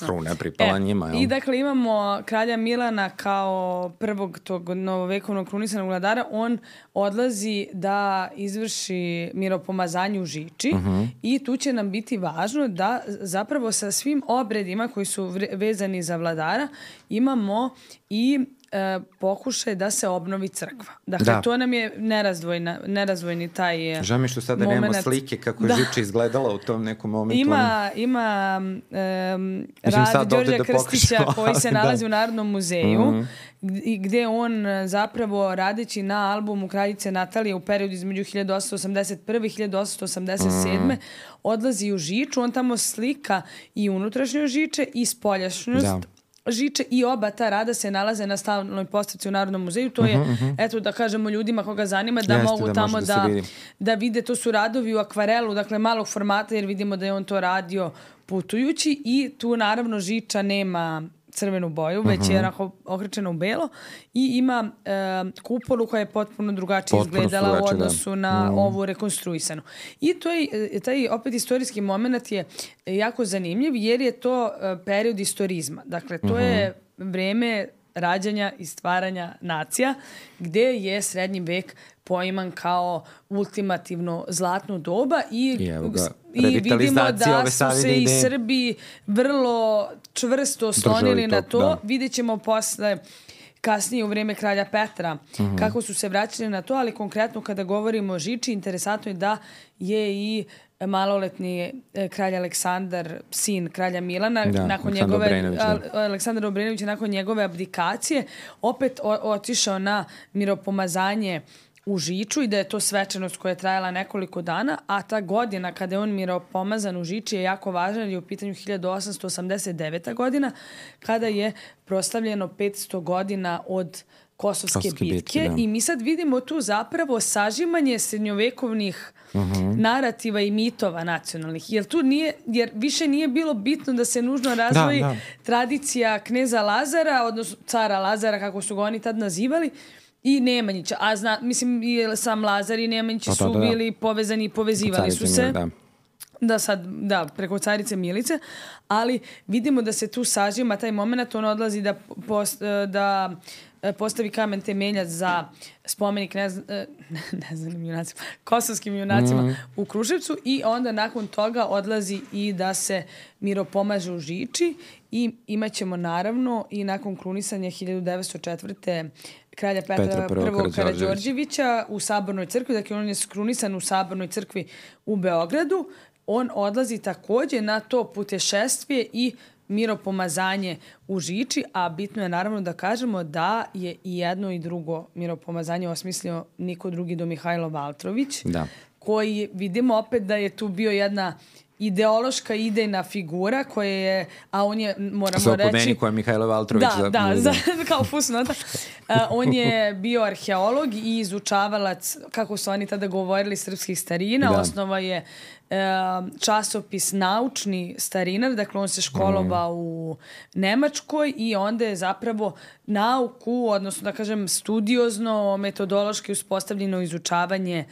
kruna pripala njima. I dakle imamo kralja Milana kao prvog tog novovekovnog krunisanog vladara, on odlazi da izvrši miropomazanje u Žiči i tu će nam biti važno da zapravo sa svim obredima koji su vezani za vladara imamo i pokušaj da se obnovi crkva. Dakle, to nam je nerazdvojni taj moment. Žao mi što sada nemamo slike kako je Žiča izgledala u tom nekom momentu. Ima rad Đorđa Krstića koji se nalazi u Narodnom muzeju gde on zapravo radeći na albumu Kraljice Natalije u periodu između 1881. i 1887. odlazi u Žiču. On tamo slika i unutrašnjost Žiče i spoljašnjost Žiče i oba ta rada se nalaze na stalnoj postavci u Narodnom muzeju. To je, eto da kažemo ljudima koga zanima, da mogu tamo da vide. To su radovi u akvarelu, dakle malog formata, jer vidimo da je on to radio putujući i tu naravno Žiča nema crvenu boju, već je okrečena u belo i ima kupolu koja je potpuno drugačije izgledala u odnosu na ovu rekonstruisanu. I to je, taj opet istorijski moment je jako zanimljiv jer je to period istorizma. Dakle, to je vreme rađanja i stvaranja nacija gde je srednji vek poiman kao ultimativno zlatno doba i vidimo da su se i Srbi vrlo čvrsto oslonili na to. Vidjet ćemo posle kasnije u vreme kralja Petra kako su se vraćali na to, ali konkretno kada govorimo o Žiči, interesantno je da je i maloletni kralj Aleksandar, sin kralja Milana, Aleksandar Obrenović nakon njegove abdikacije, opet otišao na miropomazanje u Žiču i da je to svečanost koja je trajala nekoliko dana, a ta godina kada je on miropomazan u Žiči je jako važna jer je u pitanju 1889. godina kada je proslavljeno 500 godina od Kosovske bitke i mi sad vidimo tu zapravo sažimanje srednjovekovnih narativa i mitova nacionalnih. Jer više nije bilo bitno da se nužno razvoji tradicija kneza Lazara, odnosno cara Lazara, kako su ga oni tad nazivali, i Nemanjića. Mislim, i sam Lazar i Nemanjići su bili povezani i povezivali su se. Preko carice Milice, ali vidimo da se tu sažima taj moment, on odlazi da postavi kamen temeljac za spomenik kosovskim junacima u Kruševcu i onda nakon toga odlazi i da se miropomaže u Žiči i imat ćemo naravno i nakon krunisanja 1904. kralja Petra I. Karađorđevića u Sabornoj crkvi, dakle on je krunisan u Sabornoj crkvi u Beogradu. On odlazi takođe na to putešestvije i miropomazanje u Žiči, a bitno je naravno da kažemo da je i jedno i drugo miropomazanje osmislio niko drugi do Mihajlo Valtrović, koji vidimo opet da je tu bio jedna ideološka idejna figura koja je, a on je, moramo reći... Po meni koja je Mihajlo Valtrović. Kao fusnota. On je bio arheolog i izučavalac, kako su oni tada govorili, srpskih starina. Osnova je časopis Naučni starinar, dakle on se školovao u Nemačkoj i onda je zapravo nauku, odnosno da kažem studiozno, metodološki uspostavljeno izučavanje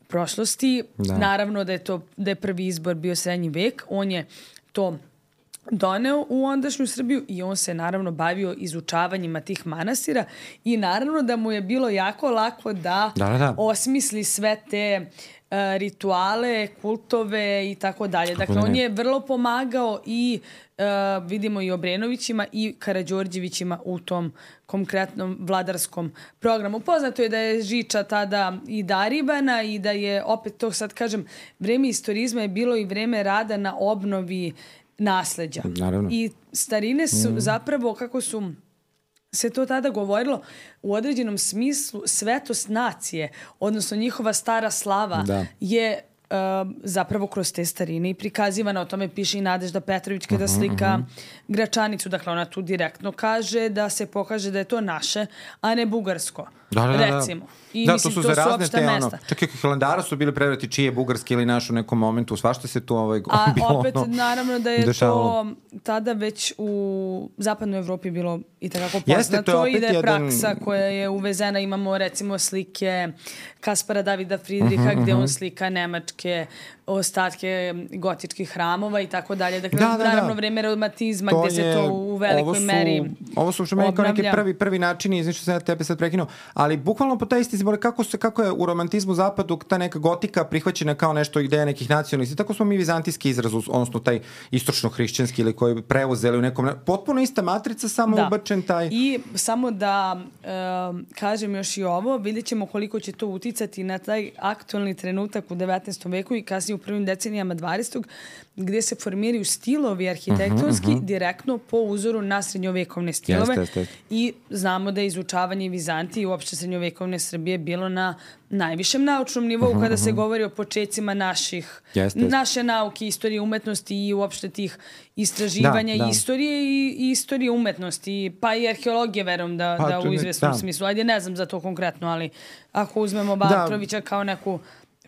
prošlosti. Naravno da je prvi izbor bio srednji vek. On je to doneo u ondašnju Srbiju i on se naravno bavio izučavanjima tih manastira i naravno da mu je bilo jako lako da osmisli sve te rituale, kultove i tako dalje. Dakle, on je vrlo pomagao i vidimo i Obrenovićima i Karađorđevićima u tom konkretnom vladarskom programu. Poznato je da je Žiča tada i darivana i da je, opet to sad kažem, vreme istorizma je bilo i vreme rada na obnovi nasleđa. Naravno. I starine su zapravo, kako su se to tada govorilo, u određenom smislu svetost nacije, odnosno njihova stara slava je zapravo kroz te starine i prikazivana. O tome piše i Nadežda Petrović kada slika Gračanicu. Dakle, ona tu direktno kaže da se pokaže da je to naše, a ne bugarsko. recimo. I mislim, to su opšta mesta. Čak i Hilandara su bili prevrati čiji je bugarski ili naš u nekom momentu, svašta se tu a opet, naravno da je dešavalo. To tada već u zapadnoj Evropi bilo i takako poznato i da je praksa koja je uvezena. Imamo recimo slike Kaspara Davida Fridriha gde on slika nemačke ostatke gotičkih hramova i tako dalje. Dakle, naravno vreme romantizma gde se to u velikoj meri ovo su što meni kao neki prvi načini, znači što sam ja tebe sad prekinuo, ali bukvalno po taj isti simbol, kako je u romantizmu zapadu ta neka gotika prihvaćena kao nešto ideja nekih nacionalnih, tako smo mi vizantijski izraz, odnosno taj istočno-hrišćanski ili koji preuzeli u nekom, potpuno ista matrica, samo ubačen taj. I samo da kažem još i ovo, vidjet ćemo koliko će to uticati na taj aktualni trenutak u 19. veku i kasnije u prvim decenijama 20. gde se formiraju stilovi arhitektonski direktno po uzoru na srednjovekovne stilove. I znamo da je izučavanje Vizantije i uopšte srednjovekovne Srbije bilo na najvišem naučnom nivou kada se govori o počecima naše nauke, istorije umetnosti i uopšte tih istraživanja istorije i istorije umetnosti, pa i arheologije, verujem da u izvesnom smislu. Ajde, ne znam za to konkretno, ali ako uzmemo Bartrovića kao neku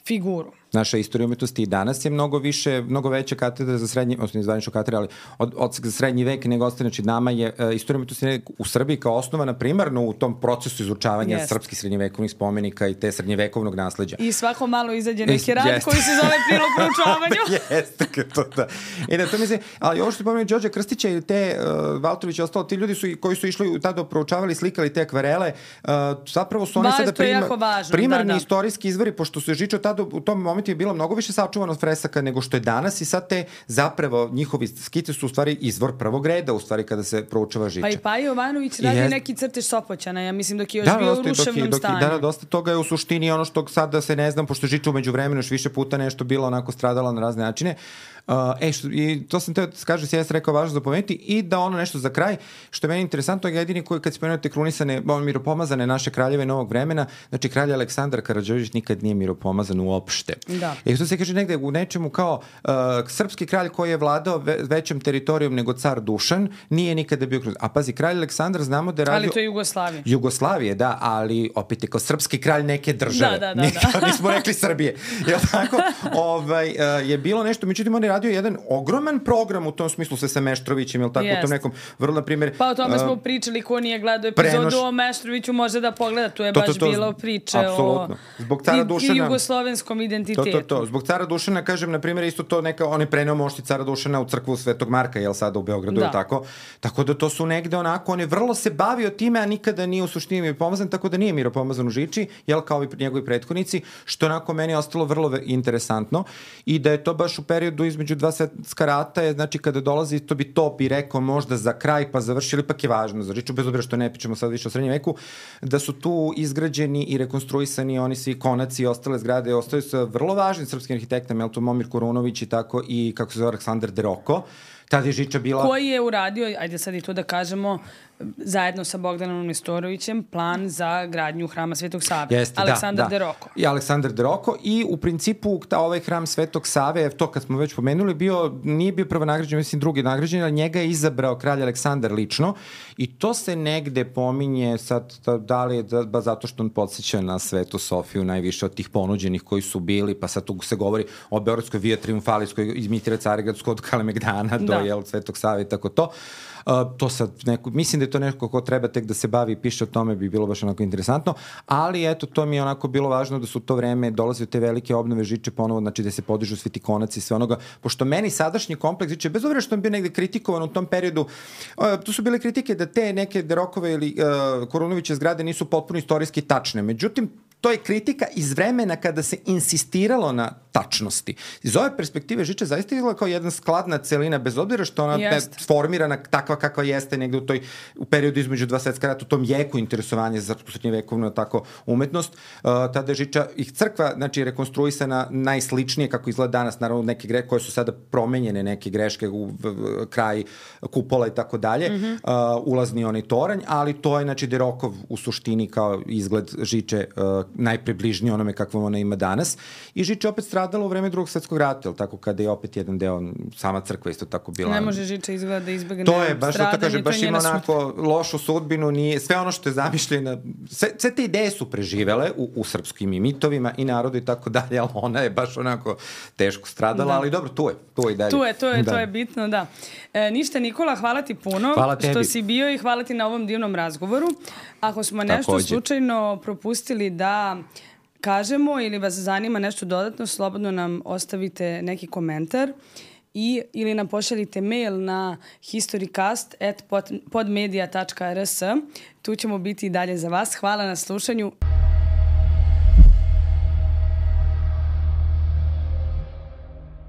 figuru. Naša istorija umetnosti i danas je mnogo veća katedra za srednji, odnosno izvanična katedra, ali odsek za srednji vek nego ostane, znači nama je istorija umetnosti u Srbiji kao osnovana primarno u tom procesu izučavanja srpskih srednjevekovnih spomenika i te srednjevekovnog nasleđa. I svako malo izađe neki rad koji se zove prilog proučavanju. Jeste, to da. I da to mislim, ali ovo što je pomenuo Đorđa Krstića i te Valtrović i ostalo, ti ljudi koji su išli tada proučavali, slikali te akvarele, zapravo su oni sada primarni istorijski izvori, pošto su je Žičo tada u tom momentu je bilo mnogo više sačuvano od fresaka nego što je danas i sad te zapravo njihovi skice su u stvari izvor prvog reda u stvari kada se proučava Žiča. Pa i Paja Jovanović radi neki crtež Sopoćana, ja mislim dok je još bio u ruševnom stanju. Da, dosta toga je u suštini ono što sad da se ne znam, pošto Žiča umeđu vremenu još više puta nešto bilo onako stradala na razne načine. I to sam teo da kažem, si jes rekao važno zapomenuti i da ono nešto za kraj, što je meni interesantno, je jedini koji kad spomenuti krunisane, miropomazane naše kraljeve novog vremena, znači kralj Aleksandar Karađorđević nikad nije miropomazan uopšte. I što se kaže negde u nečemu kao srpski kralj koji je vladao većem teritorijom nego car Dušan, nije nikada bio krunisana. A pazi, kralj Aleksandar znamo da je radio... Ali to je Jugoslavije. Jugoslavije, da, ali opet je kao srpski kralj neke države. Da. Nismo rekli Srbije. Jel tako? Je bilo nešto, međutim on je radio jedan ogroman program u tom smislu sa Meštrovićem, jel tako, u tom nekom vrlo, na primjer... Pa o tome smo pričali, ko nije gledao epizodu o Meštroviću može da pogleda, tu je baš bilo priče o jugoslovenskom identitetu. Zbog cara Dušana, kažem, na primjer, isto to neka, on je preneo mošti cara Dušana u crkvu Svetog Marka, jel sada u Beogradu, tako da to su negde onako, on je vrlo se bavio time, a nikada nije u suštini miropomazan, tako da nije miropomazan u Žiči, jel, kao i njegovi prethodnici, što onako meni je ostalo vrlo interesantno i da je to baš u periodu između dva svetska rata, je, znači kada dolazi, to bi rekao možda za kraj, pa završili, ipak je važno za Žiču, bez obzira što ne pričamo sad više o srednjem veku, da su tu izgrađeni i rekonstruisani oni svi konaci i ostale zgrade, ostaju sa vrlo važnim srpskim arhitektama, jel to Momir Kurunović i tako, i kako se zove Aleksandar Deroko. Tada je Žiča bila... Koji je uradio, ajde sad i to da kažemo, zajedno sa Bogdanom Nestorovićem plan za gradnju hrama Svetog Save. Jeste, Aleksandar Deroko. I Aleksandar Deroko i u principu ovaj hram Svetog Save, to kad smo već pomenuli, nije bio prvo nagrađen, mislim drugi nagrađen, ali njega je izabrao kralj Aleksandar lično i to se negde pominje sad, da li je zato što on podsjeća na Svetu Sofiju najviše od tih ponuđenih koji su bili, pa sad tu se govori o Beogradskoj Via Triumfalis koji imitira Carigradsku od Kalemegdana do Svetog Save i tako to. To sad mislim da je to neko ko treba tek da se bavi i piše o tome, bi bilo baš onako interesantno, ali eto, to mi je onako bilo važno da su u to vreme dolazio te velike obnove Žiče ponovo, znači da se podižu svi ti konaci i sve onoga, pošto meni sadašnji kompleks Žiče, bez obzira što on bio negde kritikovan u tom periodu, tu su bile kritike da te neke Derokove ili Kurunoviće zgrade nisu potpuno istorijski tačne, međutim to je kritika iz vremena kada se insistiralo na tačnosti. Iz ove perspektive Žiča zaista izgleda kao jedna skladna celina, bez obzira što ona je formirana takva kakva jeste negde u periodu između dva svetska rata, u tom jeku interesovanja za srednjevekovnu tako umetnost. Tada je Žiča i crkva, znači rekonstruisana najsličnije kako izgleda danas, naravno neke greške koje su sada promenjene, neke greške u kraj kupola i tako dalje, ulazni onaj toranj, ali to je znači Derokov u suštini kao izgled Žiče najpribližnije onome kakvom ona ima danas. I Žiča opet stradala u vreme Drugog svjetskog rata, ili tako, kada je opet jedan deo, sama crkva isto tako bila. Ne može Žiča izgleda da izbegne to je, baš stradanje, to kaže, baš ima onako lošu sudbinu, nije, sve ono što je zamišljeno, sve te ideje su preživele u srpskim i mitovima i narodu i tako dalje, ali ona je baš onako teško stradala, ali dobro, tu je i dalje. To je bitno, da. Ništa, Nikola, hvala ti puno što si bio i hvala ti na ovom divnom razgovoru. Ako smo nešto slučajno propustili da kažemo ili vas zanima nešto dodatno, slobodno nam ostavite neki komentar ili nam pošaljite mail na historycast@podmedia.rs. Tu ćemo biti i dalje za vas. Hvala na slušanju.